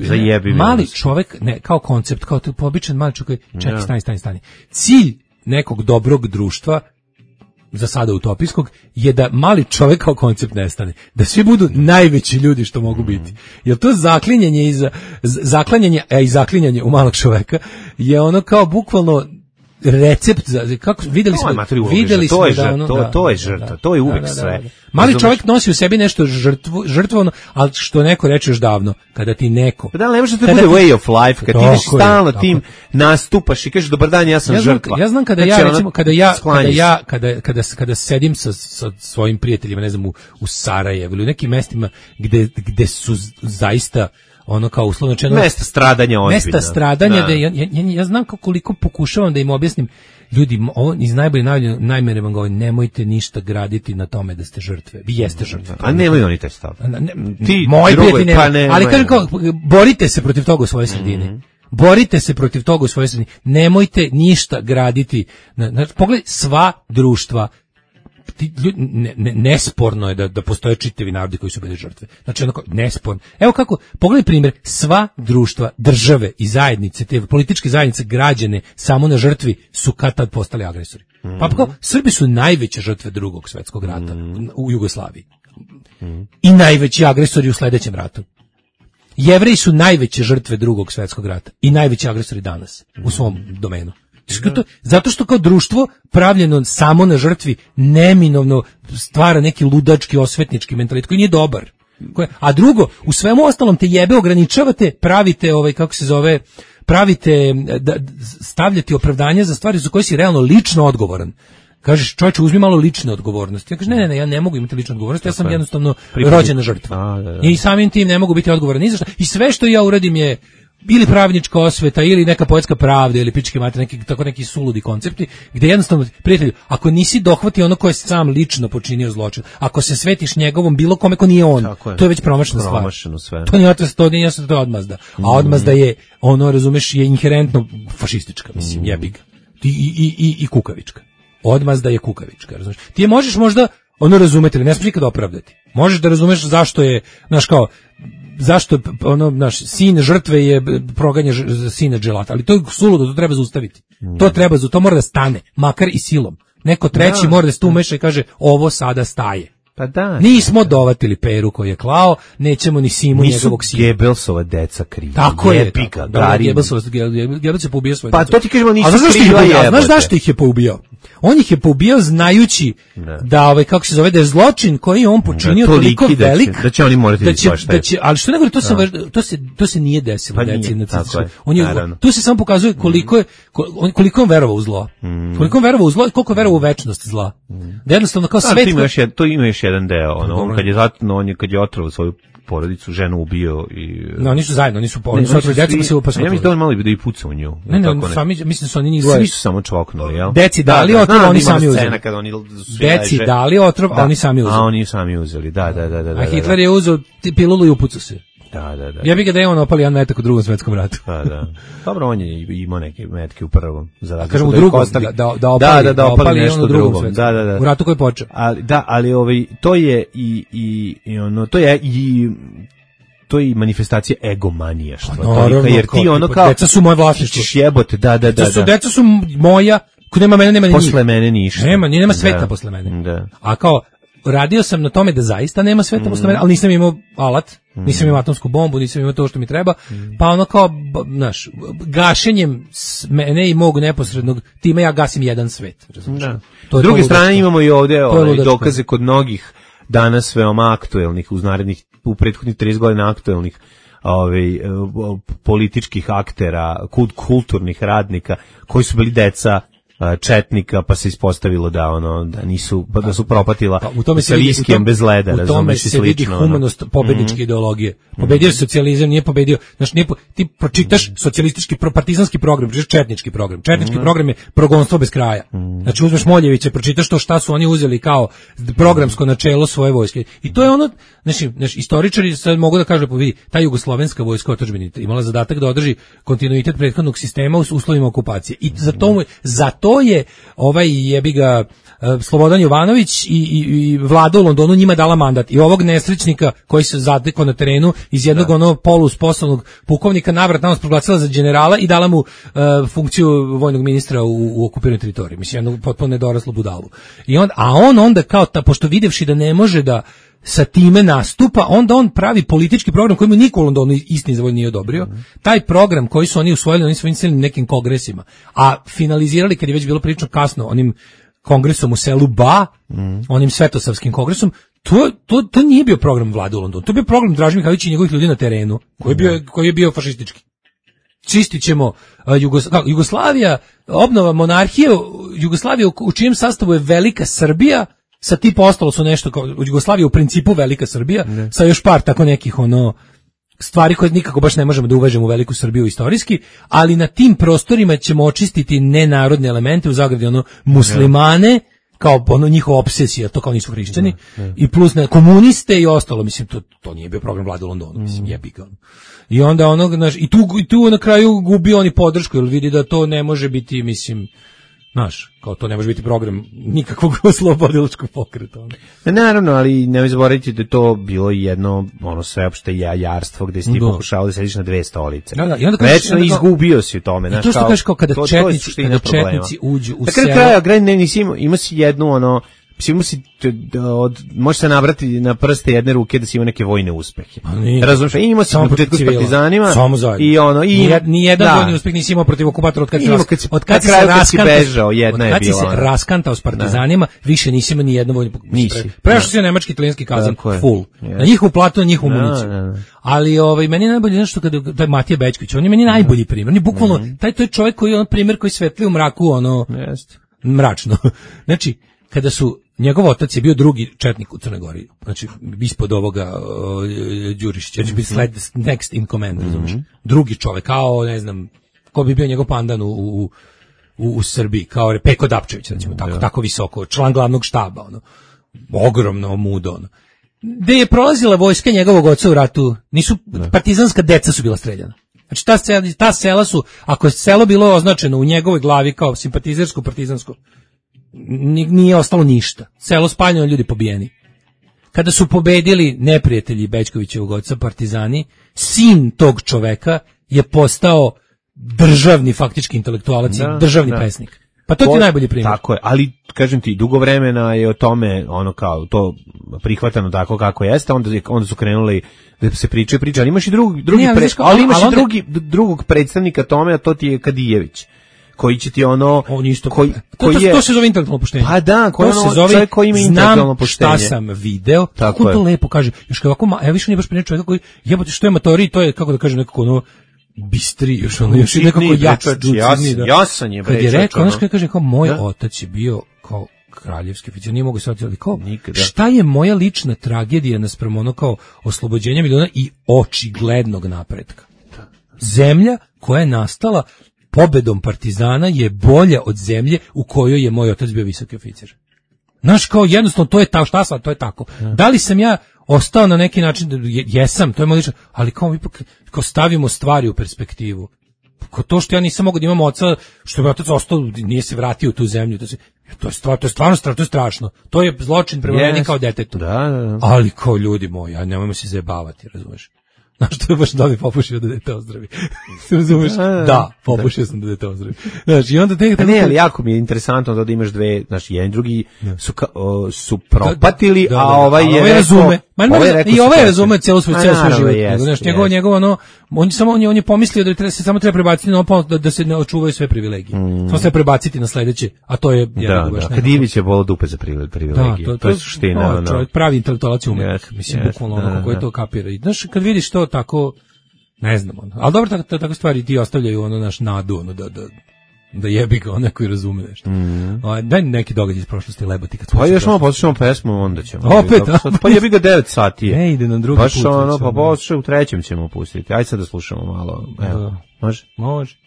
Zajebi mali vrst. Čovjek, ne, kao koncept, kao to običan mali čovjek, čekaj, ja. stani, stani, stani. Cilj nekog dobrog društva, za sada utopijskog, je da mali čovjek kao koncept nestane. Da svi budu najveći ljudi što mogu biti. Jer to zaklinjanje i za, zaklanjanje, a i zaklinjanje u malog čoveka je ono kao bukvalno recept za kako videli smo videli smo da ono, to, to je žrtva, to je uvek da, da, sve. Da, da. Mali Razumeš? Čovjek nosi u sebi nešto žrtvu, žrtvovno, ali što neko reče još davno, kada ti neko. Pa da ne može da bude way of life, kad ti ideš stalno tim nastupaš i kažeš dobar dan, ja sam ja znam, žrtva. Ja znam kada znači, ja recimo kada ja kada ja kada kada kada sedim sa sa svojim prijateljima, ne znam u, u Sarajevu ili u nekim mestima gde gde su zaista ono kao uslovno rečeno mesta stradanja ozbiljno. Mesta stradanja da, da ja, ja, ja znam kako koliko pokušavam da im objasnim ljudi, ovo iz najbolje najmere vam govorim, nemojte ništa graditi na tome da ste žrtve. Vi jeste žrtve. A nemaju oni taj stav. Ne, ti moji prijatelji pa ne, ali kažem kao borite se protiv toga u svojoj sredini. Mm-hmm. Borite se protiv toga u svojoj sredini. Nemojte ništa graditi. Na, na, pogledaj sva društva. Ti, ne, ne, nesporno je da, da postoje čitavi narodi koji su bili žrtve. Znači onako, nesporno. Evo kako, pogledaj primjer, sva društva, države i zajednice, te političke zajednice, građane, samo na žrtvi su kad tad postali agresori. Mm. Pa kao, Srbi su najveće žrtve drugog svjetskog rata mm. u Jugoslaviji. Mm. I najveći agresori u sljedećem ratu. Jevreji su najveće žrtve drugog svjetskog rata i najveći agresori danas u svom domenu. Zato što kao društvo pravljeno samo na žrtvi neminovno stvara neki ludački osvetnički mentalitet koji nije dobar. A drugo, u svemu ostalom te jebe ograničavate, pravite ovaj kako se zove, pravite da stavljate opravdanje za stvari za koje si realno lično odgovoran. kažeš čovječe uzmi malo lične odgovornosti. Ja kažem ne, ne, ne, ja ne mogu imati ličnu odgovornost, ja sam jednostavno rođena žrtva. A, da, da. I samim tim ne mogu biti odgovoran ni za šta. I sve što ja uradim je ili pravnička osveta, ili neka poetska pravda, ili pičke mater, neki, tako neki suludi koncepti, gde jednostavno, prijatelju, ako nisi dohvatio ono ko je sam lično počinio zločin, ako se svetiš njegovom bilo kome ko nije on, je. To je već promašena stvar. Sve. To nije otvest, to nije jasno, to je odmazda. A odmazda je, ono, razumeš, je inherentno fašistička, mislim, jebiga. I, i, i, i kukavička. Odmazda je kukavička, razumeš. Ti je možeš možda, ono razumeti, ne smiješ nikad opravdati. Možeš da razumeš zašto je, znaš kao, zašto ono naš sin žrtve je proganja sina dželata, ali to je suludo, to treba zaustaviti. Mm. To treba, to mora da stane, makar i silom. Neko treći da, mora da se tu umeša i kaže ovo sada staje. Pa da. Nismo dovatili Peru koji je klao, nećemo ni Simu njegovog sina. Nisu Gebelsova deca kriva. Tako je, tako. Da, Gebelsova, Gebels je poubio svoje Pa deca. to ti kažemo nisu kriva je. Znaš zašto ih je poubio? On ih je poubio znajući ne. da ovaj kako se zove da je zločin koji je on počinio da, toliko da velik da će oni morati da će, da će ali što ne govori to se to se to se nije desilo pa deci na cicu. On je tu se samo pokazuje koliko je koliko on verovao u zlo. Mm. Koliko on verovao u zlo i koliko verovao u večnost zla. Mm. Da jednostavno kao svet. To još to ima još jedan deo, ono on kad je zatno on je kad je otrovao svoju porodicu, ženu ubio i no, nisu zajedno, nisu po, nisu otrovi deca, pa se upasno. Ja mislim da on malo da i puca u nju. Ne, ne, ne sami, mislim da su oni njih dvoje. Svi su samo čvoknuli, jel? Deci dali da, otrov, oni sami uzeli. Oni Deci dali otrov, a oni sami uzeli. A oni sami uzeli, da, da, da. da a Hitler je uzeo pilulu i upucao se. Da, da, da. Ja bih ga da je on opali jedan metak u drugom svetskom ratu. Da, da. Dobro, on je imao neke metke u prvom. Za kažem u drugom, da, da, da opali, da, da, da opali nešto u drugom. drugom. Da, da, da. U ratu koji počeo. Ali, da, ali ovaj, to je i, i, i ono, to je i to je i manifestacija egomanija, što no, to, jer ti ono kao deca su moje vlasništvo, jebote, da, da, da, da. Su, deca su moja, ko nema mene, nema ni posle mene ništa. Nema, ni nema sveta da. Posle mene. Da. A kao radio sam na tome da zaista nema sveta mm. posle mene, ali nisam imao alat, mm. nisam imao atomsku bombu, nisam imao to što mi treba, mm. pa ono kao, znaš, gašenjem mene i mog neposrednog tima ja gasim jedan svet. Da. S druge strane imamo i ovde ovaj, dokaze kod mnogih danas veoma aktuelnih, uz narednih, u prethodnih trideset godina aktuelnih ovaj, političkih aktera, kult, kulturnih radnika, koji su bili deca četnika, pa se ispostavilo da ono da nisu pa da su propatila pa, u tome se vidi, u tom, bez leda, u tome se slično, vidi humanost pobedničke mm-hmm. ideologije. Pobedio mm-hmm. socijalizam, nije pobedio, znači nije po, ti pročitaš socijalistički pro, partizanski program, pročitaš četnički program. Četnički mm-hmm. program je progonstvo bez kraja. Mm-hmm. Znači uzmeš Moljevića, pročitaš to šta su oni uzeli kao programsko načelo svoje vojske. I to je ono, znači, znači istoričari sad mogu da kažu, pa vidi, ta jugoslovenska vojska otadžbine imala zadatak da održi kontinuitet prethodnog sistema u uslovima okupacije. I za to za to je ovaj jebiga Slobodan Jovanović i, i, i vlada u Londonu njima dala mandat i ovog nesrećnika koji se zatekao na terenu iz jednog da. ono polusposobnog pukovnika navrat nanos proglasila za generala i dala mu uh, funkciju vojnog ministra u, u okupiranoj teritoriji. Mislim, jednu potpuno nedoraslu budalu. I on, a on onda kao, ta, pošto videvši da ne može da sa time nastupa, onda on pravi politički program koji mu niko u Londonu istini za volj nije odobrio. Mm. Taj program koji su oni usvojili, oni su inicirali nekim kongresima, a finalizirali kad je već bilo prilično kasno onim kongresom u selu Ba, mm. onim svetosavskim kongresom, to, to, to nije bio program vlade u Londonu, to je bio program Draže Mihajlovića i njegovih ljudi na terenu, koji je bio, koji je bio fašistički. Čistit ćemo uh, Jugos, Jugoslavija, obnova monarhije, Jugoslavija u, u čijem sastavu je Velika Srbija, sa tipa ostalo su nešto kao u Jugoslaviji u principu Velika Srbija, ne. Sa još par tako nekih ono stvari koje nikako baš ne možemo da uvežemo u Veliku Srbiju istorijski, ali na tim prostorima ćemo očistiti nenarodne elemente, u zagradi ono muslimane, ne. Kao ono njihova obsesija, to kao nisu hrišćani, ne, ne. I plus ne, komuniste i ostalo, mislim, to, to nije bio program vlade u Londonu, mislim, jebi ga. I onda ono, znaš, i tu, i tu na kraju gubi oni podršku, jer vidi da to ne može biti, mislim, znaš, kao to ne može biti program nikakvog slobodilačkog pokreta. Ne, naravno, ali ne zaboravite da je to bilo jedno ono sveopšte jajarstvo gde si ti pokušao da sediš na dve stolice. Da, da, i onda kažeš, večno izgubio si u tome. I to što kažeš kao kada to, četnici, to kada četnici uđu u selo. Na kraju kraja, ne, nisi imao, imao si jednu ono, Ima si, od, može se nabrati na prste jedne ruke da si ima neke vojne uspehe. Razumiješ? I imao si na početku s partizanima. I ono, i Nijed, nijedan da. Vojni uspeh nisi imao protiv okupatora od kad si, kad si, od kad si se raskantao, jedna je od kad si bila, se raskantao s partizanima, da. Više nisi imao nijedno vojno nisi. Prešao si na nemački italijanski kazan, full. Na njihovu platu, na njihovu municiju. Ali ovaj meni je najbolje nešto kada taj Matija Bećković, on je meni najbolji primjer. On je bukvalno taj to je čovjek koji je on primjer koji svetli u mraku, ono. Jeste. mračno. Znači, kada su, njegov otac je bio drugi četnik u Crnoj Gori, znači ispod ovoga uh, Đurišića, znači bi sled, next in command, razumiješ, mm-hmm. drugi čovek, kao, ne znam, ko bi bio njegov pandan u, u, u, u Srbiji, kao Peko Dapčević, recimo, tako, yeah. tako visoko, član glavnog štaba, ono, ogromno mudo, ono. Gde je prolazila vojska njegovog oca u ratu, nisu, ne. partizanska deca su bila streljana. Znači ta sela, ta sela su, ako je selo bilo označeno u njegovoj glavi kao simpatizersko, partizansko, nije ostalo ništa. Selo spaljeno, ljudi pobijeni. Kada su pobedili neprijatelji Bećkovićevog oca, partizani, sin tog čoveka je postao državni faktički intelektualac, da, državni da. pesnik. Pa to ti je najbolji primjer. Tako je, ali kažem ti, dugo vremena je o tome ono kao to prihvatano tako kako jeste, onda onda su krenuli da se pričaju priče, ali imaš i drugi drugi ne, ali, pre, ali imaš ali i drugi drugog predstavnika tome, a to ti je Kadijević, koji će ti ono on isto koji, koji to, to, je, to se zove intelektualno poštenje. Pa da, koji to ono, se zove koji ima intelektualno poštenje. Šta sam video, kako to lepo kaže. Još kako ja više nije baš pričao čovjek koji jebote što je matori, to je kako da kažem nekako ono bistri, još ono, još nekako jač, jasan je. Kad je rekao, ono što kaže, kao moj da? otac je bio kao kraljevski oficir, nije mogu shvatiti, ali kao, nikada. Šta je moja lična tragedija naspram ono kao oslobođenja miliona i očiglednog napretka? Zemlja koja je nastala pobedom partizana je bolja od zemlje u kojoj je moj otac bio visoki oficir. Znaš, kao jednostavno, to je ta, šta sad, to je tako. Ja. Da li sam ja ostao na neki način, jesam, to je moj lično, ali kao ipak, kao stavimo stvari u perspektivu. Kao to što ja nisam mogao da imam oca, što je otac ostao, nije se vratio u tu zemlju, to, se, to, je, stvar, to je stvarno strašno, to je strašno. To je zločin prema meni yes. kao detetu. Da, da, da. Ali kao ljudi moji, ja nemojmo se zajebavati, razumeš? Znaš, to je baš da bi popušio da dete ozdravi. Razumeš? Da, popušio sam da dete ozdravi. Znaš, i onda te... Ne, ali jako mi je interesantno da imaš dve, znaš, jedan i drugi su, ka, o, su propatili, da, da, da, a ovaj je ovaj razume. Ma, ovaj rekao i ovaj razume cijelo svoj, cijelo svoj život. Jest, znaš, njegov, njegov, ono, on, samo, on, je, on je pomislio da treba, se samo treba prebaciti na opal, da, da se ne očuvaju sve privilegije. Mm. Samo se prebaciti na sledeće, a to je... Da, da, Kadijević je bolo dupe za privilegije. Da, to, to je suština. No, pravi intelektualac umetnik, mislim, bukvalno ono kako je to kapira. I znaš, kad vidiš to tako, ne znam, ono. Ali dobro, tako, tako stvari ti ostavljaju ono naš nadu, ono, da, da, da jebi ga onaj koji razume nešto. Mm. O, daj neki događaj iz prošlosti lebati. Kad pa još malo poslušamo pesmu, onda ćemo. Opet, pa jebi ga devet sati je. Ne, ide na drugi baš put. Baš ono, pa poslušaj, u trećem ćemo pustiti. Ajde sad da slušamo malo. Evo, da. Može? Može.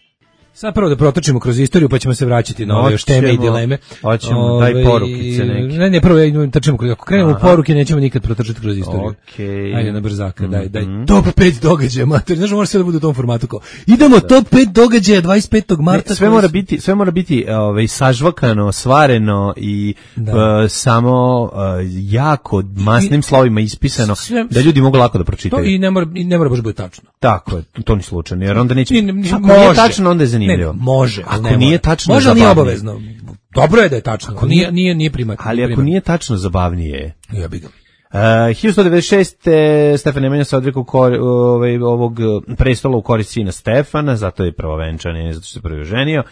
Sad prvo da protočimo kroz istoriju, pa ćemo se vraćati na ove još teme i dileme. Hoćemo, ove, daj porukice neke. Ne, ne, prvo ja trčimo kroz, ako krenemo u poruke, nećemo nikad protrčati kroz istoriju. Okay. Ajde na brzaka, daj, daj. Mm-hmm. Top pet događaja, mater, znaš, mora sve da bude u tom formatu kao. Idemo, da. Top pet događaja dvadeset petog marta. Ne, sve mora biti, sve mora biti ovaj, sažvakano, svareno i da. uh, samo uh, jako masnim slovima ispisano, sve, da ljudi mogu lako da pročitaju. To i ne mora, i ne mora baš biti tačno. Tako je, to ni slučajno, jer onda neće... Ako nije tačno, onda je zanimljivo. Ne, može, ako ne nije tačno, može, ali nije obavezno. Dobro je da je tačno, ako nije nije nije primat. Ali ako nije tačno, zabavnije. Ja bih ga. Uh, hiljadu sto devedeset šeste. Stefan Nemanja se odrekao ovaj, ovog prestola u korist sina Stefana, zato je prvovenčan, ne zato što se prvi ženio.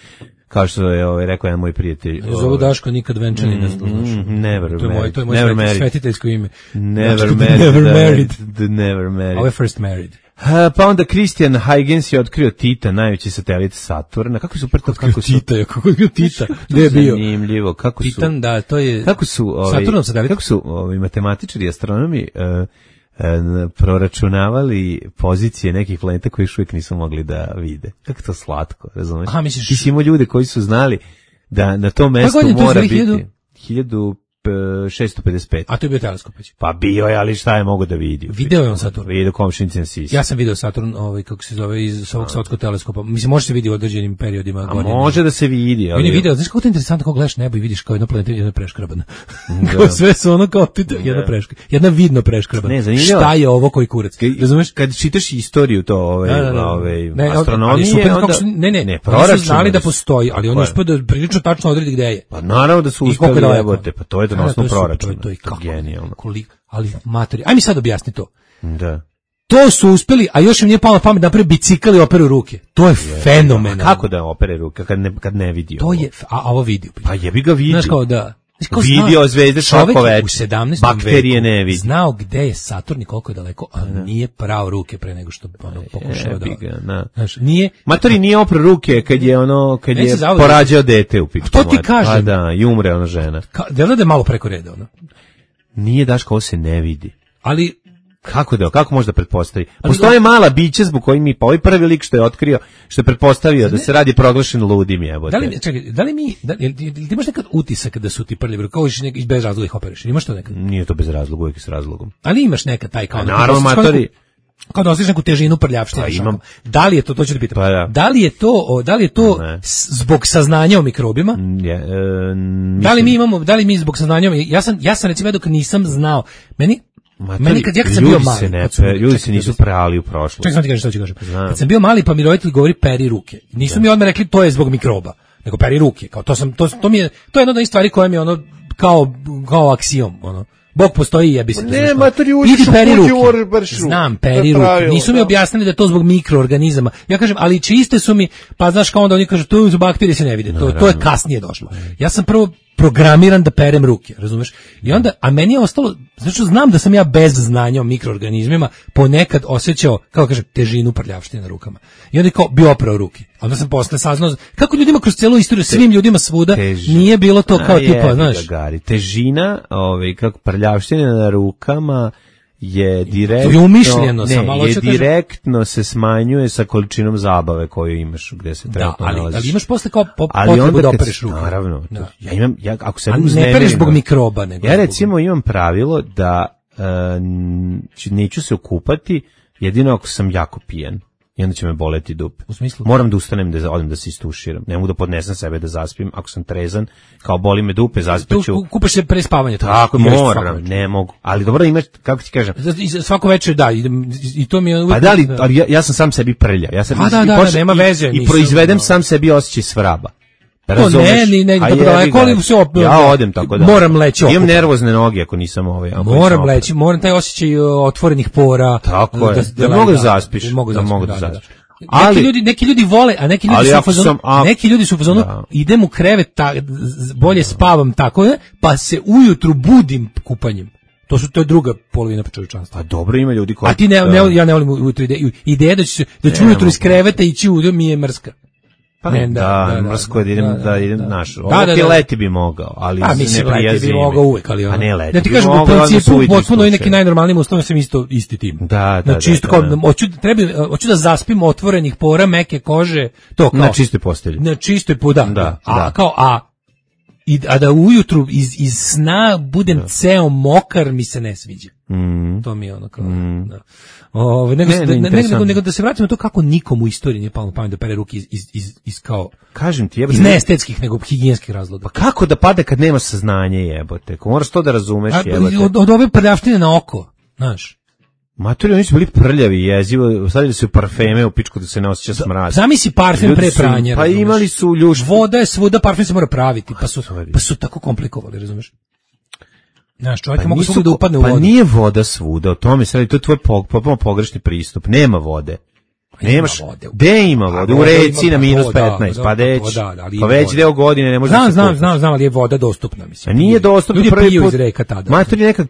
Kao što je ovaj, rekao jedan moj prijatelj. Zovu Daško nikad venčani mm, ne znaš. Never to je moj, to je moj never sveti, svetiteljsko ime. Never married. Never married. The never married. Ovo je first married. Uh, pa onda Christian Huygens je otkrio Tita, najveći satelit Saturna. Kako su prto kako su Tita, kako je Tita? Gde je bio? Zanimljivo, kako su Titan, da, to je kako su ovaj Saturnov satelit. Kako su ovaj matematičari i astronomi uh, uh, proračunavali pozicije nekih planeta koji još uvijek nisu mogli da vide. Kako to slatko, razumeš? Aha, misliš... Ti si imao ljude koji su znali da na tom mestu mora biti hiljadu šessto pedeset pet. A to je bio teleskop. Pa bio je, ali šta je mogo da vidi? Video je on Saturn. Video komšinicin Sisi. Ja sam video Saturn, ovaj, kako se zove, iz ovog svetskog teleskopa. Mislim, može se vidi u određenim periodima. A godine. Može da se vidi. Ali... On je video, znaš kako to je interesantno, kako gledaš nebo i vidiš kao jedna planeta, jedna preškrabana. Da. Sve su ono kao ti, jedna preškrabana. Jedna vidno preškrabana. Ne, zanimljivo. Šta je ovo koji kurac? Razumeš? Kad čitaš istoriju to, ove, da, da, da. ove, ne, astronomije, super, onda... Su, ne, ne, ne, oni su znali da postoji, ali oni uspio da prilično tačno odredi gde je. Pa naravno da su uspeli jebote, pa to je donosno proračun. To je kako genijalno. Koliko, ali materi. Aj mi sad objasni to. Da. To su uspeli, a još im nije palo na pamet da napravi bicikl i operu ruke. To je yeah. fenomenalno. Kako da opere ruke kad ne kad ne vidi to ovo? Je, a, a ovo vidi. Pa jebi ga vidi. Znaš kao da. Vidio zvezde svako večer. U sedamnaestom bakterije ne vidi. Znao gde je Saturn i koliko je daleko, a nije prao ruke pre nego što ono pokušao da. Znaš, nije. Matori nije opro ruke kad je ono kad je porađao dete u pičku. To ti kažem. A da, i umre ona žena. Delo da je malo preko reda ono. Nije Daško, ovo se ne vidi. Ali kako da, kako može da pretpostavi? Postoje mala bića zbog kojih mi, pa ovaj prvi lik što je otkrio, što je pretpostavio da se radi proglašen ludim, jebote. Da li, čekaj, da li mi, da, ti imaš nekad utisak da su ti prljavi, kao iš nek, bez razloga ih opereš, imaš to nekad? Nije to bez razloga, uvijek s razlogom. Ali imaš nekad taj kao... Naravno, matori... Kao da osjećaš neku težinu prljavštine. Pa imam. Da li je to, to ću da pitam, pa, da. da li je to, da li je to zbog saznanja o mikrobima? Je, e, da li mi imamo, da li mi zbog saznanja, ja sam, ja sam recimo dok nisam znao, meni, Matori, meni kad ja kad sam bio mali, se ne, sam, ljudi se nisu prali u prošlosti. Čekaj, sam ti kažem što ću kažem. Kad sam bio mali pa mi roditelji govori peri ruke. Nisu da. mi odmah rekli to je zbog mikroba, nego peri ruke. Kao to sam, to, to mi je, to je jedna od onih stvari koja mi je ono kao, kao aksiom, ono. Bog postoji, jebi se. Ne, matori, učiš u kući, znam, peri ruke. Nisu mi objasnili da je to zbog mikroorganizama. Ja kažem, ali čiste su mi, pa znaš kao onda oni kažu, to su bakterije, se ne vide. To, to je kasnije došlo. Ja sam prvo programiran da perem ruke, razumeš? I onda, a meni je ostalo, znači znam da sam ja bez znanja o mikroorganizmima ponekad osjećao, kako kažem, težinu prljavštine na rukama. I onda je kao bio oprao ruke. Onda sam posle saznao kako ljudima kroz celu istoriju, svim ljudima svuda Teži. nije bilo to kao a, tipa, znaš. Gari. Težina, ovaj, kako prljavštine na rukama je direktno, je umišljeno, ne, sam, je direktno se smanjuje sa količinom zabave koju imaš gde se trenutno da, ali, nalaziš. Ali imaš posle kao po, potrebu da opereš ruku. Naravno. Da. Ja imam, ja, ako se ne pereš zbog mikroba. Nego ja recimo zbog... imam pravilo da uh, neću se okupati jedino ako sam jako pijan. I onda će me boleti dupe. U smislu? Moram da ustanem da odem da se istuširam. Ne mogu da podnesem sebe da zaspim. Ako sam trezan, kao boli me dupe, zaspaću. Tu kupaš se pre spavanja. Tako, moram, ne mogu. Ali dobro imaš, kako ti kažem? Svako večer, da, i to mi je... Pa da, ali, ali ja, ja sam sam sebi prlja. Ja sam, A da, da, da, nema veze. I, i proizvedem sam sebi osjećaj svraba. To ne, ni ne, dobro, daleko li se op... Ja odem tako da. Moram leći okupan. Imam nervozne noge ako nisam ovaj. Moram leći, moram taj osjećaj otvorenih pora. Tako je, da mogu da zaspiš, da mogu da zaspiš. Ali, neki ljudi, neki ljudi vole, a neki ljudi su u fazonu, a... neki ljudi su u fazonu, idem u krevet, ta, bolje spavam tako, pa se ujutru budim kupanjem. To su to je druga polovina čovječanstva. A dobro ima ljudi koji. A ti ne, ne ja ne volim ujutru ideju, ideja da ću da ću ujutru iz kreveta ići u mi je mrska. Pa ne, da, da, da, mrsko da idem, da, da idem naš. Da, da, da, leti bi mogao, ali a, mislim, ne leti bi mogao uvek, ali ono. A ne leti. Da ti kažem, u principu, potpuno i neki najnormalnijim uslovima sam isto, isti tim. Da, da, znači, isto kao, hoću, treba, hoću da zaspim otvorenih pora, meke kože, to kao. Na čistoj postelji. Na čistoj poda. Da, a, da. kao, a, i, a da ujutru iz, iz sna budem da. ceo mokar mi se ne sviđa. Mm. To mi je ono kao, mm. da. Ove, nego, ne, ne, ne, nego, nego da se vratimo to kako nikom u istoriji nije palo na pamet da pere ruke iz, iz, iz, iz kao, kažem ti, jebote, iz neestetskih nego higijenskih razloga. Pa kako da pada kad nema saznanje, jebote? Ko moraš to da razumeš, jebote. Od, od ove prljavštine na oko, znaš. Matori, oni su bili prljavi, jezivo, stavili su parfeme u pičku da se ne osjeća smrad. Zamisli parfem pre pranja. Pa razumeš? Imali su ljuš. Voda je svuda, parfem se mora praviti, pa su, pa su tako komplikovali, razumeš? Znaš, čovjek pa mogu svugde da upadne u vodu. Pa nije voda svuda, o tome se radi, to je tvoj potpuno pogrešni pristup. Nema vode. Nemaš, gde ima vode? U reci na minus petnaest, pa deć, pa veći deo godine ne može znam, znam, znam, znam, ali je voda dostupna, mislim. A nije dostupna ljudi prvi piju put. Iz reka tada. Matori, neka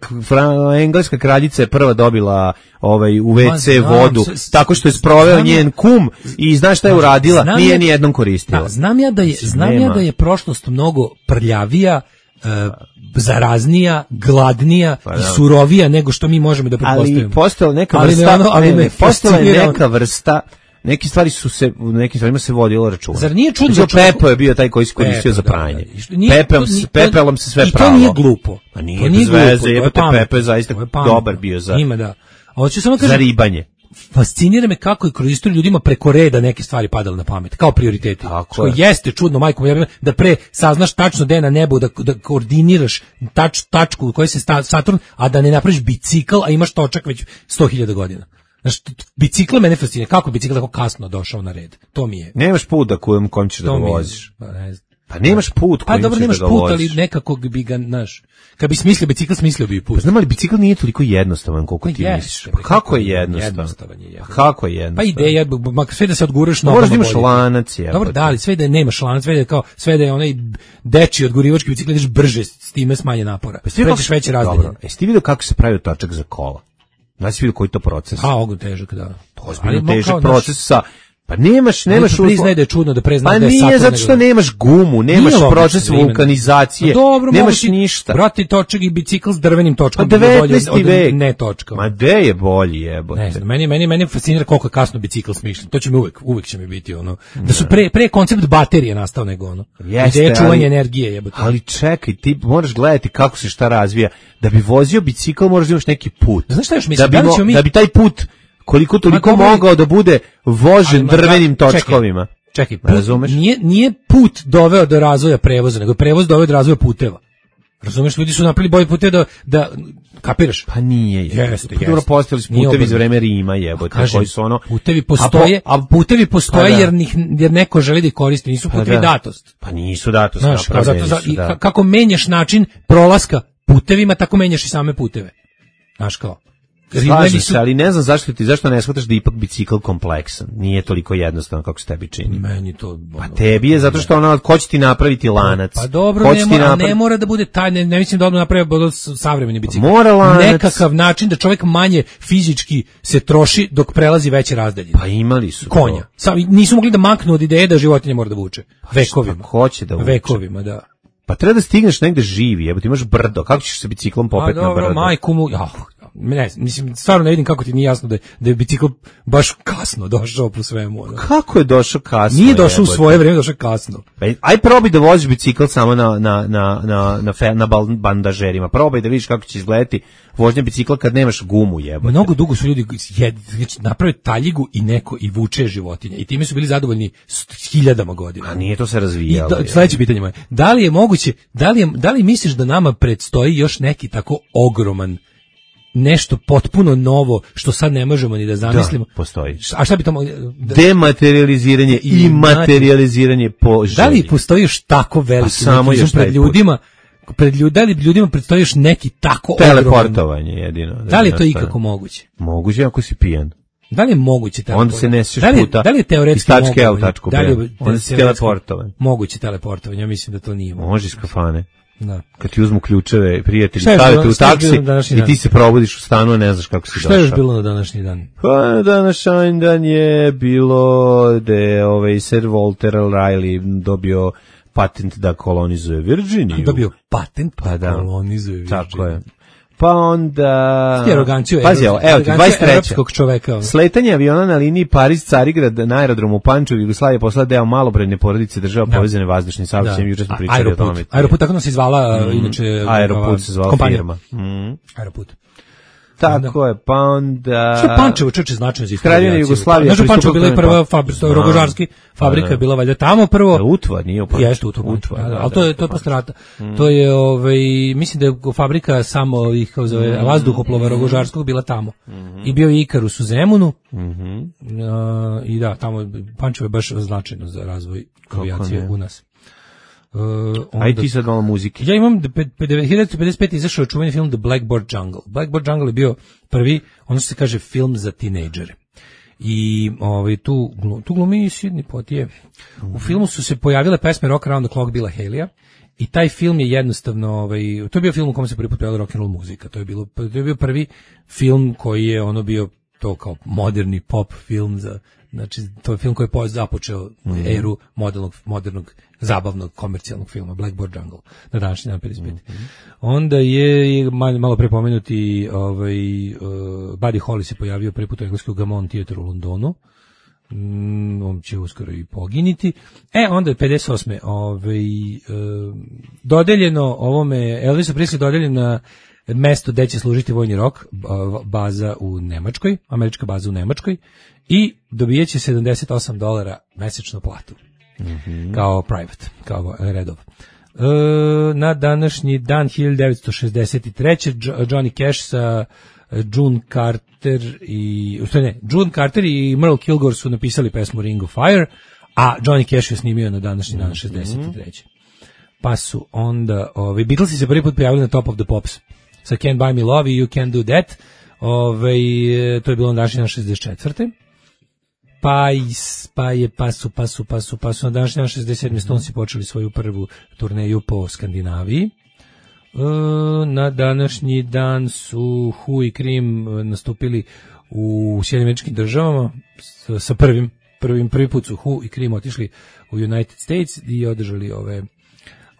engleska kraljica je prva dobila ovaj, u ve ce vodu, tako što je sproveo njen kum i znaš šta je uradila? Nije ni jednom koristila. Da, znam ja da je, znam ja da je prošlost mnogo prljavija, Uh, zaraznija, gladnija pa, i surovija nego što mi možemo da pretpostavimo. Ali postojala neka vrsta, ali ono, ali ne, ne, postojala je neka vrsta, neke stvari su se, u nekim stvarima se vodilo računa. Zar nije čudno? Znači, Pepo je bio taj koji se koristio za pranje. Da, da. Pepel, pepelom se sve pralo. I to nije glupo. Pa nije, to nije bez veze, jebate, Pepe je zaista dobar bio za, ima, da. Hoću samo kažem, za ribanje. Fascinira me kako je kroz istoriju ljudima preko reda neke stvari padale na pamet, kao prioriteti. Što je. Jeste čudno, majko moja, da pre saznaš tačno gde je na nebu, da, da koordiniraš tač, tačku u kojoj se sta, Saturn, a da ne napraviš bicikl, a imaš točak već sto hiljada godina. Znaš, bicikl mene fascinira. Kako bicikl tako kasno došao na red? To mi je. Nemaš put da kojem kom ćeš da voziš. Pa ne znam. Pa nemaš put kojim pa, dobro, ćeš nemaš da ga put, voziš. ali nekako bi ga, znaš, kad bi smislio bicikl, smislio bi i put. Pa znam, ali bicikl nije toliko jednostavan koliko ti yes, misliš. Pa kako je jednostavan? jednostavan je jednostavan. Pa kako je jednostavan? Pa ideja, makar sve da se odguraš nogama. Moraš da imaš lanac, je. Dobro, da, ali sve da nemaš lanac, sve da je kao, sve da je onaj deči odgurivački bicikl, ideš brže, s time smanje napora. Pa pređeš veće razdaljine. Dobro, jesi ti vidio kako se pravi točak za kola? Znaš si vidio koji to proces? A, ogo težak, da. Ozbiljno težak proces sa... Pa nemaš, nemaš... Pa priznaj da je čudno da preznaš pa da je nije Saturn zato što nego... nemaš gumu, nemaš nije proces vulkanizacije, dobro, nemaš ništa. Brati točak i bicikl s drvenim točkom. Pa devetnaesti vek. Ne točkom. Ma gde je bolji jebote? Ne znam, meni, meni, meni fascinira koliko je kasno bicikl smišljen. To će mi uvek, uvek će mi biti ono. Da su pre, pre koncept baterije nastao nego ono. Jeste, ideja čuvanja energije jebote. Ali čekaj, ti moraš gledati kako se šta razvija. Da bi vozio bicikl moraš da imaš neki put. Znaš šta još mislim? Da bi, mo, mi... da bi taj put koliko toliko ma, mogao da bude vožen ma, drvenim da, točkovima. Čekaj, čekaj put, nije, nije put doveo do razvoja prevoza, nego prevoz doveo do razvoja puteva. Razumeš, ljudi su napravili bolje puteve da, da kapiraš? Pa nije. Jeste, jeste. Dobro, postojali su putevi iz vreme Rima, jebote, kažem, koji su ono... Putevi postoje, a, po, a putevi postoje pa jer, njih, jer neko želi da ih koristi, nisu putevi pa da. datost. Pa nisu datost. Znaš, kao zato, za, i, da. kako menjaš način prolaska putevima, tako menjaš i same puteve. Znaš kao... Slažem se, ali ne znam zašto ti, zašto ne shvataš da ipak bicikl kompleksan. Nije toliko jednostavno kako se tebi čini. Meni to... Ono, pa tebi je zato što ono, ko će ti napraviti lanac? Pa dobro, ne mora, napravi... ne mora da bude taj, ne, ne mislim da odmah napravi savremeni bicikl. Mora lanac. Nekakav način da čovjek manje fizički se troši dok prelazi veće razdaljine. Pa imali su konja. Sam, nisu mogli da maknu od ideje da životinja mora da vuče. Vekovima. Pa hoće da vuče. Vekovima, da. Pa treba da stigneš negde živi, jebote, imaš brdo. Kako ćeš se biciklom popet na brdo? Pa dobro, majku mu... Ja, ne, mislim, stvarno ne vidim kako ti nije jasno da je, da je bicikl baš kasno došao po svemu. Ono. Kako je došao kasno? Nije došao jebote. U svoje vrijeme, došao kasno. Aj probaj da voziš bicikl samo na, na, na, na, na, fe, na bandažerima. Probaj da vidiš kako će izgledati vožnja bicikla kad nemaš gumu, jebote. Mnogo dugo su ljudi jed, naprave taljigu i neko i vuče životinje. I time su bili zadovoljni s hiljadama godina. A nije to se razvijalo. Da, sledeće pitanje moje. Da li je moguće, da li, je, da li misliš da nama predstoji još neki tako ogroman nešto potpuno novo što sad ne možemo ni da zamislimo. Da, postoji. A šta bi to mogli? Da, dematerializiranje i, i materializiranje po želji. Da li postoji još tako veliki samo još pred ljudima? Pred ljud, da li ljudima predstoji još neki tako teleportovanje ogroman, jedino. Da, da li je to ikako moguće? Moguće ako si pijan. Da li je moguće teleportovanje? Onda se nesiš da li, puta. Da li je teoretski moguće? Da li je onda se teleportovanje? Moguće teleportovanje, ja mislim da to nije moguće. Može iz kafane. Da. Kad ti uzmu ključeve, prijatelji, stavite u taksi i ti se probudiš u stanu, a ne znaš kako si došao. Šta je još bilo na današnji dan? Pa na današnji dan je bilo da je ovaj Sir Walter Raleigh dobio patent da kolonizuje Virginiju. Dobio patent pa da kolonizuje Virginiju. Tako je. Pa onda... Ti aroganciju, pazi, evo, evo ti, dvadeset treće evropskog čoveka. Sletanje aviona na liniji Pariz-Carigrad na aerodromu u Pančevu, Jugoslavije poslala deo malobrojne porodice država da. Povezane vazdušnim saobraćajem, juče smo pričali Aeroput. o tome. Aeroput, tako nam se zvala, mm. inače... Aeroput se zvala kompanija. Firma. Mm. Aeroput. Tako je, pa onda... Što je Pančevo čeče značajno za istoriju? Kraljevina Jugoslavija. Znaš, u Pančevu bila je prva fabrika, rogožarski fabrika je bila valjda tamo prvo. Utva, nije u Pančevu. Jeste, Utva, Utva, ali to je to je posle rata. To je, ovaj, mislim da je fabrika samo ih kao zove vazduhoplova rogožarskog bila tamo. I bio je Ikarus u Zemunu. I da, tamo Pančevo je baš značajno za razvoj avijacije u nas. Uh, Aj ti sad malo muzike. Ja imam hiljadu devetsto pedeset pete izašao čuveni film The Blackboard Jungle. Blackboard Jungle je bio prvi, ono što se kaže film za tinejdžere. I ovaj tu tu glumi Sidney Poitier. Mm-hmm. U filmu su se pojavile pesme Rock Around the Clock Billa Haleya i taj film je jednostavno ovaj to je bio film u kojem se prvi put pojavila rock and roll muzika. To je bilo to je bio prvi film koji je ono bio to kao moderni pop film za znači to je film koji je započeo mm. eru modernog modernog zabavnog komercijalnog filma Blackboard Jungle na današnji dan pedeset pete. Mm-hmm. Onda je malo, malo prepomenuti ovaj uh, Buddy Holly se pojavio prvi put u engleskom Gammon Theatre u Londonu. Mm, on će uskoro i poginiti. E, onda je pedeset osme ovaj, uh, dodeljeno ovome, Elvisu Presley dodeljen na mesto gde će služiti vojni rok, baza u Nemačkoj, američka baza u Nemačkoj, i dobijeće sedamdeset osam dolara mesečnu platu. Mm-hmm. Kao private, kao redov. E, na današnji dan hiljadu devetsto šezdeset treće Johnny Cash sa June Carter i ne, June Carter i Merle Kilgore su napisali pesmu Ring of Fire, a Johnny Cash je snimio na današnji dan šezdeset treće. pa su onda, ovaj, Beatlesi se prvi put pojavili na Top of the Pops, sa Can't Buy Me Love i You Can't Do That, ovaj, to je bilo na današnji dan šezdeset četvrte Pa, is, pa je, pa su, pa su, pa su, pa su na današnji dan šezdeset sedme Stonesi počeli svoju prvu turneju po Skandinaviji. Na današnji dan su Who i Cream nastupili u Sjedinjenim Američkim Državama sa prvim, prvim prvi put su Who i Cream otišli u United States i održali ove,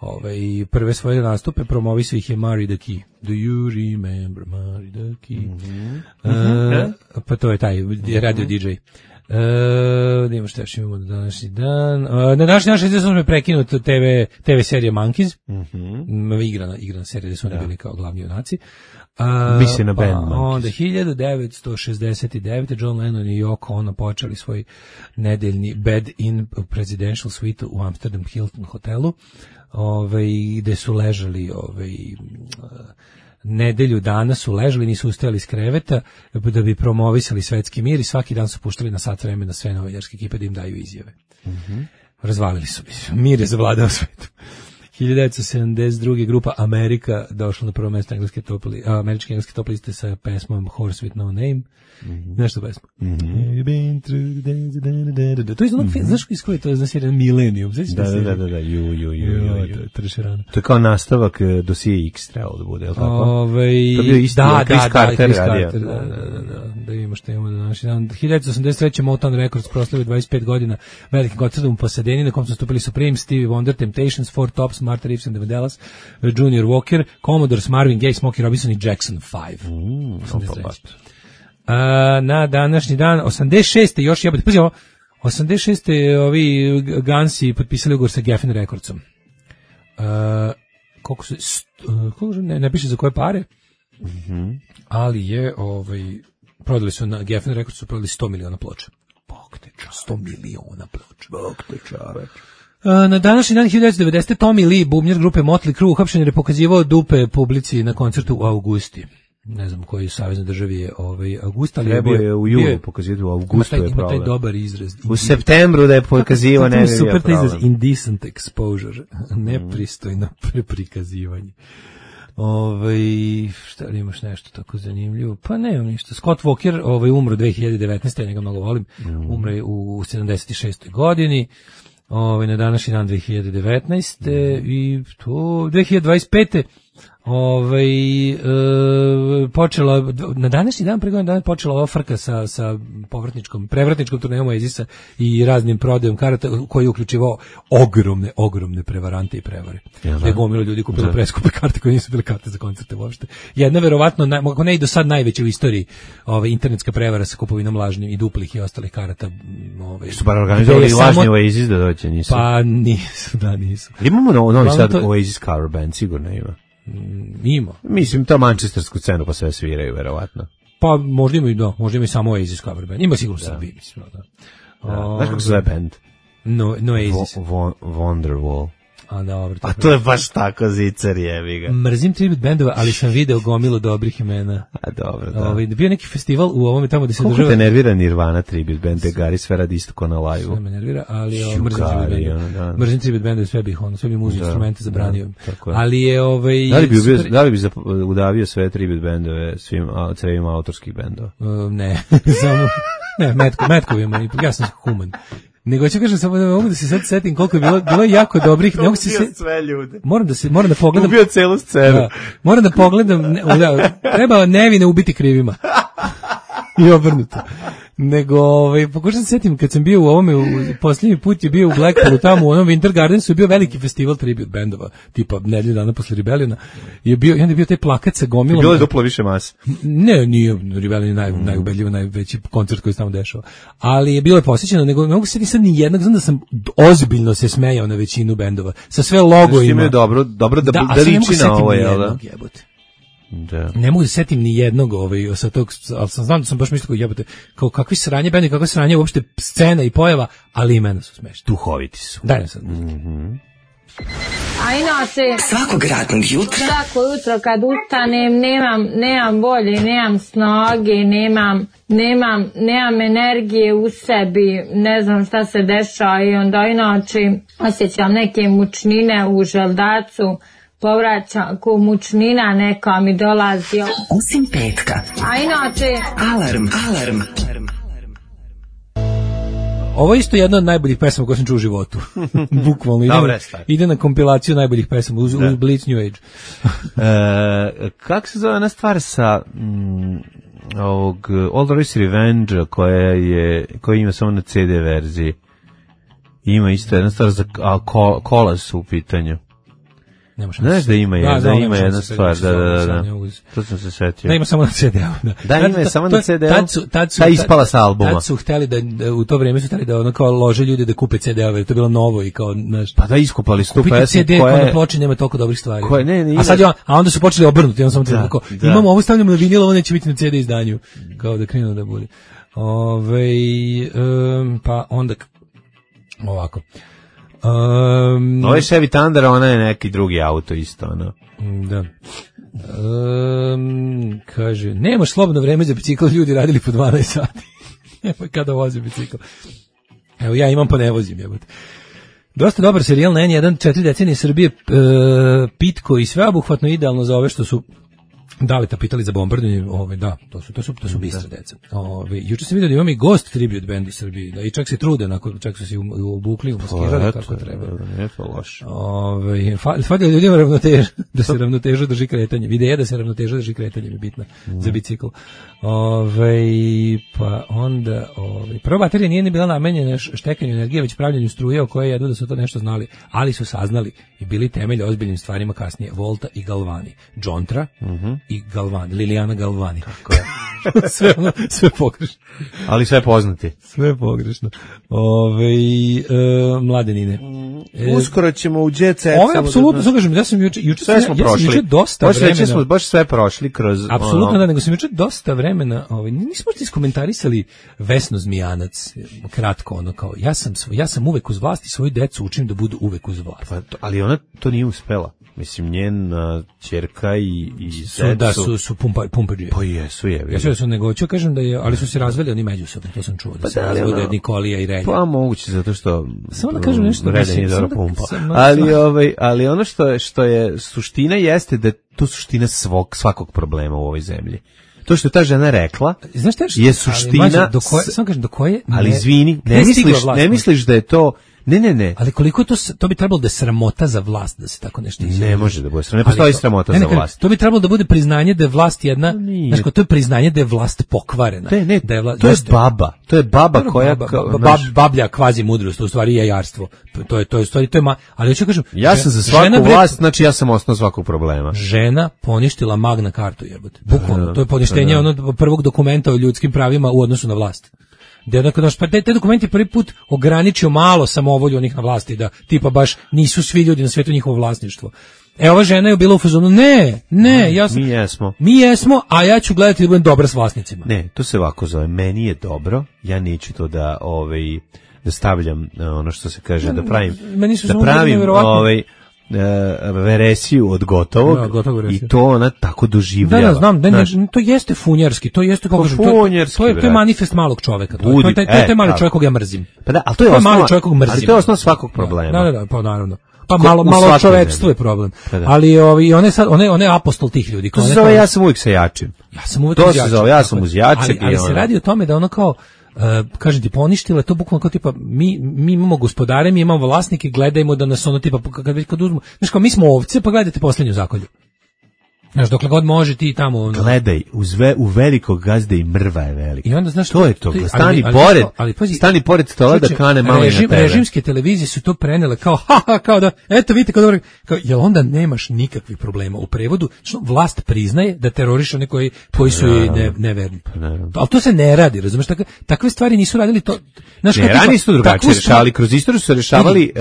ove prve svoje nastupe, promovisao ih je Mari the Key. Do you remember Mari the Key? Mm-hmm. Uh, pa to je taj radio D J. Uh, da imamo šta još imamo na današnji dan. Uh, na današnji dan šezdeset osme prekinut T V, T V serija Monkeys. Mm-hmm. Igrana, igrana serija gde su oni ja. bili kao glavni junaci. Uh, Misli na band pa, Monkeys. Onda hiljadu devetsto šezdeset devete John Lennon i Yoko Ono počeli svoj nedeljni bed-in presidential suite u Amsterdam Hilton hotelu, ovaj, gde su ležali ovaj, nedelju dana su ležali, nisu ustajali iz kreveta da bi promovisali svetski mir i svaki dan su puštali na sat vremena sve novinarske ekipe da im daju izjave. Mm-hmm. Razvalili su mi. Mir je zavladao svetom. hiljadu devetsto sedamdeset druge grupa Amerika došla na prvo mesto engleske top li, američke engleske top liste sa pesmom Horse with No Name. Mm-hmm. Nešto pesma. Mm-hmm. To je onog, znaš iz koje to je znaš jedan Millennium? Da, da, da, da, da, ju, ju, ju, ju, ju. To je kao nastavak dosije X trebalo da bude, je li tako? Ove, to je bio isti, da, Chris da, Carter da, radio. Da, da, da, da, da imamo što imamo današnji dan. hiljadu devetsto osamdeset treće Motown Records proslavio dvadeset pet godina velikim koncertom u Pasadeni, na kom su stupili Supreme, Stevie Wonder, Temptations, Four Tops, Martha Reeves and the Vandellas, Junior Walker, Commodores, Marvin Gaye, Smokey Robinson i Jackson five. Mm, Uh, na današnji dan osamdeset šeste još jebote, pazi ovo, osamdeset šeste ovi Gansi potpisali ugovor sa Geffen Recordsom. Uh, koliko su, st, uh, koliko ne, ne piše za koje pare, mm-hmm. ali je, ovaj, prodali su na Geffen Records su prodali sto miliona ploča. Bog te čaveč. sto miliona ploča. Bog te čaveč. Uh, na današnji dan hiljadu devetsto devedesete Tommy Lee, bubnjar grupe Motley Crue, uhapšen jer je pokazivao dupe publici na koncertu u Augusti. Ne znam koji saveznoj državi je ovaj August, ali Treba je, bio, je u julu pokazivati, u Augustu je problem. Ima taj dobar izraz. U septembru da je pokazivao, ne bi bio super problem. Izraz, indecent exposure, nepristojno prikazivanje. Ovaj, šta li imaš nešto tako zanimljivo? Pa nemam ništa. Scott Walker ovaj, umro dve hiljade devetnaeste. Ja njega mnogo volim. Mm. Umro je u sedamdeset šestoj godini. Ovaj, na današnji dan dve hiljade devetnaeste. Mm. I to dve hiljade dvadeset pete. Ovaj, e, počela, na današnji dan, pre godinu dana počela ova frka sa, sa povratničkom, prevratničkom turnejom Oasisa i raznim prodajom karata koji je uključivao ogromne, ogromne prevarante i prevare. Ja, da je gomilo ljudi kupilo preskupe karte koje nisu bile karte za koncerte uopšte. Jedna verovatno, ako ne i do sad najveća u istoriji ove, internetska prevara sa kupovinom lažnim i duplih i ostalih karata. Ove, su bar organizovali lažni Oasis da doće, nisu? Pa nisu, da nisu. Imamo no, novi sad to... Oasis cover band, sigurno ima. Ima. Mislim, to manchestersku cenu pa sve sviraju, verovatno. Pa možda ima i do, možda ima i samo Oasis cover band. Ima sigurno Srbiji, mislim. Da. Da. Znaš kako se zove band? No, no Oasis. Vo, vo, Wonderwall. A, dobro, A to je baš tako zicer, jebi ga. Mrzim tribute bendova, ali sam video gomilo dobrih imena. A dobro, da. Ovaj, bio neki festival u ovome tamo gde se država. država... Koliko te nervira Nirvana tribute band, de Gari sve radi isto ko na live-u. Sve me nervira, ali o, mrzim tribute bendova. Mrzim tribute bendova, sve bih ono, sve bih muzi instrumente zabranio. Da, ali je ovaj... Da li bi, super... bio, da li bi udavio sve tribute bendove svim crevima autorskih bendova? Uh, ne, samo... Ne, metko, metkovima, ipak ja sam human. Nego ću kažem samo da mogu da se sad setim koliko je bilo, bilo je jako dobrih, ne mogu se se sve ljude. Moram da se moram da pogledam. Ubio celu scenu. Da, moram da pogledam, ne, da, treba nevine ubiti krivima. I obrnuto. Nego, ovaj, pokušam se setim, kad sam bio u ovome, u, posljednji put je bio u Blackpoolu, tamo u onom Winter Gardensu, je bio veliki festival tribute bendova, tipa nedelju dana posle Rebelliona, je bio, i onda je bio taj plakat sa gomilom. Bilo je duplo više mase. Ne, nije Rebellion je naj, mm. najubedljivo, najveći koncert koji se tamo dešao. Ali je bilo je posjećeno, nego ne mogu se sad ni jednog, znam da sam ozbiljno se smejao na većinu bendova, sa sve logovima. Znači, dobro, dobro da, da, da liči na ovo, jel da? Da. Ne mogu da setim ni jednog ovaj, sa tog, ali sam znam da sam baš mislio jebote, kao kakvi sranje bende, kakve sranje uopšte scena i pojava, ali imena su smešne. Duhoviti su. Daj nam sad. Mhm. A inače, svakog radnog jutra, svako jutro kad ustanem, nemam, nemam volje, nemam snage, nemam, nemam, nemam energije u sebi, ne znam šta se dešava i onda inače osjećam neke mučnine u želdacu, povraćam, ko mučnina neka mi dolazi. Osim petka. A inače, alarm, alarm. Ovo je isto jedna od najboljih pesama koje sam čuo u životu. Bukvalno. Ide, Dobre, ide na kompilaciju najboljih pesama uz, uz Blitz New Age. e, kako se zove ona stvar sa mm, ovog All the Race Revenge koja je, koja ima samo na ce de verziji. Ima isto jedna stvar za a, ko, kola su u pitanju. Znaš da ima, je, da, da ima jedna stvar, da, da, da, da. To sam se setio. Da ima samo na ce de-u. Da, da ima ta, samo ta, na ce de-u, tad su, tad su, ta ispala sa albuma. Tad su hteli da, da, u to vrijeme su hteli da ono kao lože ljudi da kupe ce de-ove, to je bilo novo i kao, znaš. Pa da iskupali su tu pesmu koja je... ce de koja na ploči nema toliko dobrih stvari. Koje, ne, ne, a sad je on, a onda su počeli obrnuti, on samo da, tako, da. Imamo ovo stavljamo na vinil, ovo neće biti na ce de izdanju. Kao da krenu da bude. Ove, um, pa onda, ovako. Um, ovo je Chevy Thunder, ona je neki drugi auto isto, ono. Da. Um, kaže, nemaš slobodno vreme za bicikl, ljudi radili po dvanaest sati. Evo kada voze bicikl. Evo ja imam pa ne vozim, jebote. Dosta dobar serijal na en jedan, četiri decenije Srbije, e, pitko i sveobuhvatno, idealno za ove što su Daleta pitali za bombardovanje, ove da, to su to su to su bistra deca. Ove juče sam vidio da imamo i Ghost tribute band u Srbiji, da i čak se trude, onako čak su se obukli, umaskirali kako treba. Ne to loše. Ove fali ljudima ravnoteža, da se ravnoteža drži kretanje. Ideja da se ravnoteža drži kretanje je bitna mm. za bicikl. Ove pa onda ove prva baterija nije ni bila namenjena štekanju energije, već pravljenju struje, o kojoj jedu da su to nešto znali, ali su saznali i bili temelj ozbiljnim stvarima kasnije. Volta i Galvani, Džontra mm-hmm. i Galvani, Lilijana Galvani. Tako je. sve, ono, sve pogrešno. Ali sve poznati. Sve pogrešno. Ove, e, mladenine. E, Uskoro ćemo u Jet Set. Ovo je apsolutno, da kažem, ja sam juče, juče sve smo ja, prošli. Ja sam juče dosta baš vremena. Smo baš sve prošli kroz... Apsolutno ono... da, nego sam juče dosta vremena, ovaj, nismo ti iskomentarisali Vesnu Zmijanac, kratko ono kao, ja sam, ja sam uvek uz vlast i svoju decu učim da budu uvek uz vlast. Pa, to, ali ona to nije uspela. Mislim, njena ćerka i, i su, da, su, su pumpa, pumpađije. Pa jesu, je. Ja su nego, ću kažem da je, ali su se razveli oni međusobno, to sam čuo, da pa se da, razvode ono, Nikolija i Relja. Pa moguće, zato što samo da kažem nešto, Relja nije dobro pumpa. Sam, ali, ovaj, ali ono što je, što je suština jeste da je to suština svog, svakog problema u ovoj zemlji. To što je ta žena rekla, znaš šta je suština... Ali, mađu, do koje, samo kažem, do koje... Ali izvini, ne, ne, misliš, vlast, ne misliš da je to... Ne, ne, ne. Ali koliko to to bi trebalo da je sramota za vlast da se tako nešto izjavi. Ne može da bude sramota. Ne postoji sramota ne, ne, za vlast. To bi trebalo da bude priznanje da je vlast jedna, znači to je priznanje da je vlast pokvarena. Ne, ne, da je vlast, to je baba. To je baba to koja baba, baba, bab, bablja kvazi mudrost, u stvari je jajarstvo. To je to je stvari to je ma, ali hoću kažem, ja sam za svaku žena, vlast, znači ja sam osnov svakog problema. Žena poništila Magna Cartu, jebote. Bukvalno, to je poništenje da, da. onog prvog dokumenta o ljudskim pravima u odnosu na vlast. Da onako naš pa te, te dokumenti prvi put ograničio malo samovolju onih na vlasti, da tipa baš nisu svi ljudi na svijetu njihovo vlasništvo. E ova žena je bila u fazonu ne, ne, ja sam, mi jesmo. Mi jesmo, a ja ću gledati da budem dobra s vlasnicima. Ne, to se ovako zove, meni je dobro, ja neću to da ovaj da stavljam ono što se kaže da pravim. Meni su da pravim ovaj Uh, veresiju od gotovog, da, gotovo i to ona tako doživljava. Da, da, znam, da, ne, to jeste funjarski, to jeste kako kažem, to, to, je, to je manifest malog čoveka, to, Budi, to, je, to, je, to je mali čovjek kog ja mrzim. Pa da, ali to je, to je osnova, mali čovjek kog mrzim. Ali to je osnova svakog problema. Da, da, da, pa naravno. Pa malo malo čovjekstvo je problem. Pa ali ovi one sad one one apostol tih ljudi, to se zove ja sam uvijek sa jačim. Ja sam uvijek to se zove ja sam uz jačeg. Ali, ali se radi o tome da ono kao Uh, kažem ti, poništila to bukvalno kao tipa mi, mi imamo gospodare, mi imamo vlasnike, gledajmo da nas ono tipa kad već kad uzmu, znaš kao mi smo ovce, pa gledajte poslednju zakolju. Znaš, dokle god može ti tamo... Ono... Gledaj, uz ve, u velikog gazde i mrva je velika. I onda, znaš, to je to, to je, stani, ali, pored, ali, ali, pazi, stani pored stola da kane malo režim, na tebe. Režimske televizije su to prenele kao, haha, kao da, eto vidite, kao dobro, kao, jel onda nemaš nikakvih problema u prevodu, što vlast priznaje da teroriše one koji, koji su joj ne, neverni. Ali to se ne radi, razumeš, takve, takve stvari nisu radili to... Znaš, ne, ranije su drugačije rešavali, kroz istoriju su rešavali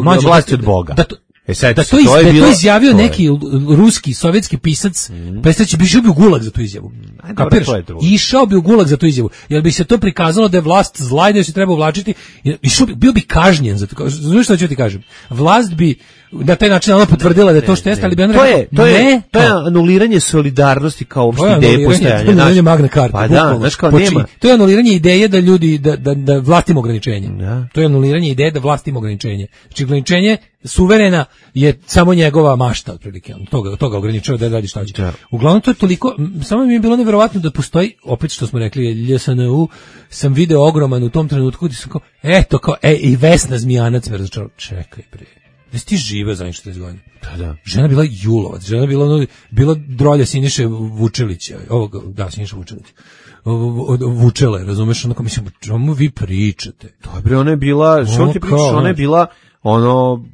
uh, vlasti od Boga. Da to, E sad, da to, iz, to, je da bilo, to izjavio to je. neki ruski, sovjetski pisac, mm. prestaće bi išao bi u gulag za tu izjavu. Kapiraš? Išao bi u gulag za tu izjavu. Jer bi se to prikazalo da je vlast zla i da se treba uvlačiti. Išao bi, bio bi kažnjen za to. Znaš što ću ti kažem? Vlast bi na taj način ona potvrdila da je to što jeste, ali bi ona to je, to je, ne, to je anuliranje solidarnosti kao opšte ideje postojanja. To je anuliranje Magne Carte. Pa da, znaš kao Poči, nema. To je anuliranje ideje da ljudi, da, da, da vlast ima ograničenje. Ja. To je anuliranje ideje da vlast ima ograničenje. Znači ograničenje suverena je samo njegova mašta, otprilike. Toga, toga ograničava da radi šta hoće. Ja. Uglavnom to je toliko, samo mi je bilo neverovatno da postoji, opet što smo rekli, L S N U, sam video ogroman u tom trenutku gdje sam kao, eto kao, e, i Vesna Zmijanac me razočarala. Čekaj bre. Da si ti žive za četrdeset godina. Da, da. Žena bila Julovac, žena bila ono, bila drolja Siniše Vučelića, ovog, da, Siniša Vučelić. Vučele, razumeš, onako mislim, čemu vi pričate? Dobro, ona je bila, što ti pričaš, ona je bila ono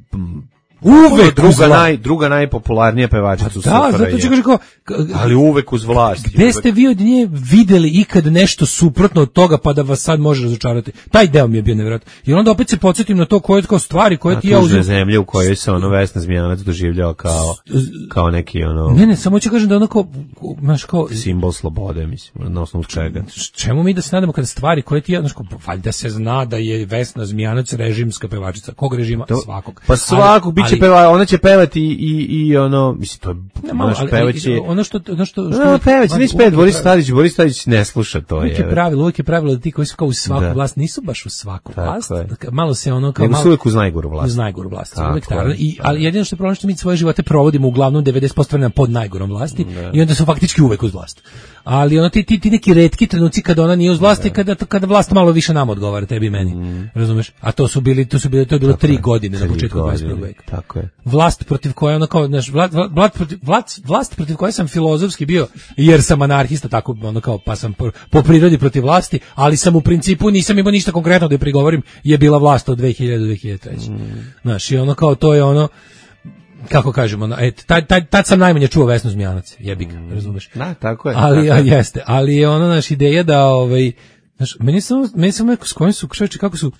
uvek druga naj druga najpopularnija pevačica u svijetu. Da, zato ću kažem kao, ali uvek uz vlast. Gde uvek. Ste vi od nje videli ikad nešto suprotno od toga pa da vas sad može razočarati? Taj deo mi je bio nevjerojatan. I onda opet se podsjetim na to koje kao stvari koje ti ja uzem. Na zemlje u kojoj se ono Vesna Zmijanac doživljava kao kao neki ono. Ne, ne, samo ću kažem da onako znaš kao simbol slobode, mislim, na osnovu čega. Čemu mi da se nadamo kada stvari koje ti ja znaš kao valjda se zna da je Vesna Zmijanac režimska pevačica. Kog režima? To, svakog. Pa svakog biće peva, ona će pevati i i i ono, mislim to je naš pevaće. Ono što ono što što no, pevaće, ne spet Boris Tadić, Boris Tadić ne sluša to je. Uvijek je pravilo, uvijek je pravilo da ti koji su kao u svaku da. Vlast nisu baš u svaku tako vlast. Je. Malo se ono kao nego malo uz najgoru vlast. Uz najgoru vlast. Uvijek tako. I ali jedino što je problem što mi svoje živote provodimo uglavnom devedeset posto vremena pod najgorom vlasti da. I onda su faktički uvek uz vlast. Ali ono ti ti, ti neki retki trenuci kada ona nije uz vlasti, kada kada vlast malo više nama odgovara tebi i meni. Mm. Razumeš? A to su bili to su bili to je bilo tri godine na početku dvadeset prvog veka. Tako je. Vlast protiv koje ono kao znaš, vlast, vlast, protiv, vlast, vlast protiv koje sam filozofski bio jer sam anarhista tako ono kao pa sam po, po prirodi protiv vlasti, ali sam u principu nisam imao ništa konkretno da je prigovorim, je bila vlast od dve hiljade do dve hiljade treće. Mm. Znaš, i ono kao to je ono kako kažemo, ono, et, tad, tad, tad sam najmanje čuo Vesnu Zmijanac, jebi ga, mm. razumeš? Da, tako je. Ali tako ja, jeste, ali je ono naš ideja da ovaj znaš, meni samo meni samo neko s kojim su čoveče kako su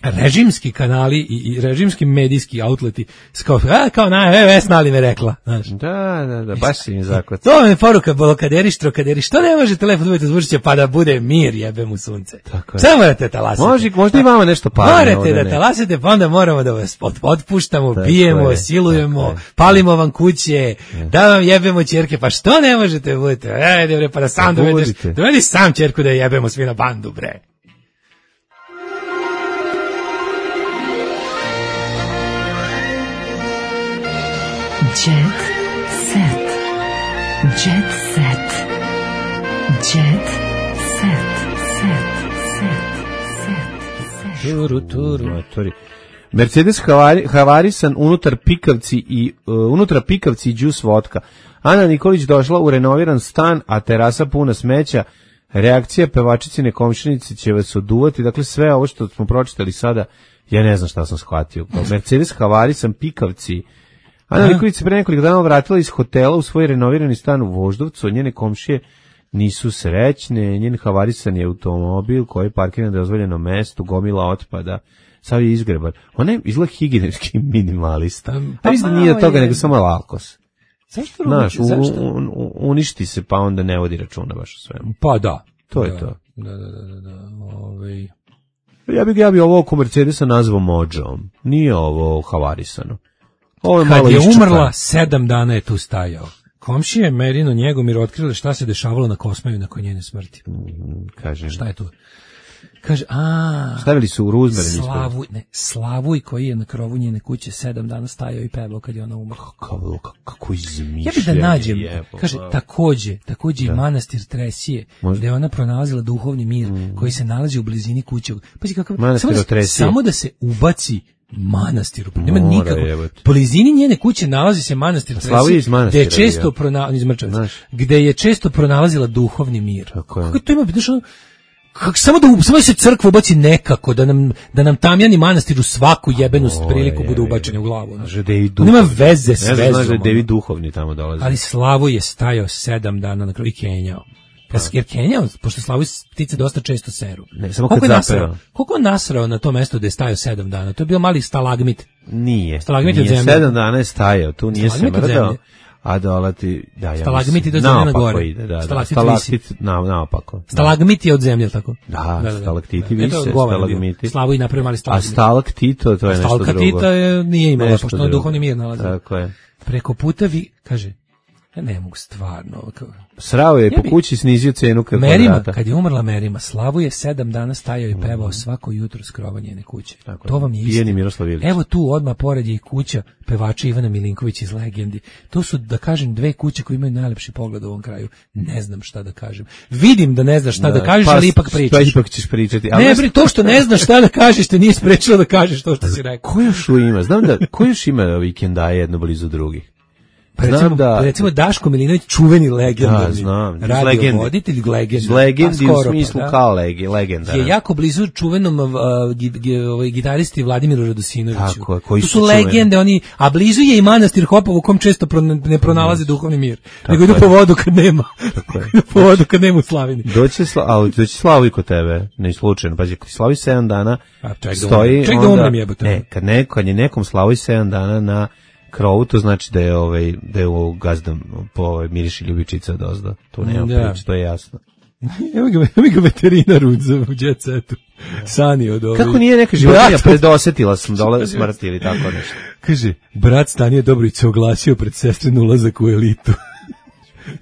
režimski kanali i, i režimski medijski outleti kao, a, kao na, e, Vesna li me rekla, znaš. Da, da, da, baš si im zakot. To je poruka, blokaderi, štrokaderi, što ne može telefon uvijek zvučiće pa da bude mir, jebem u sunce. Tako je. Samo morate talasiti. Može, možda i vama nešto padne. Morate da talasite, pa onda moramo da vas otpuštamo, tako bijemo, je, silujemo, palimo vam kuće, je. Da vam jebemo ćerke, pa što ne možete budete? Ajde bre, pa da sam dovedeš, dovedi sam ćerku da jebemo svi na bandu, bre. Jet set. Jet set. Jet set. Set. Set. Set. Turu, turu, turu. Mercedes havari, havarisan unutar pikavci i uh, unutra pikavci i džus vodka. Ana Nikolić došla u renoviran stan, a terasa puna smeća. Reakcija pevačicine komšinice će vas oduvati. Dakle, sve ovo što smo pročitali sada, ja ne znam šta sam shvatio. Mercedes havarisan pikavci. Ana Nikolić se pre nekoliko dana vratila iz hotela u svoj renovirani stan u Voždovcu, njene komšije nisu srećne, njen havarisan je automobil koji je parkiran na dozvoljenom mestu, gomila otpada, sav je izgreban. Ona je izgleda higijenski minimalista. Pa mislim da nije od toga, nego samo alkos. Zašto? Znaš, uništi se pa onda ne vodi računa baš o svemu. Pa da. To je to. Da, da, da, da. Ovaj... Ja bih ja bi ovo oko Mercedesa nazvao Mođom. Nije ovo havarisano. Ovo je Kad malo je iščupan. umrla, sedam dana je tu stajao. Komšije Merino Njegomir otkrile šta se dešavalo na Kosmaju nakon njene smrti. Mm, kaže. Šta je to? Kaže, a... Stavili su u Ruzmeren. Slavuj, ne, Slavuj koji je na krovu njene kuće sedam dana stajao i pevao kad je ona umrla. Kako, kako izmišljanje. Ja bih da nađem, jebo, kaže, takođe, takođe i manastir Tresije, Možda? Gde je ona pronalazila duhovni mir mm. koji se nalazi u blizini kuće. Pazi kakav, samo, da, samo da se ubaci manastiru. Nema Mora, nikako. Jebati. Po blizini njene kuće nalazi se manastir Tresije, gde je često pronalazila, gde je često pronalazila duhovni mir. Tako Kako to ima biti što Kako samo da samo se crkva ubaci nekako da nam da nam Tamjani manastir u svaku jebenu priliku bude ubačeni u glavu. Nema veze s vezom. Znaš da je David duhovni tamo dolazi. Ali Slavo je stajao sedam dana na kraju i kenjao. Jer kenjao, pošto Slavo ptice dosta često seru. Ne, samo kad zapeva. Koliko je nasrao na to mesto gde je stajao sedam dana? To je bio mali stalagmit. Nije. Stalagmit nije od zemlje. Sedam dana je stajao, tu nije se mrdao. A dole ti, da, ja stalagmit ide od zemlje na gore. Ide, da, da, stalaktit na, naopako. Stalagmit je od zemlje, tako? Da, da, da, stalaktiti vise, stalagmiti. Slavu i napravio mali stalagmit. A stalaktito, to je nešto drugo. Stalakatita je, nije imala, pošto na duhovni mir nalazi. Tako je. Preko puta vi, kaže, ja ne mogu stvarno. Srao je po kući, snizio cenu kako Merima, vrata. kad je umrla Merima, Slavu je sedam dana stajao i pevao svako jutro skrova njene kuće. Tako to vam je istina. Evo tu odmah pored je i kuća pevača Ivana Milinković iz Legendi. To su, da kažem, dve kuće koje imaju najlepši pogled u ovom kraju. Ne znam šta da kažem. Vidim da ne znaš šta da, da kažeš, pa, ali ipak pričaš. Pa ipak ćeš pričati. Ali ne, bre, to što ne znaš šta da kažeš, te nije sprečilo da kažeš to što si rekao. Ko još ima? Znam da, ko još ima vikendaje jedno blizu drugih? Pa recimo, da, recimo Daško Milinović, čuveni legendarni da, radio voditelj, legenda. Legendi u smislu pa, kao legi, legenda. Je jako blizu čuvenom uh, gi, gi, ovaj, gitaristi Vladimiru Radosinoviću. Tako, koji tu su, su legende, oni, a blizu je i manastir Hopovo u kom često pro, ne pronalazi mm. duhovni mir. Tako nego idu po vodu kad nema. Tako je. po vodu kad nema u Slavini. Doći sla, ali doći Slavu i kod tebe, ne slučajno. Pazi, kad Slavi sedam dana a, ček stoji, da ček onda, da umrem jebote. Ne, kad, neko, kad je nekom Slavi sedam dana na krovu, to znači da je ovaj da je u gazdom po ovaj miriši ljubičica odozdo. To nema da. Prič, to je jasno. Evo ga, evo ga veterinar u Jet Setu. Sani od ovaj. Kako nije neka životinja predosetila sam dole smrti ili tako nešto. Kaže, brat Stanije Dobrić se oglasio pred sestrin ulazak u elitu.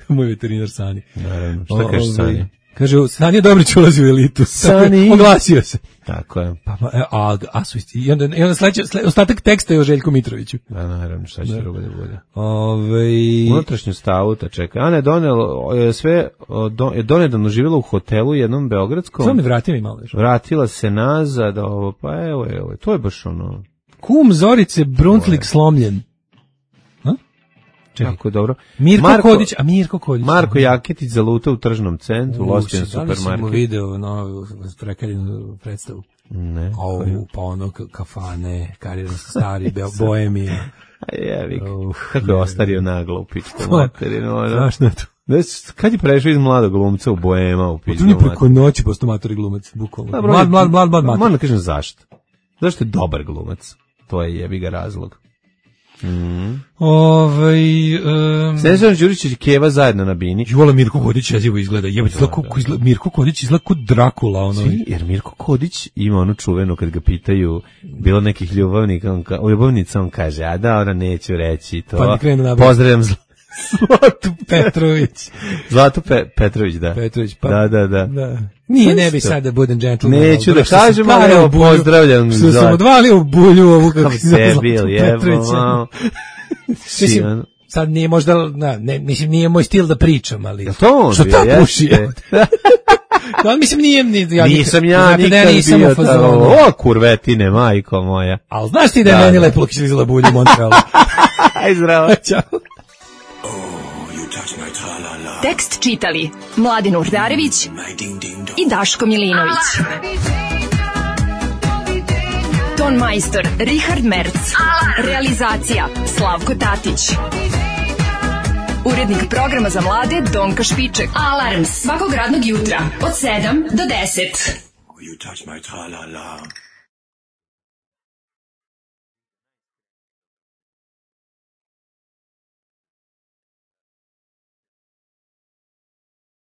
Moj veterinar Sani. Naravno, šta kaže Sani? Kaže, Sani Dobrić ulazi u elitu. Sani. Oglasio se. Tako je. Pa, a, a, a su isti. I onda, i onda sledeće, sled, ostatak teksta je o Željku Mitroviću. Da, naravno, šta će da. drugo da bude. Ove... Unutrašnju stavu, ta čekaj. Ana je donela, je sve, je donedavno živjela u hotelu jednom beogradskom. Samo mi vratila i malo još. Vratila se nazad, ovo, pa evo, evo, to je baš ono. Kum Zorice Bruntlik slomljen. Čekaj. Tako dobro. Mirko Marko, Kodić, a Mirko Kodić. Marko Jaketić zaluta u tržnom centru, Lošćen supermarket. Da li sam video novu prekaljenu predstavu? Ne. O, pa ono kafane, karirani stari, boemija. A jevi, kako je ostario naglo u pičku materinu. Strašno je to. Kad je prešao iz mladog glumca u boema u pičku materinu? To nije preko noći postao matori glumac, bukvalno. Mlad, mlad, mlad, mlad mator. Moram da kažem zašto. Zašto je dobar glumac? To je jebi ga razlog. Mm. Ovaj um, Snežana Đurić i Keva zajedno na bini. Jola Mirko Kodić jezivo izgleda. Jebote, da, da. Izgleda, Mirko Kodić izgleda kao Drakula, ono. Svi, jer Mirko Kodić ima onu čuvenu kad ga pitaju bilo nekih ljubavnika, on ka, ljubavnica on kaže: "A da, ona neću reći to." Pa pozdravljam zl... Zlatu Petrović. Zlatu Pe, Petrović, da. Petrović, pa. Da, da, da. da. Nije, ne bi sad da budem gentleman. Neću da kažem, ali evo, pozdravljam. Što sam odvalio u bulju ovu kako se zove Zlatu Petrovića. Mislim, sad nije možda, na, ne, mislim, nije moj stil da pričam, ali... To on što ta puši? Da, mislim, nije... Ja nisam ja nikad ja nisam bio tako, o, kurvetine, majko moja. Ali znaš ti da je da, meni lepo izlizala bulju u Montrealu? Aj, zdravo. Ćao. Tekst čitali Mladin Urdarević i Daško Milinović. Ton majstor Richard Merc. Realizacija Slavko Tatić. Urednik programa za mlade Donka Špiček. Alarms svakog radnog jutra od sedam do deset. You touch my tra-la-la.